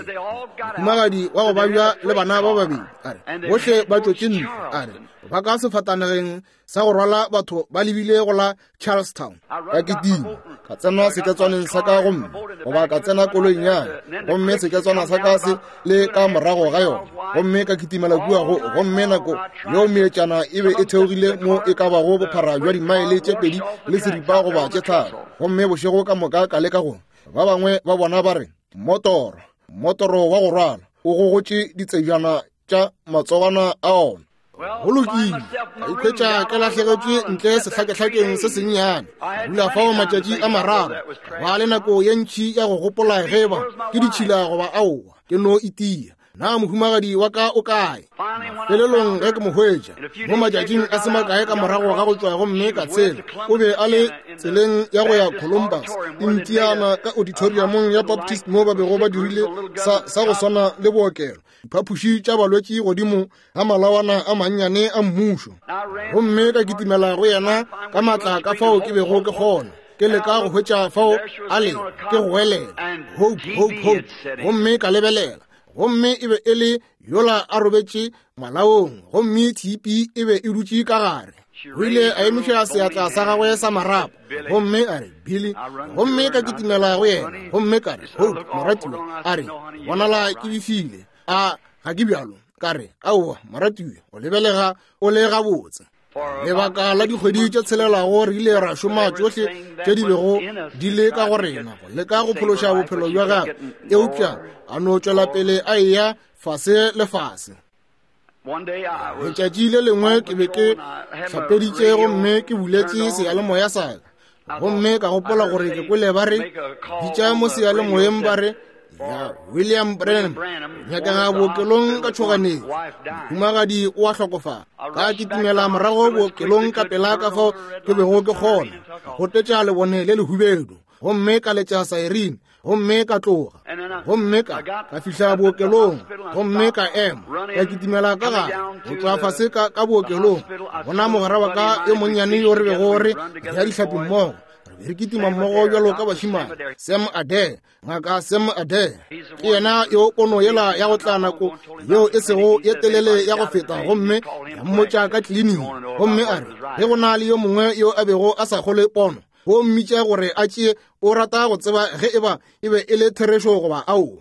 mohumagadi wa go babja le bana ba babedi. A re, Bohle ba tšwetše ntle. A re, Ba ka sefatanageng sa go rwala batho ba lebile go la Charlestown. Ka kitima ka tsena seketswaneng sa ka gomme goba ka tsena koloing ya gomme seketswana sa ka se le ka morago ga yona gomme ka kitimela kua go gomme nako yeo meetšana e be e theogile mo e ka bago bophara bja dimaele tše 2.5 goba tše 3 gomme bošego ka moka ka leka go ba bangwe ba bona ba re motoro motoro wa go rwala o gogotše ditsejana tša matsogwana a ona. Go lokile, ka ikhwetša ke lahlegetšwe ntle sehlakehlakeng se sennyane. Ka dula fao matšatši a mararo, ka ba le nako ye ntši ya go gopola ge eba ke ditšhila goba aowa. Ke no itia. Na mohumagadi wa ka o kae? Mafelelong ge ke mo hwetša, mo matšatšing a se makae ka morago ga go tšwa gomme ka tshela, o be a le tseleng ya go ya Columbus, Indiana, ka auditoriumong ya Baptist mo ba bego ba dirile sa, sa go swana le bookelo. Diphapoši tša balwetši godimo ga malawana a mannyane a mmušo. Gomme ka kitimela go yena ka maatla ka fao ke bego ke kgona, ke leka go hwetša fao a le, ke goelela, Hope, Hope, Hope. Gomme ka lebelela, gomme e be e le yola a robetše malaong, gomme tshipi e be e dutše ka gare. O ile a emiša seatla sa gagwe sa marapo gomme a re, Billy. Gomme ka kitimela go yena gomme ka re, Hope, moratiwa. A re, Bonala ke befile, a ga ke bjalo? Ka re, Aowa, moratiwa, o lebelega o le gabotse. Lebaka la dikgwedi tše tshelelago re ile ra šoma tšohle tše di bego di le ka go rena go leka go phološa bophelo bja gagwe, eupša a no tšwela pele a eya fase le fase. Letšatši le lengwe ke be ke hlapeditše gomme ke buletše seyalemoya sa ka, gomme ka gopola gore ke kwele ba re bitša mo seyalemoyeng ba re, ya William Branham nyakega bookelong ka tšhoganetšo, mohumagadi o a hlokofala. Ka kitimela morago bookelong ka pela ka fao ke bego ke kgona, ka gotetša lebone le lehubedu gomme ka letša saerine gomme ka tloga. Gomme ka ka fihla bookelong gomme ka ema, ka kitimela ka gare go tšwa fase ka ka bookelong, bona mogwera wa ka yo monnyane yo re bego re ya dihlapi mmogo, re be re kitima mmogo bjalo ka bašemane, Sam Adair, Ngaka Sam Adair. Ke yena yo pono yela ya go tla nako yeo e sego ye telele ya go feta, gomme ya mmotša ka kliniking, gomme a re ge go na le yo mongwe yo a bego a sa kgolwe pono, go mmitša gore a tšee, o rata go tseba ge eba e be e le therešo goba aowa.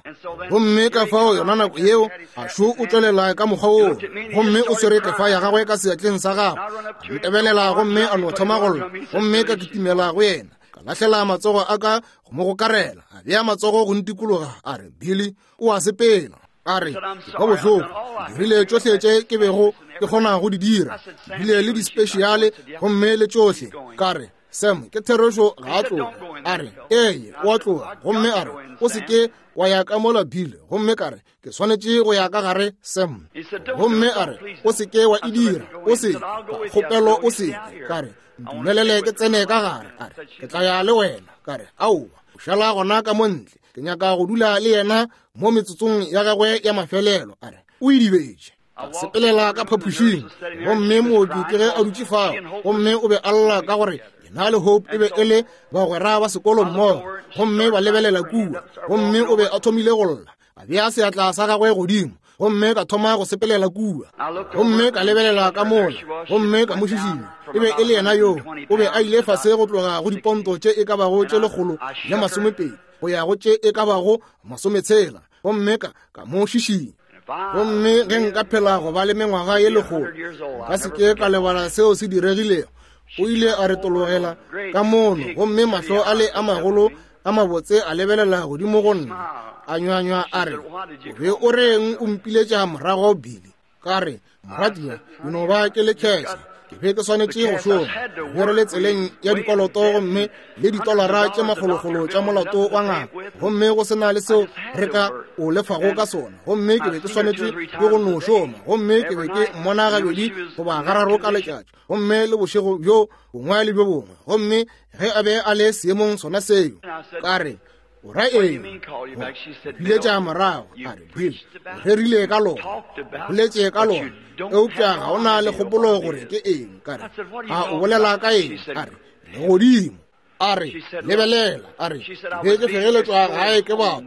Gomme ka fao yona nako yeo a šo o tšwelela ka mokgwa woo, gomme o swere kefa ya gagwe ka seatleng sa gagwe, a ntebelela gomme a no thoma go lla, gomme ka kitimela go yena, ka lahlela matsogo a ka go mo gokarela, a bea matsogo go ntikologa, a re, Billy, o a sepela. A re, Ke kwa bohloko, ke dirile tšohle tše ke bego ke kgona go di dira, ke bile le dispeciale gomme le tšohle. Ka re, Sam, ke therešo ga a tloga. A re, Ee, o a tloga. Gomme a re, O se ke wa ya ka mola, Bill. Gomme ka re, Ke swanetše go ya ka gare, Sam. Gomme a re, O se ke wa e dira. O se ke, kgopelo o se ke. Ka re, Ntumelele ke tsene ka gare. A re, Ke tla ya le wena. Ka re, Aowa, o šala gona ka mo ntle. Ke nyaka go dula le yena mo metsotsong ya gagwe ya mafelelo. A re, O idibetše. Ka sepelela ka phapošing, gomme mooki ke ge a dutše fao, gomme o be a lla ka gore yena le Hope e be e le bagwera ba sekolo mmogo, gomme ba lebelela kua, gomme o be a thomile go lla. A bea seatla sa gagwe godimo, gomme ka thoma go sepelela kua, gomme ka lebelela ka mola, gomme ka mo šišinya. E be e le yena yoo. O be a ile fase go tloga go diponto tše e ka bago tše 120 go ya go tše e ka bago 60, gomme ka ka mo šišinya. Gomme ge nka phela go ba le mengwaga ye lekgolo, nka se ke ka lebala seo se diregilego. O ile a retologela ka mono, gomme mahlo a le a magolo a mabotse a lebelela godimo go nna, a nywanywa a re, O be o reng o mpiletša morago, Billy? Ka re, Moratiwa, ke no ba ke le kheše. Ke be ke swanetše go šoma. Be re le tseleng ya dikoloto gomme le ditolara tše makgolokgolo tša molato wa ngaka, gomme go se na le seo re ka o lefago ka sona. Gomme ke be ke swanetše ke go no šoma, gomme ke be ke mmona gabedi goba gararo ka letšatši, gomme le bošego bjo bongwe le bjo bongwe. Gomme ge a be a le seemong sona seo, ka re, O ra eng? Biletša morago. A re, Bill, o rerile ka lona, o boletše ka lona, eupša ga o na le kgopolo gore ke eng. Ka re, A o bolela ka eng? A re, Legodimo. A re, Lebelela. A re, Be ke fegeletšwa gae ke batho,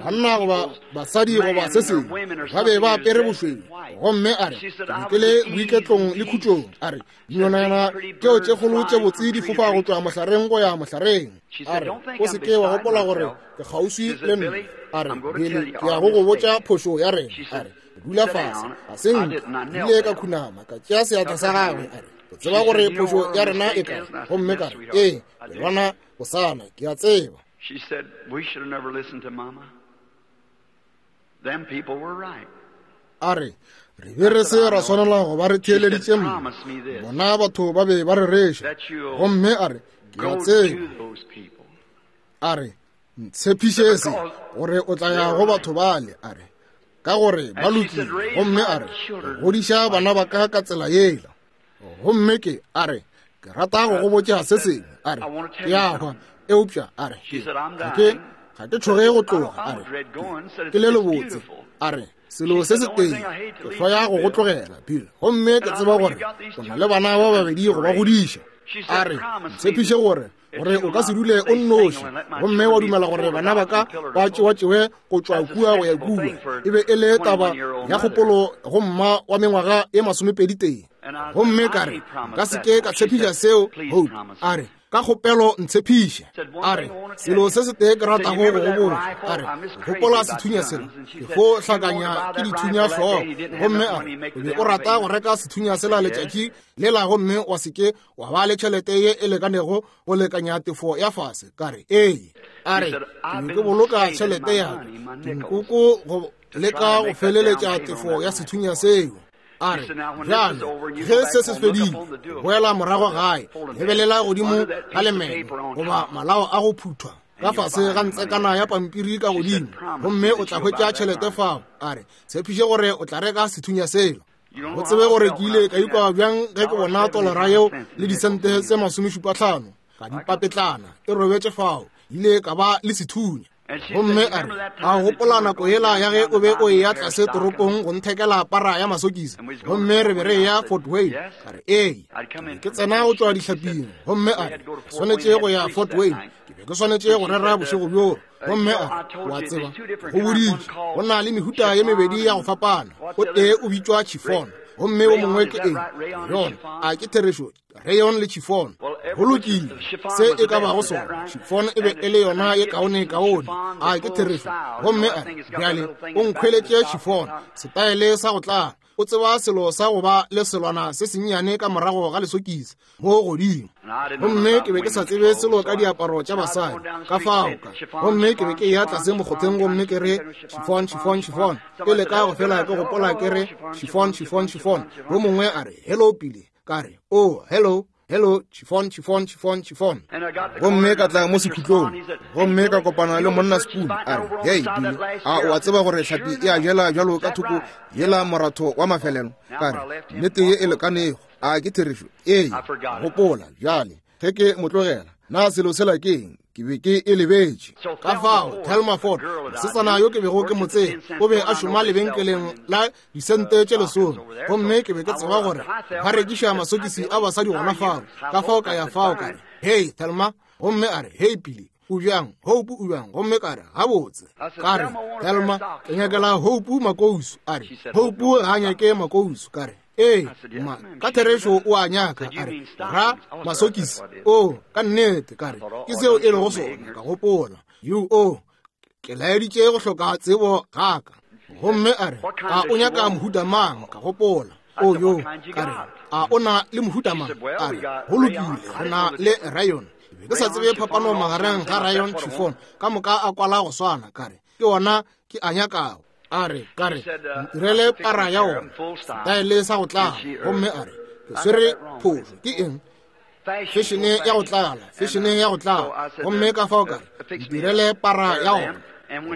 banna goba basadi goba se sengwe, ba be ba apere bošweu. Gomme a re, Ke be ke le boiketlong le khutšong. A re, Dinonyana tšeo tše kgolo tše botse di fofa go tšwa mohlareng go ya mohlareng. A re, O se ke wa gopola gore ke kgauswi le nna. A re, Billy, ke ya go go botša phošo ya rena. A re, Dula fase. Ga se nka. Ke ile ka khunama, ka tšea seatla sa gagwe. A re, O tseba gore phošo ya rena e kae? Gomme ka re, Ee, Lelwana bosana, ke a tseba. She said, We should have never listened to Mama. Them people were right. A re, Re be re se ra swanela go ba re theeleditše mma. Bona batho ba be ba rereša. Gomme a re, Ke a tseba. A re, Ntshepiše se, gore o tla ya go batho bale. A re, Ka gore ba lokile. Gomme a re, Godiša bana ba ka ka tsela yela. Gomme ke, a re, Ke rata go go botša se sengwe. A re, Ke a hwa, eupša, a re, ke, ga ke, ga ke tšhoge go tloga. A re, ke, ke le lebotse. A re, Selo se setee, ke hloya go go tlogela, Bill, gomme ke tseba gore o na le bana ba babedi go ba godiša. A re, Ntshepiše gore gore o ka se dule o nnoši gomme wa dumela gore bana ba ka ba tšewatšewe go tšwa kua go ya kua. E be e le taba ya kgopolo go mma wa mengwaga e masomepeditee. Gomme ka re, Nka se ke ka tshepiša seo, Hope. A re, Ka kgopelo ntshepiše. A re, Selo se setee ke ratago go go botša. A re, Gopola sethunya sela? Ke fo hlakanya ke dithunya hlogo. Gomme a re, O be o rata go reka sethunya sela letšatši lela gomme wa se ke wa ba le tšhelete ye e lekanego go lekanya tefo ya fase. Ka re, Ee. A re, Ke be ke boloka tšhelete ya ka, dinkoko go leka go feleletša tefo ya sethunya seo. A re, Bjale, ge se se fedile, boela morago gae, lebelela godimo ga lemeno goba malao a go phuthwa ka fase ga ntsekana ya pampiri ka godimo, gomme o tla hwetša tšhelete fao. A re, Tshepiše gore o tla reka sethunya sela. O tsebe gore ke ile ka ikwa bjang ge ke bona tolara yeo le disente tse masomešupatlhano ka dipapetlana e robetše fao, ile ka ba le sethunya. Gomme a re, A gopola nako yela ya ge o be o eya tlase toropong go nthekela para ya masokisi, gomme re be re eya Fort Wayne? Ka re, Ee. Ke tsena go tšwa dihlaping. Gomme a re, Swanetše go ya Fort Wayne. Ke be ke swanetše go rera bošego bjoo. Gomme a re, O a tseba, go boditše, go na le mehuta ye mebedi ya go fapana. O tee o bitšwa chiffon, gomme o mongwe ke eng? Rayon. A ke therešo? Rayon le chiffon. Go lokile, se e ka bago sona. Chiffon e be e le yona ye kaone kaone. A ke therešo? Gomme a re, Bjale, o nkhweletše chiffon, setaele sa go tlala. O tseba selo sa go ba le selwana se sennyane ka morago ga lesokisi mo godimo. Gomme ke be ke sa tsebe selo ka diaparo tša basadi, ka fao ka. Gomme ke be ke eya tlase mokgotheng gomme ke re, Chiffon, chiffon, chiffon. Ke leka go fela ke gopola ke re, Chiffon, chiffon, chiffon. Yo mongwe a re, Hello, Billy. Ka re, Oh, hello. Hello, chiffon, chiffon, chiffon, chiffon. Gomme ka tla mo sekhutlong, gomme ka kopana le monna Spoon. A re, Hei, Billy, a o a tseba gore hlapi e a jela bjalo ka thoko yela moratho wa mafelelo? Ka re, Nnete ye e lekanego. A ke therešo? Ee. Gopola, bjale, ge ke mo tlogela, na selo sela ke eng? Ke be ke e lebetše. Ka fao, Thelma Ford, mosetsana yo ke bego ke mo tseba, o be a šoma lebenkeleng la disente tše lesome, gomme ke be ke tseba gore ba rekiša masokisi a basadi gona fao. Ka fao ka ya fao, ka re, Hei, Thelma. Gomme a re, Hei, Billy, o bjang? Hope o bjang? Gomme ka re, Gabotse. Ka re, Thelma, ke nyakela Hope makousu. A re, Hope ga a nyake makousu. Ka re, Ee, ma, ka therešo o a nyaka. A re, Ra masokisi. O, ka nnete. Ka re, Ke seo e lego sona. Ka gopola, U, o, ke laeditše go hloka tsebo ga ka. Gomme a re, A o nyaka mohuta mang? Ka gopola, O yo. Ka re, A o na le mohuta mang? A re, Go lokile, re na le rayon. Ke be ke sa tsebe phapano magareng ga rayon, chiffon, ka moka a kwala go swana. Ka re, Ke ona ke a nyakago. A re, ka re, ntirele para ya ona, setaele sa go tlala. Gomme a re, Ke swere phošo. Ke eng? Fešene ya go tlala, fešene ya go tlala. Gomme ka fao ka re, ntirele para ya ona.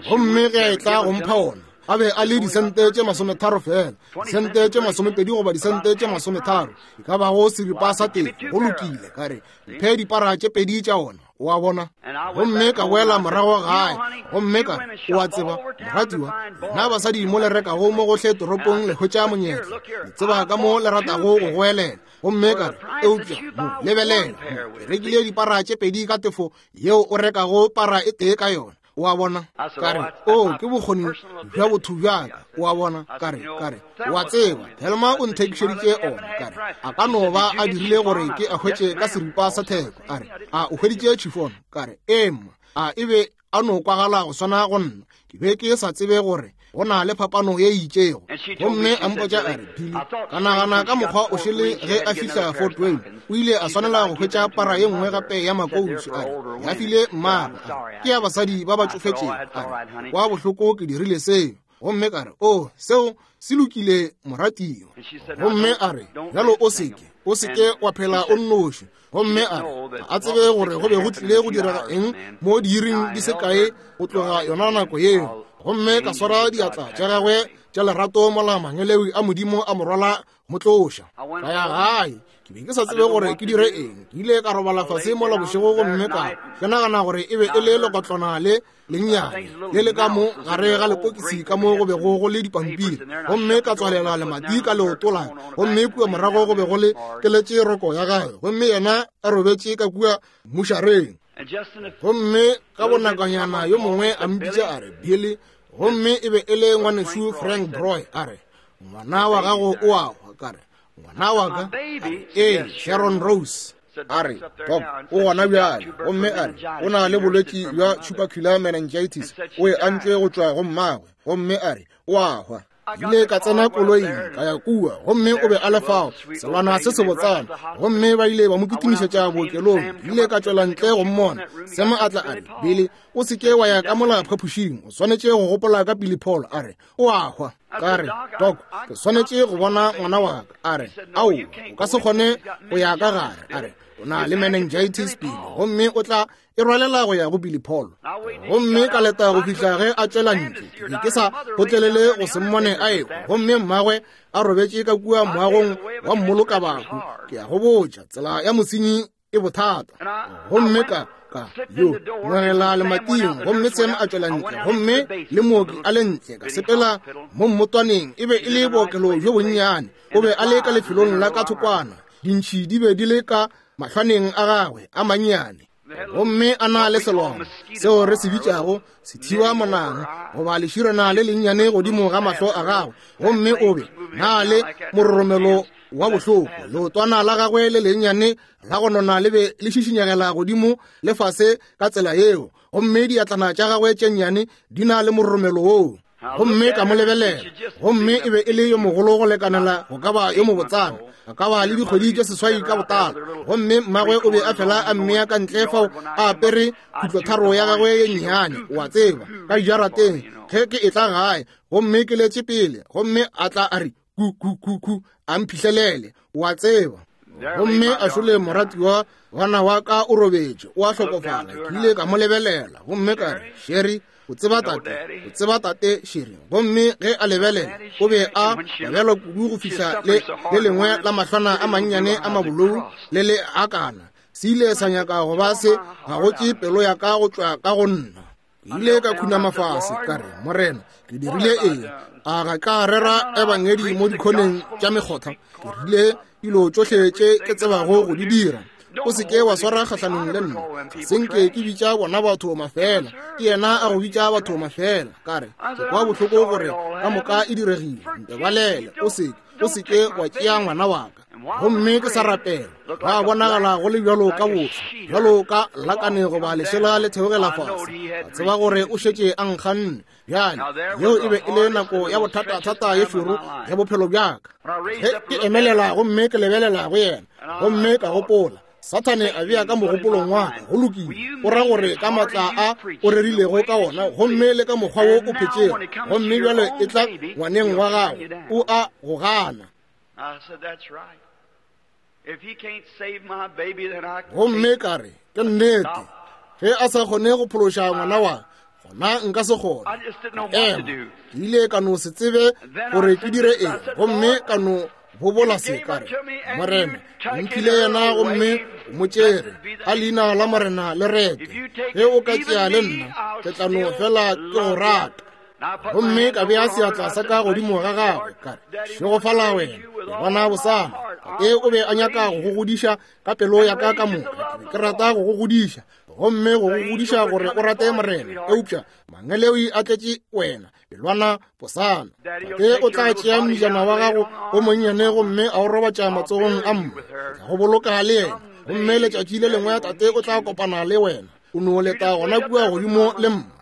Gomme ge a etla go mpha ona, a be a le disente tše masometharo fela, disente tše masomepedi goba disente tše masometharo, e ka bago seripa sa tefo. Go lokile, ka re, mphe dipara tše pedi tša ona. O a bona? Gomme ka boela morago gae, gomme ka re, O a tseba, moratiwa, lena basadi mo le rekago mo gohle toropong le hwetša monyetla. Le tseba ka mo le ratago go goelela. Gomme ka re, Eupša, mo, lebelela, mo, ke rekile dipara tše pedi ka tefo yeo o rekago para e tee ka yona. O a bona? Ka re, O, ke bokgoni bja botho bja ka. O a bona? Ka re, ka re, O a tseba, Thelma o nthekišeditše ona. Ka re, A ka no ba a dirile gore ke a hwetše ka seripa sa theko. A re, A o hweditše chiffon? Ka re, Ee, mma. A e be a no kwagala go swana go nna. Ke be ke sa tsebe gore go na le phapano ye itšego. Gomme a mpotša a re, Billy, ka nagana ka mokgwa o šele ge a fihla Fort Wayne, o ile a swanela go hwetša para ye nngwe gape ya makousu. A re, ya file mmagwe. A re, ke ya basadi ba ba tšofetšego. A re, kwa bohloko ke dirile seo. Gomme ka re, O, seo se lokile, moratiwa. Gomme a re, Bjalo o seke, o seke wa phela o nnoši. Gomme a re, ga a tsebe gore go be go tlile go direga eng mo diiring di se kae go tloga yona nako yeo. Gomme ka swara diatla tša gagwe tša lerato mola mangelewi a Modimo a mo rwala mo tloša. Ka ya gae, ke be ke sa tsebe gore ke dire eng. Ke ile ka robala fase mola bošego gomme ka ke nagana gore e be e le lekotlwana le lennyane le le ka mo gare ga lepokisi ka mo go bego go le dipampiri, gomme ka tswalela lemati ka leoto la ka, gomme kua morago go be go le keletše roko ya gagwe, gomme yena a robetše ka kua mmušareng. Gomme ka bonakanyana yo mongwe a mpitša a re, Billy, gomme e be e le ngwanešu Frank Broy, a re, ngwana wa gago o a hwa. Ka re, ngwana wa ka? Ee, Sharon Rose. A re, Doc, o gona bjale. Gomme a re, o na le bolwetši bja tubercular meningitis, o e antšwe go tšwa go mmagwe. Gomme a re, o a hwa. Ile ka tsena koloing ka ya kua, gomme o be a le fao, selwana se sebotsana, gomme ba ile ba mo kitimišetša bookelong. Ke ile ka tšwela ntle go mmona. Sam a tla a re, Billy, o se ke wa ya ka mola phapošing, o swanetše go gopola ka Billy Paul. A re, o a hwa. Ka re, Doc, ke swanetše go bona ngwana wa ka. A re, Ao, o ka se kgone go ya ka gare. A re, o na le meningitis pele, gomme o tla e rwalela go ya go Billy Paul. Gomme ka leta go fihla ge a tšwela ntle. Ke be ke sa kgotlelele go se mmone a ekwa, gomme mmagwe a robetše ka kua moagong wa mmolokabahu. Ke a go botša, tsela ya mosenyi e bothata. Gomme ka ka yo ngwegela lemating, gomme Sam a tšwela ntle, gomme le mooki a le ntle. Ka sepela mo mmotwaneng, e be e le bookelo bjo bonnyane. O be a le ka lefelong la ka thokwana, dintšhi di be di le ka mahlwaneng a gagwe a mannyane, gomme a na le selwana seo re se bitšago sethiwa monang goba leširana le lennyane godimo ga mahlo a gagwe, gomme o be na le mororomelo wa bohloko. Leotwana la gagwe le lennyane la go nona le be le šišinyegela godimo le fase ka tsela yeo, gomme diatlana tša gagwe tše nnyane di na le mororomelo woo. Gomme ka mo lebelela, gomme e be e le yo mogolo go lekanela go ka ba yo mobotsana, a ka ba le dikgwedi tše 8 ka botala. Gomme mmagwe o be a fela a mmea ka ntle fao a apere khutlotharo ya gagwe ye nnyane, o a tseba, ka dijarateng ge ke etla gae. Gomme ke letše pele, gomme a tla a re ku ku ku ku, a mphihlelele, o a tseba. Gomme a šole moratiwa ngwana wa ka o robetše, o a hlokofala. Ke ile ka mo lebelela, gomme ka re, Sherry, o tseba tate, o tseba tate, Sherry. Gomme ge a lebelela, o be a babelwa kudu go fihla le le lengwe la mahlwana a mannyane a mabolou le le akana se ile sa nyaka go ba se gagotše pelo ya ka go tšwa ka go nna. Ke ile ka khunama fase, ka re, Morena, ke dirile eng? A ga ka rera ebangedi mo dikhoneng tša mekgotha? Ke rile dilo tšohle tše ke tsebago go di dira. O se ke wa swara kgahlanong le nna. Ga se nke ke bitša bona batho mafela, ke yena a go bitša batho mafela. Ka re, ke kwa bohloko gore ka moka e diregile. Ntebalele, o se o se ke wa tšea ngwana wa ka. Gomme ke sa rapela, ba bonagala go le bjalo ka boso, bjalo ka lakane goba lešela le theogela fase. Ka tseba gore o šetše a nkganne. Bjale, yeo e be e le nako ya bothatathata ye šoro ya bophelo bja ka. Ge ke emelela gomme ke lebelela go yena, gomme ka gopola, Sathane a bea ka mogopolong wa ka, go lokile, o ra gore ka matla a o rerilego ka ona, gomme le ka mokgwa wo o phetšego, gomme bjale e tla ngwaneng wa gago, o a go gana. Gomme ka re, ke nnete, ge a sa kgone go phološa ngwana wa gona nka se kgone. Ema, ke ile ka no se tsebe gore ke dire eng, gomme ka no Bobola se, ka re, Morena, o mphile yena gomme o mo tšere. A leina la Morena le retwe. Ge o ka tšea le nna, ke tla no fela ke go rata. Gomme ka bea seatla sa ka godimo ga gagwe, ka re, Šegofala wena, ke bona bosana. Tate o be a nyaka go go godiša ka pelo ya ka ka moka. Ke be ke rata go go godiša, gomme go go godiša gore o rate Morena. Eupša mangeloi a tletše wena, pelwana posana. Tate o tla tšea mmijana wa gago o monnyane gomme a o robatša matsogong a mma. Ke tla go boloka le yena, gomme letšatši le lengwe tate o tla kopana le wena. O no leta gona kua godimo le mma.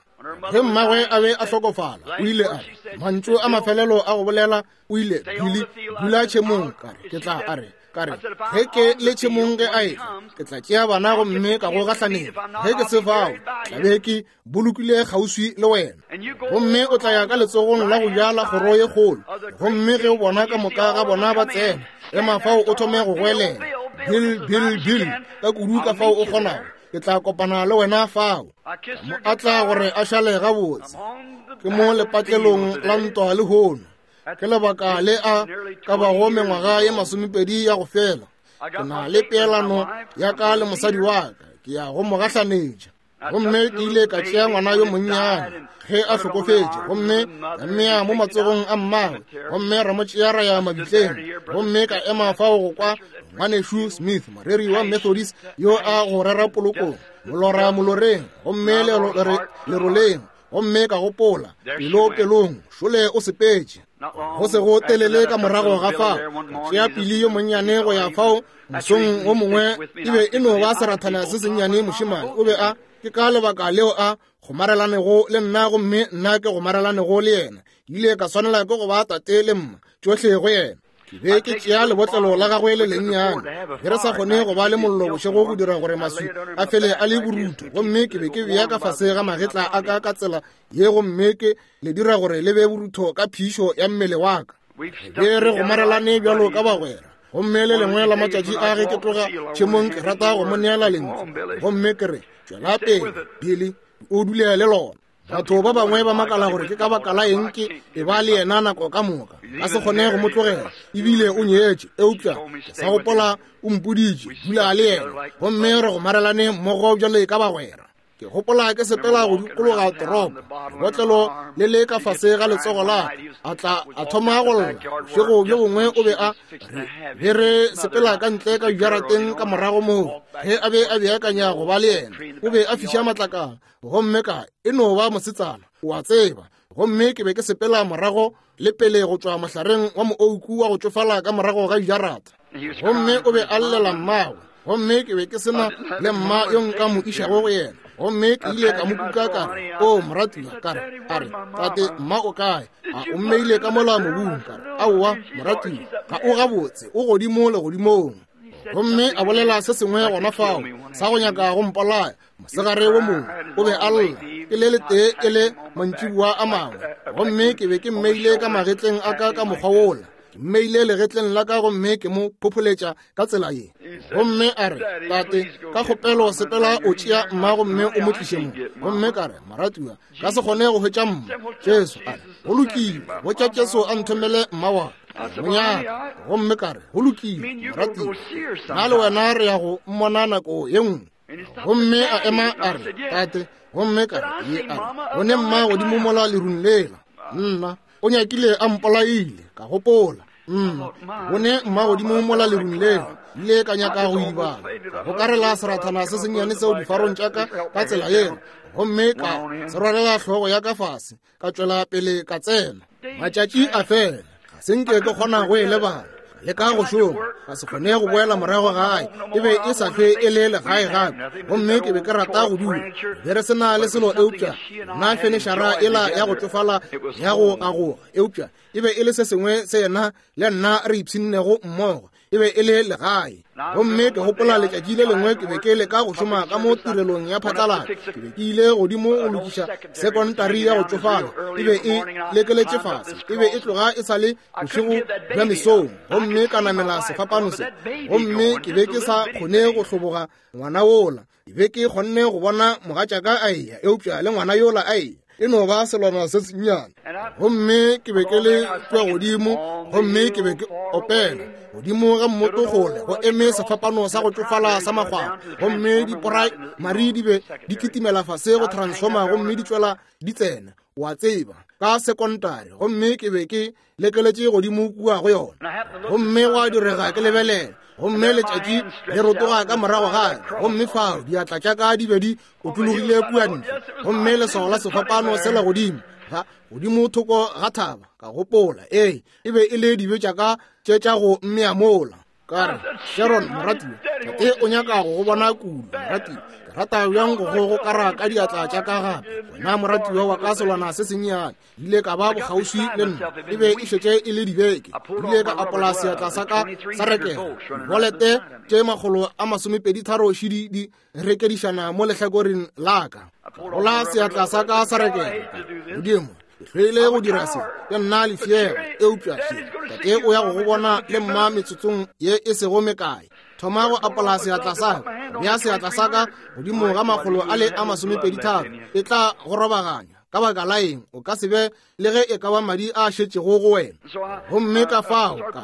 Ge mmagwe a be a hlokofala, o ile a re mantšu a mafelelo a go bolela, o ile, Billy, dula tšhemong. Ka re, ke tla, a re, ka re, ge ke le tšhemong ge a etla, ke tla tšea bana gomme ka go gahlaneng. Ge ke se fao, tla be ke bolokile kgauswi le wena. Gomme o tla ya ka letsogong la go ja la kgoro ye kgolo, gomme ge o bona ka moka ga bona ba tsena, ema fao o thome go goelela, Bill, Bill, Bill, ka kudu ka fao o kgonago. Ke tla kopana le wena fao. Mo a tla gore a šale gabotse. Ke mo lepatlelong la ntwa lehono. Ke lebaka le a ka bago mengwaga ye 20 ya go fela. Ke na le peelano ya ka le mosadi wa ka. Ke ya go mo gahlanetša. Gomme ke ile ka tšea ngwana yo monnyane ge a hlokofetše, gomme ka mmea mo matsogong a mmagwe, gomme ra mo tšea ra ya mabitleng. Gomme ka ema fao go kwa Ngwanešu Smith, moreri wa Methodist, yo a go rera polokong, molora moloreng, gomme leroleng. Gomme ka gopola, pelo pelong, šole o sepetše. Go se go telele ka morago ga fao, ka tšea Pili yo monnyane go ya fao mosong wo mongwe. E be e no ba serathana se sennyane, mošemane. O be a, ke ka lebaka leo a gomarelanego le nna, gomme nna ke gomarelanego le yena. Ke ile ka swanela ke go ba tate le mma, tšohle go yena. Ke be ke tšea lebotlelo la gagwe le lennyane, ge re sa kgone go ba le mollo bošego go dira gore maswi a fele a le borutho, gomme ke be ke bea ka fase ga magetla a ka ka tsela ye, gomme ke le dira gore le be borutho ka phišo ya mmele wa ka. Be re gomarelane bjalo ka bagwera. Gomme le lengwe la matšatši a ge ke tloga tšhemong, ke rata go mo neela lentšu, gomme ke re, tšwela pele, Billy, o dule le lona. Batho ba bangwe ba makala gore ke ka baka la eng ke e ba le yena nako ka moka, ka se kgone go mo tlogela, ebile o nyetše. Eupša ke sa gopola o mpoditše, dula le yena, gomme re gomarelane mmogo bjale ka bagwera. Ke gopola ke sepela go dikologa toropo, lebotlelo le le ka fase ga letsogo la ka, a tla a thoma go lla. Bošego bjo bongwe o be a re be re sepela ka ntle ka dijarateng ka morago moo, ge a be a beakanya go ba le yena, o be a fiša matlakala. Gomme ka e no ba mosetsana, o a tseba. Gomme ke be ke sepela morago le pele go tšwa mohlareng wa moouku wa go tšofala ka morago ga dijarata. Gomme o be a llela mmagwe, gomme ke be ke se na le mma yo nka mo išago go yena. Gomme ke ile ka mo kuka ka re, O moratiwa, ka re, a re, tate, mma o kae? A o mmeile ka mola mobung? Ka re, aowa, moratiwa, ga o gabotse, o godimo legodimong. Gomme a bolela se sengwe gona fao sa go nyaka go mpolaya. Mosegare wo mongwe o be a lla, ke le letee e le mantšiboa a mangwe, gomme ke be ke mmeile ka magetleng a ka ka mokgwa wola. Ke mmeile legetleng la ka gomme ke mo phopholetša ka tsela ye. Gomme a re, Tate, ka kgopelo sepela o tšea mma gomme o mo tliše mo. Gomme ka re, Moratiwa, ka se kgone go hwetša mma. Jesu a re, go lokile, botša Jesu a nthomele mma wa ka, monyaka. Gomme ka re, go lokile, moratiwa, nna le wena re ya go mmona nako ye nngwe. Gomme a ema a re, Tate, gomme ka re, ye a re, bone mma godimo mola lerung lela. Nna, o nyakile a mpolaile, ka gopola. Nna, bone mma godimo mola lerung lela. Ile ka nyaka go idibala, ka gokarela serathana se sennyane seo difarong tša ka ka tsela yela, gomme ka se rwalela hlogo ya ka fase, ka tšwela pele ka tsena. Matšatši a fela, ga se nke ke kgona go e lebala. Le ka go šoma, ka se kgone go boela morago gae. E be e sa hlwe e le legae gape, gomme ke be ke rata go dula. Be re se na le selo eupša nna fenešara ela ya go tšofala ya go gagoga, eupša e be e le se sengwe se yena le nna re ipshinnego mmogo. E be e le legae. Gomme ke gopola letšatši le lengwe ke be ke leka go šoma ka mo tirelong ya phatlalatšo. Ke be ke ile godimo go lokiša sekontari ya go tšofala. E be e lekeletše fase. E be e tloga e sa le bošego bja mesong. Gomme ka namela sefapano se. Gomme ke be ke sa kgone go hloboga ngwana wola. Ke be ke kgonne go bona mogatšaka a eya, eupša le ngwana yola a eya. E no ba selwana se sennyane. Gomme ke be ke le kua godimo, gomme ke be ke opela godimo ga mmoto kgole go eme sefapano sa go tšofala sa makgwakgwa, gomme diporaemari di be di kitimela fase go transformer gomme di tšwela di tsena, wa tseba, ka sekontari, gomme ke be ke lekeletše godimo kua go yona. Gomme gwa direga ke lebelela, gomme letšatši le rotoga ka morago ga ka, gomme fao diatla tša ka di be di otlologile kua ntle, gomme leswao la sefapano sela godimo ga godimo thoko ga thaba. Ka gopola, ee, e be e le dibe tša ka tše tša go mmea mola. Ka re, Sharon, moratiwa, tate o nyaka go go bona kudu, moratiwa. Ke rata bjang go go gokara ka diatla tša ka gape, wena moratiwa wa ka selwana se sennyane. Ile ka ba bokgauswi le nna, e be e šetše e le dibeke. Ile ka apola seatla sa ka sa rekega, dibolete tše 123 šidi di rekedišana mo lehlakoreng la ka. Gola seatla sa ka sa rekega, Modimo, ke hloile go dira se, ke nna lefšega, eupša še, tate o ya go go bona le mma metsotsong ye e sego mekae. Thoma go apola seatla sa ka, bea seatla sa ka godimo ga 123, e tla go robaganya. Ka baka la eng o ka se be le ge e ka ba madi a šetšego go wena? Gomme ka fao ka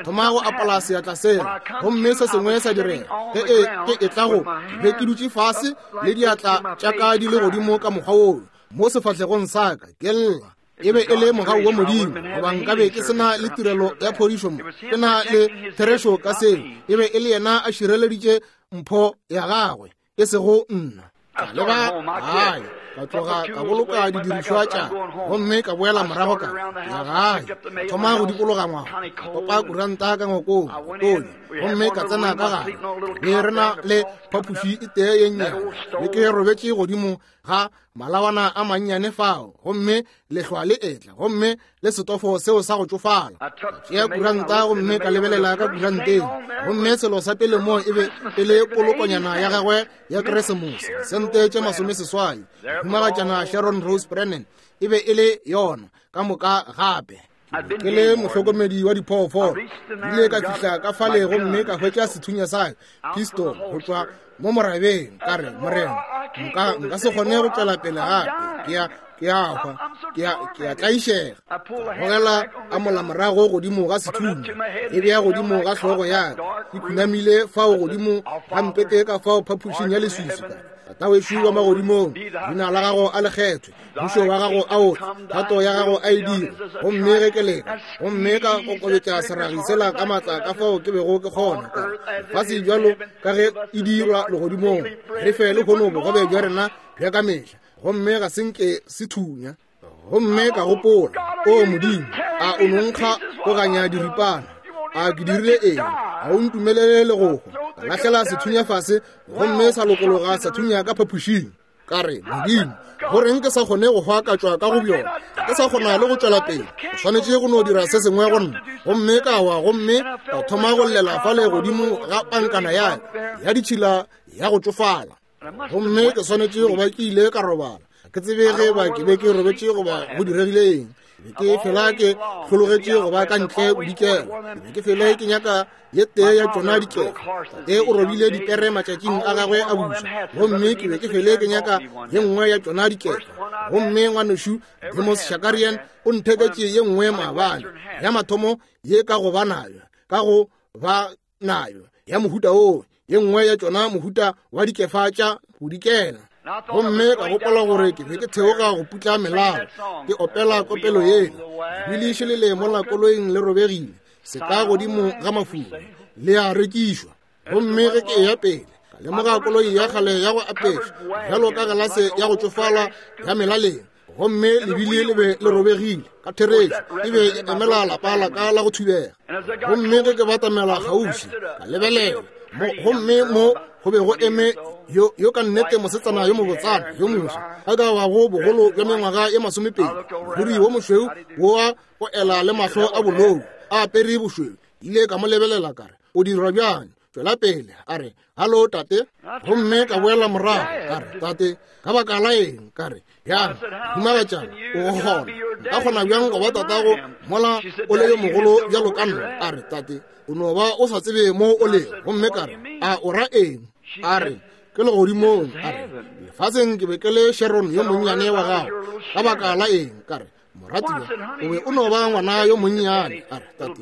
thoma go apola seatla sela, gomme se sengwe sa direga. Ge e ke e tla go, ke be ke dutše fase le diatla tša ka di le godimo ka mokgwa woo mo sefahlegong sa ka, ke lla. E be e le mogau wa Modimo, goba nkabe ke se na le tirelo ya phodišo mo. Ke na le therešo ka seo. E be e le yena a šireleditše mpho ya gagwe, e sego nna. Ka leba gae, ka tloga ka boloka didirišwa tša, gomme ka boela morago ka ya gae. Ka thoma go dikologa ngwaga, ka topa kuranta ka ngwakong, tonya, gomme ka tsena ka gare. Be re na le phapoši e tee ye nnyane, be ke robetše godimo ga malawana a mannyane fao, gomme lehlwa le etla, gomme le setofo seo sa go tšofala. Ka tšea kuranta gomme ka lebelela ka kuranteng, gomme selo sa pele mo e be e le polokonyana ya gagwe ya Keresemose, sente tše 80, mohumagatšana Sharon Rose Brennan, e be e le yona ka moka gape. Ke le mohlokomedi wa diphoofolo, ile ka fihla ka fale gomme ka hwetša sethunya sa pistol go tšwa mo morabeng. Ka re, Morena, nka se kgone go tšwela pele gape, ke a hwa, ke a tlaišega. Ka gogela a mola morago godimo ga sethunya, e bea godimo ga hlogo ya ka, ke khunamile fao godimo ga mpete ka fao phapošing ya leswiswi. Ka re, Tata wešo wa magodimong, leina la gago a le kgethwe, mmušo wa gago a o tle, thato ya gago a e dire. Gomme ge ke leka, gomme ka kokobetša seragi sela ka maatla ka fao ke bego ke kgona, ka re, lefase bjalo ka ge e dirwa legodimong, re fe lehono bogobe bja rena bja ka mehla. Gomme ga se nke se thunya. Gomme ka gopola, O Modimo, a o no nkga go ganya diripana? A ke dirile eng? A o ntumelele le go hwa? Ka lahlela sethunya fase, gomme sa lokologa sa thunya ka phapošing. Ka re, Modimo, go reng ke sa kgone go hwa ka tšwa ka go bjona? Ke sa kgona le go tšwela pele. O swanetše go no dira se sengwe go nna. Gomme ka wa, gomme ka thoma go llela fale godimo ga pankana ya ka ya ditšhila ya go tšofala. Gomme ke swanetše go ba ke ile ka robala. Ke tsebe ge ba ke be ke robetše goba go diregile eng. Be ke fela ke hlologetše go ba ka ntle bodikela. Ke be ke fele ke nyaka ye tee ya tšona dikefa. Tate o robile dipere matšatšing a gagwe a boswa, gomme ke be ke fele ke nyaka ye nngwe ya tšona dikefa. Gomme ngwanešu Demos Shakarian o ntheketše ye nngwe maabane, ya mathomo ye ka go ba nayo, ka go ba nayo ya mohuta woo, ye nngwe ya tšona mohuta wa dikefa tša bodikela. Gomme ka gopola gore ke be ke theoga go putla melao, ke opela kopelo yela, lebili šelele mola koloing le robegile, se ka godimo ga mafula, le a rekišwa. Gomme ge ke eya pele, ka lemoga koloi ya kgale ya go apešwa bjalo ka galase ya go tšofala ya melaleng, gomme lebili le be le robegile. Ka therešo e be e emela lapa la ka la go thubega. Gomme ge ke batamela kgaufsi, ka lebelela mo, gomme mo go be go eme yo ka nnete mosetsana yo mobotsana yo moswa, a ka bago bogolo bja mengwaga ye 20, moriri wo mošweu wo o ela le mahlo a bolou, a apere bošweu. Ile ka mo lebelela ka re, O dirwa bjang? Tšwela pele. A re, Hallo, tate. Gomme ka boela morago, ka re, Tate, ka baka la eng? Ka re, Bjang, mohumagatšana, o go kgona. Nka kgona bjang go ba tatago mola o le yo mogolo bjalo ka nna? A re, Tate, o no ba o sa tsebe mo o lego. Gomme ka re, A o ra eng? A re, Ke legodimong. A re, Lefaseng ke be ke le Sharon yo monnyane wa gago. Ka baka la eng? Ka re, Moratiwa, o be o no ba ngwana yo monnyane. A re, Tate,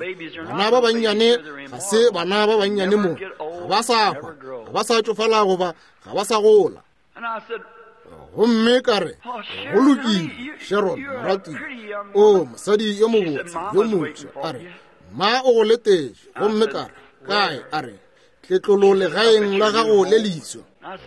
bana ba bannyane ga se bana ba bannyane mo. Ga ba sa hwa, ga ba sa tšofala goba ga ba sa gola. Gomme ka re, Go lokile, Sharon, moratiwa. O mosadi yo mobotse, yo moswa. A re, Ma o go letetše. Gomme ka re, Kae? A re, Tletlolo legaeng la gago le leswa.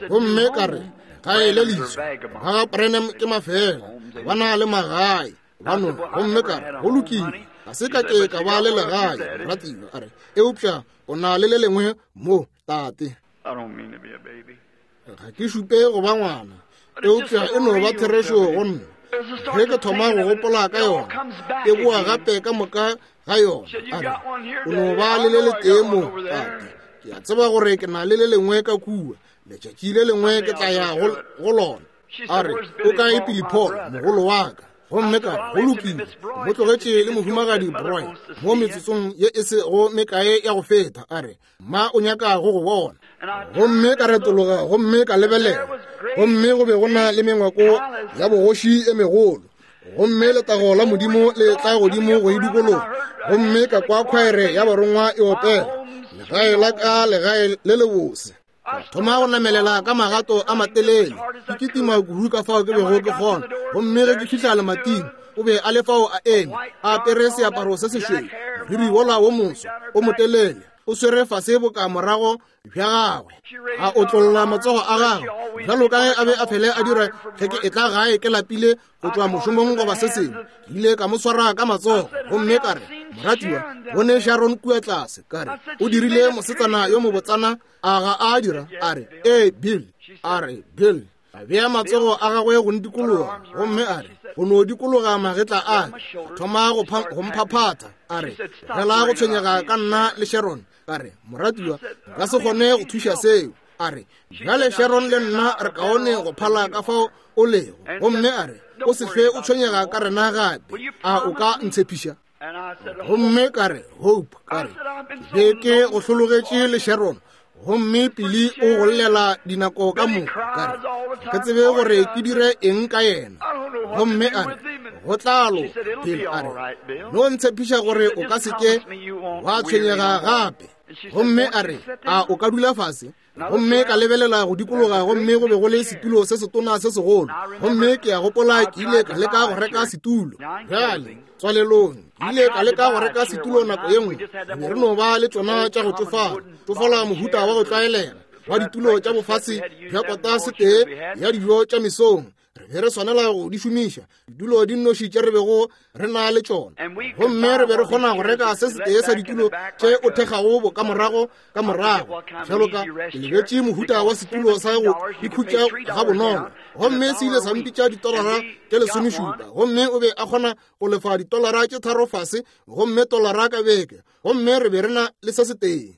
Gomme ka re, Gae le leswa? Ba ga Branham ke mafela, ba na le magae. Ba no. Gomme ka re, Go lokile, ga se ka ke ka ba le legae, moratiwa. A re, Eupša o na le le lengwe mo, tate. Ga ke šupe go ba ngwana, eupša e no ba therešo go nna. Ge ke thoma go gopola ka yona, e boa gape ka moka ga yona. A re, O no ba le le letee mo, tate. Ke a tseba gore ke na le le lengwe ka kua. Letšatši le lengwe ke tla ya go lona. A re, O kae Billy Paul, mogolo wa ka? Gomme ka re, Go lokile, mo tlogetše le Mohumagadi Broy mo metsotsong ye e sego mekae ya go feta. A re, Ma o nyaka go go bona. Gomme ka retologa gomme ka lebelela, gomme go be go na le mengwako ya bogoši e megolo, gomme letago la Modimo le tla godimo go e dikologa. Gomme ka kwa khwaere ya barongwa e opela, Legae la ka, legae le lebose. Ka thoma go namelela ka magato a matelele, ke kitima kudu ka fao ke bego ke kgona. Gomme ge ke fihla lemating, o be a le fao a eme, a apere seaparo se sešweu, moriri wola wo moso o motelele, o swere fase boka morago bja gagwe, a otlolla matsogo a gagwe bjalo ka ge a be a fele a dira ge ke etla gae ke lapile go tšwa mošomong goba se sengwe. Ke ile ka mo swara ka matsogo gomme ka re, Moratiwa, bone Sharon kua tlase. Ka re, O dirile mosetsana yo mobotsana, a ga a dira? A re, Ee, Bill. A re, Bill. A bea matsogo a gagwe go ntikologa, gomme a re, Go no dikologa magetla a ka. A thoma go mphaphatha. A re, Tlogela go tshwenyega ka nna le Sharon. Ka re, Moratiwa, nka se kgone go thuša seo. A re, Bjale Sharon le nna re kaone go phala ka fao o lego. Gomme a re, O se hlwe o tshwenyega ka rena gape. A o ka ntshepiša? Gomme ka re, Hope, ka re, ke be ke go hlologetše le Sharon, gomme Pili o go llela dinako ka moka. Ka re, ga ke tsebe gore ke dire eng ka yena. Gomme a re, Go tla loka, Bill. A re, no ntshepiša gore o ka se ke wa tshwenyega gape. Gomme a re, A o ka dula fase? Gomme ka lebelela go dikologa, gomme go be go le setulo se setona se segolo. Gomme ke a gopola ke ile ka leka go reka setulo. Bjale, tswalelong, ke ile ka leka go reka setulo nako ye nngwe. Re be re no ba le tšona tša go tšofala, tšofala mohuta wa go tlwaelega wa ditulo tša bofase bja kota setee ya dijo tša mesong. Re be re swanela go di šomiša, ditulo di nnoši tše re bego re na le tšona. Gomme re be re kgona go reka se setee sa ditulo tše o thekgago bokamorago ka morago, bjalo ka ke lebetše mohuta wa setulo sa go ikhutša gabonolo. Gomme se ile sa mpitša ditolara tše 17, gomme o be a kgona go lefa ditolara tše 3 fase, gomme tolara ka beke. Gomme re be re na le se setee.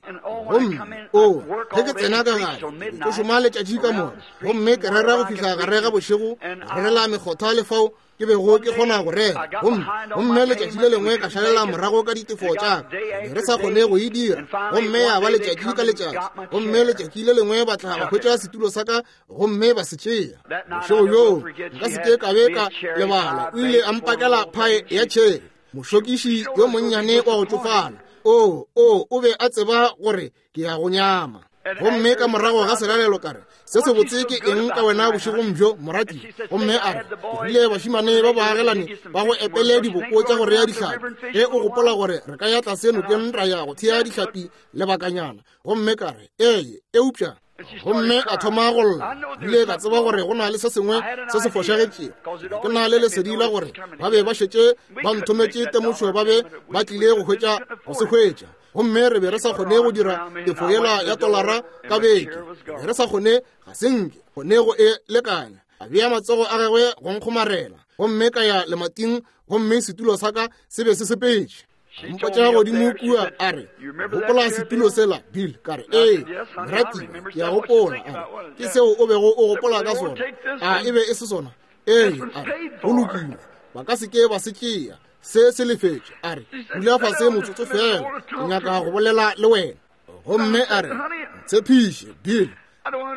Gomme o, ge ke tsena ka gae, ke šoma letšatši ka moka, gomme ke rera go fihla gare ga bošego, rerela mekgotha le fao ke bego ke kgona go rera. Gomme, gomme letšatši le lengwe ka šalela morago ka ditefo tša ka, be re sa kgone go e dira. Gomme ya ba letšatši ka letšatši. Gomme letšatši le lengwe ba tla ba hwetša setulo sa ka gomme ba se tšea. Bošego bjoo nka se ke ka be ka lebala, o ile a mpakela phae ya tšhere. Mošokiši yo monnyane wa go tšofala, o, o, o be a tseba gore ke ya go nyama. Gomme ka morago ga selalelo ka re, Se sebotse ke eng ka wena bošegong bjo, morati? Gomme a re, Ke rile bašimane ba baagelani ba go epele diboko tša go rea dihlapi, ge o gopola gore re ka ya tlase nokeng ra ya go thea dihlapi lebakanyana. Gomme ka re, Ee, eupša Gomme a thoma go lla. Ile ka tseba gore go na le se sengwe se se fošagetšego. Ke na le lesedi la gore ba be ba šetše ba nthometše temošo, ba be ba tlile go hwetša go se hwetša. Gomme re be re sa kgone go dira tefo yela ya tolara ka beke. Re be re sa kgone, ga se nke kgone go e lekanya. A bea matsogo a gagwe go nkgomarela, gomme ka ya lemating, gomme setulo sa ka se be se sepetše. Mpotša godimo kua, a re, Gopola setulo sela, Bill? Ka re, Ee, moratiwa, ke a gopola. A re, Ke seo o bego o gopola ka sona, a e be e se sona? Ee. A re, Go lokile, ba ka se ke ba se tšea, se se lefetše. A re, Dula fase motsotso fela, ke nyaka go bolela le wena. Gomme a re, Ntshepiše, Bill.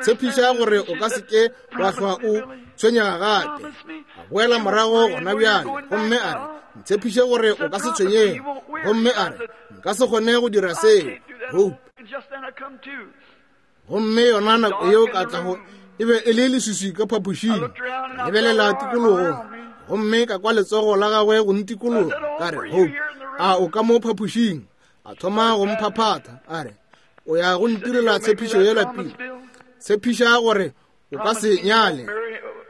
Tshepiša gore o ka se ke wa hlwa o tshwenyega gape. A boela morago gona bjale, gomme a re, Ntshepiše gore o ka se tshwenyege. Gomme a re, Nka se kgone go dira seo, Hope. Gomme yona nako yeo ka tla go e be e le leswiswi ka phapošing. Ka lebelela tikologong, gomme ka kwa letsogo la gagwe go ntikologa. Ka re, Hope, a o ka mo phapošing? A thoma go mphaphatha, a re, O ya go ntirela tshepišo yela pele. Tshepiša gore o ka se nyale,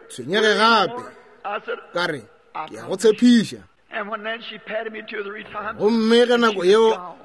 tshwenyege gape. Ka re, Ke ya go tshepiša. Gomme ge nako yeo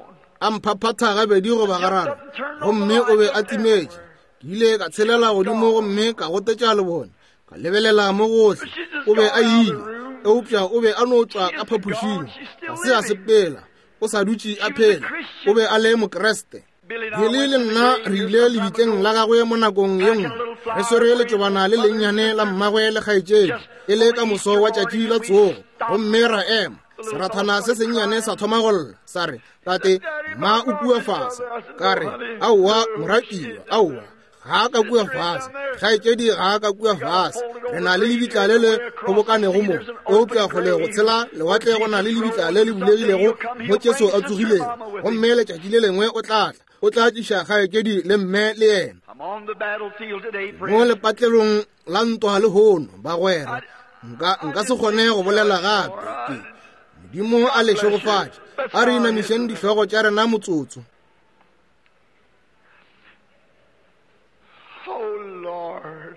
a mphaphatha gabedi goba gararo, gomme o be a timetše, ke ile ka tshelela godimo gomme ka gotetša lebone, ka lebelela mo gohle, o be a ile, eupša o be a no tšwa ka phapošing, ga se a sepela, o sa dutše a phela, o be a le Mokriste. Billy le nna re ile lebitleng la gagwe mo nakong ye nngwe, re swere letšobana le lennyane la mmagwe le kgaetšedi, e le ka moso wa tšatši la tsogo, gomme ra ema. Serathana se sennyane sa thoma go lla, sa re, Tate, mma o kua fase. Ka re, Aowa, moratiwa, aowa, ga a ka kua fase, kgaetšedi ga a ka kua fase. Re na le lebitla le le kgobokanego mo, eupša kgole go tshela lewatle go na le lebitla le le bulegilego mo Jesu a tsogilego. Gomme letšatši le lengwe o tla tla, o tla tliša kgaetšedi le mme le yena. Mo lepatlelong la ntwa lehono, bagwera, nka, nka se kgone go bolela gape. Ke, Modimo a le šegofatše. A re inamišeng dihlogo tša rena motsotso. Oh Lord.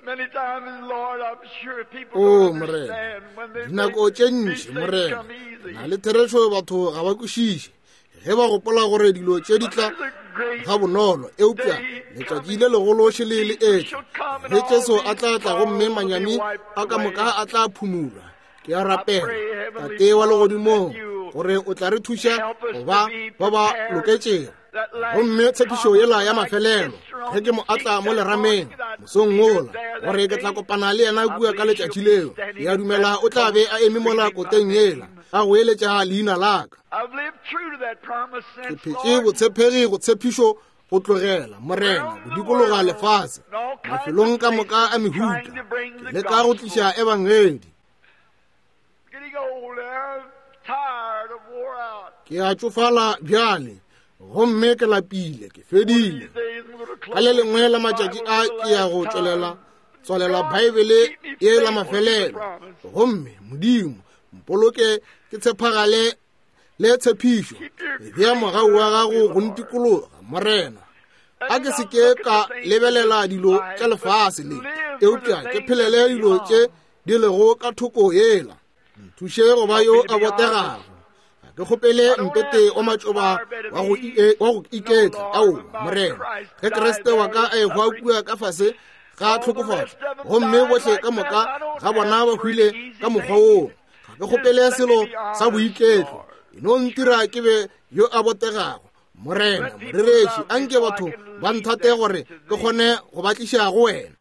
Many times, Lord, I'm sure people O don't Morena, understand when they dinako think tše these ntši things Morena, come easy. na le therešo batho ga ba kwešiše ge ba gopola gore dilo tše di tla There's a great ga bonolo, eupša letšatši le legolo šele le etla ge Jesu a tla tla gomme manyami a ka moka a tla phumulwa. Ke a rapela, Tate wa legodimong, gore o tla re thuša go ba ba ba loketšego. Gomme tshepišo yela ya mafelelo, ge ke mo atla mo lerameng mosong wola, gore ke tla kopana le yena kua ka letšatši leo, ke a dumela o tla be a eme mola koteng yela, a goeletša leina la ka. I've lived true to that promise Ke since, phetše Lord. botshepegi go tshepišo go tlogela, Morena, go dikologa lefase, mafelong ka moka a mehuta, ke leka go tliša ebangedi. Getting old now, I'm tired, I'm wore out. Ke a tšofala bjale, gomme ke lapile, ke fedile. These days I'm gonna Ka le close lengwe la the matšatši Bible a for the ke ya last go time. tswelela tswalela Baebele ye la mafelelo. Gomme Modimo, mpoloke ke tshepagale le tshepišo. Bea mogau wa gago go ntikologa, Morena. A ke se ke ka lebelela dilo tša lefase le, eupša ke phelele dilo tše di lego ka thoko yela. Nthuše go ba yo a botegago. Ga ke kgopele mpete wa matšoba wa go wa go iketla, aowa, Morena. Ge Kriste wa ka a ehwa kua ka fase ga tlhokofatšo, gomme bohle ka moka ga bona ba hwile ka mokgwa woo, ga ke kgopele selo sa boiketlo. E no ntira ke be yo a botegago, Morena. Morereši, anke batho ba nthate gore ke kgone go ba tliša go wena.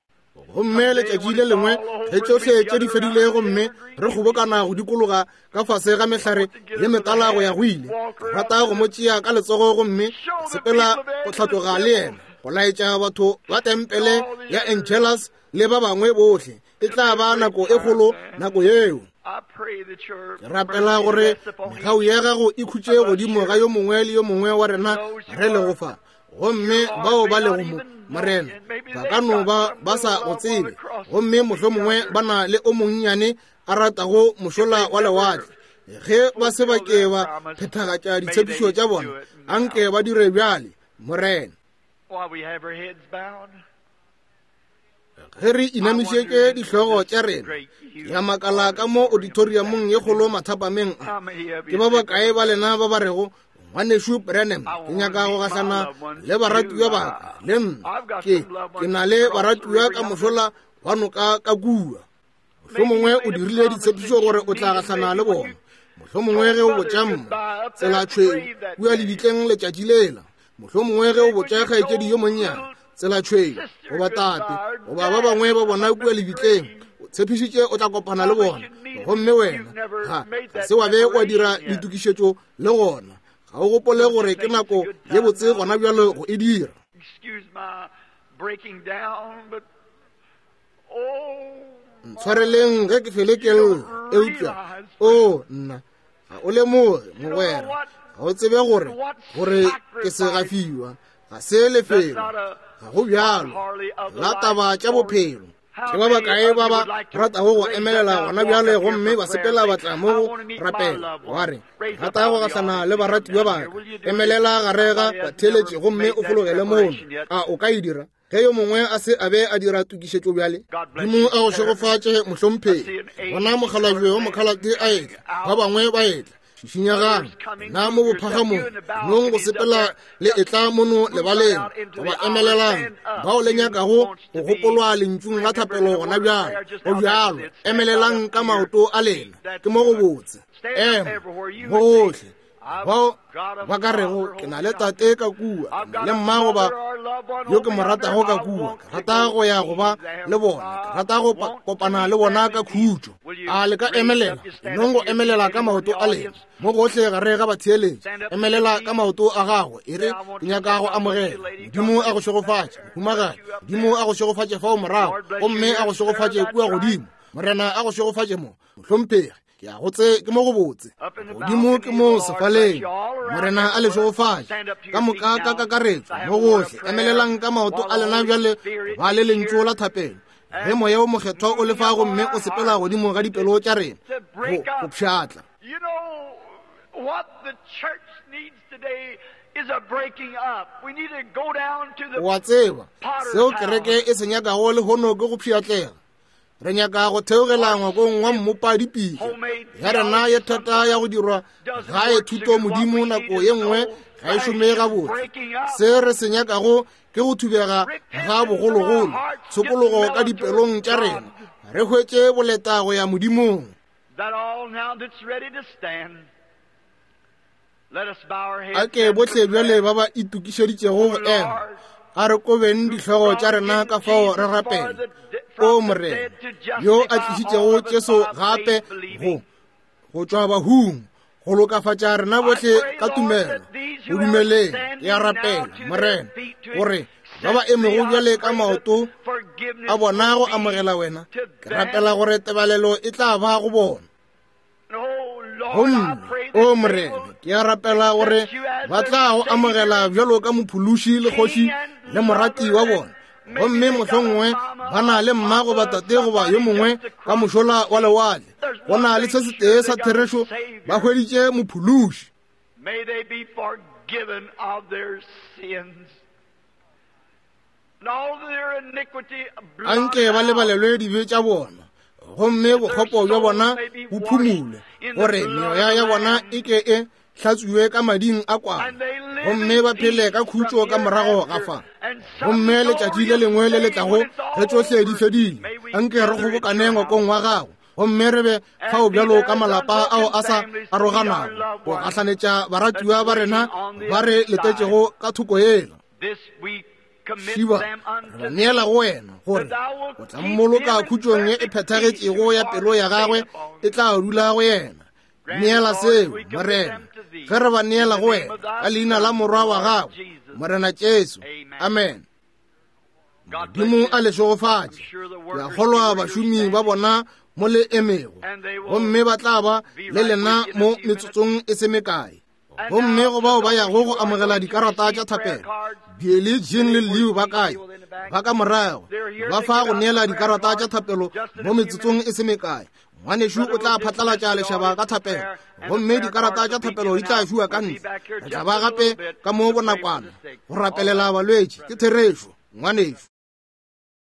Gomme letšatši le lengwe ge tšohle tše di fedile gomme re kgobokana go dikologa ka fase ga mehlare ye metala go ya go ile, ke rata go mo tšea ka letsogo gomme ka sepela go hlatloga le yena, go laetša batho ba tempele ya Angelus le ba bangwe bohle. E tla ba nako e kgolo nako yeo. Ke rapela gore megau ya gago e khutše godimo ga yo mongwe le yo mongwe wa rena re lego fa. Gomme bao ba lego mo, Morena, ba ka no ba ba sa go tsebe, gomme mohlomongwe ba na le o monnyane a ratago mošola wa lewatle. Ge ba se ba ke ba phethagatša ditshepišo tša bona, anke ba dire bjale, Morena. While we have our heads bowed, Ge re inamišetše dihlogo tša rena, ke a makala ka mo auditoriumong ye kgolo mathapameng a, ke ba bakae ba lena ba ba rego, Ngwanešu Branham, ke nyaka go gahlana le baratiwa ba ka, le nna. Ke, ke na le baratiwa ka mošola wa noka ka kua. Mohlomongwe o dirile ditshepišo gore o tla gahlana le bona. Mohlomongwe ge o botša mma tsela tšhweu kua lebitleng letšatši lela. Mohlomongwe ge o botša kgaetšedi yo monnyane tsela tšhweu, goba tate, goba ba bangwe ba bona kua lebitleng, o tshepišitše o tla kopana le bona. Gomme wena ga, ga se wa be wa dira ditokišetšo le gona. Ga o gopole gore ke nako ye botse gona bjalo go e dira? Ntshwareleng ge ke fele ke lla, eupša o nna ga o lemoge mogwera, ga o tsebe gore gore ke segafiwa, ga se lefelo, ga go bjalo la taba tša bophelo. Ke ba bakae ba ba ratago go emelela gona bjale gomme ba sepela ba tla mo go rapela, wa re, rata go gahlana le baratiwa ba ka? Emelela gare ga batheeletši gomme o fologele mono. A o ka e dira? Ge yo mongwe a se a be a dira tokišetšo bjale, Modimo a go šegofatše, mohlomphegi. Bona mokgalabje wa mokgalate a etla, ba bangwe ba etla. Šišinyagang na mo bophagamong, nong go sepela le etla mono lebaleng, goba emelelang bao le nyakago go gopolwa lentšung la thapelo gona bjalo. Go bjalo, emelelang ka maoto a lena, ke mo go botse. Ema gohle bao ba ka rego ke na le tate ka kua, le mma goba yo ke mo ratago ka kua, ke rata go ya go ba le bona, ke rata go kopana le bona ka khutšo. A le ka emelela? Nong go emelela ka maoto a lena mo gohle gare ga batheeletši. Emelela ka maoto a gago, e re, ke nyaka go amogela. Modimo a go šegofatše, mohumagadi. Modimo a go šegofatše fao morago, gomme a go šegofatše kua godimo. Morena a go šegofatše mo, mohlomphegi. Ke a go tse, ke mo go botse. Godimo ke mo sefaleng. Morena a le šegofatše ka moka ka kakaretšo mo gohle. Emelelang ka maoto a lena bjale, ba le lentšu la thapelo. Ge Moya wo Mokgethwa o le fa gomme o sepela godimo ga dipelo tša rena, go pšhatla. O a tseba seo kereke e se nyakago lehono ke go pšhatlega. Re nyaka go theogela ngwakong wa mmopa dipitša ya rena ye thata ya go dirwa gae thuto modimo nako ye nngwe ga e šome gabotse. Se re se nyakago ke go thubega ga bogologolo, tshokologo ka dipelong tša rena, re hwetše boleta go ya Modimong. A ke bohle bjale ba ba itokišeditšego go ema, a re kobeng dihlogo tša rena ka fao re rapela. O Morena, yo a tlišitšego Jesu gape go tšwa bahung, go lokafatša rena bohle ka tumelo go dumeleng, ke a rapela, Morena, gore ba ba emego bjale ka maoto a bona go amogela wena, ke rapela gore tebalelo e tla ba go bona. Gomme, o Morena, ke a rapela gore ba tla go amogela bjalo ka mophološi le kgoši le morati wa bona, gomme mohlomongwe ba na le mma goba tate goba yo mongwe ka mošola wa lewatle. Go na le se setee sa therešo, ba hweditše mophološi. Anke ba lebalelwe dibe tša bona, gomme bokgopo bja bona bo phumulwe, gore meoya ya bona e ke e hlatswiwe ka mading a kwana, gomme ba phele ka khutšo ka morago ga fa. Gomme letšatši le lengwe le le tlago ge tšohle di fedile, anke re kgobokane ngwakong wa gago, gomme re be fao bjalo ka malapa ao a sa aroganago, go gahlanetša baratiwa ba rena ba re letetšego ka thoko yela. Šiba, re ba neela go wena, gore o tla mmoloka khutšong ye e phethagetšego ya pelo ya gagwe e tla dula go yena. Neela seo, Morena, ge re ba neela go wena ka leina la Morwa wa gago, Morena Jesu. Amen. Modimo a le šegofatše. Ke a kgolwa bašomi ba bona mo le emego, gomme ba tla ba le lena mo metsotsong e se mekae. Gomme go bao ba yago go amogela dikarata tša thapelo, Biele, Jean le Leo ba kae? Ba ka morago, ba fa go neela dikarata tša thapelo mo metsotsong e se mekae. Ngwanešu o tla phatlalatša lešaba ka thapelo, gomme dikarata tša thapelo di tla fiwa ka ntle. Re tla ba gape ka mo bonakwana go rapelela balwetši. Ke therešo, ngwanešu.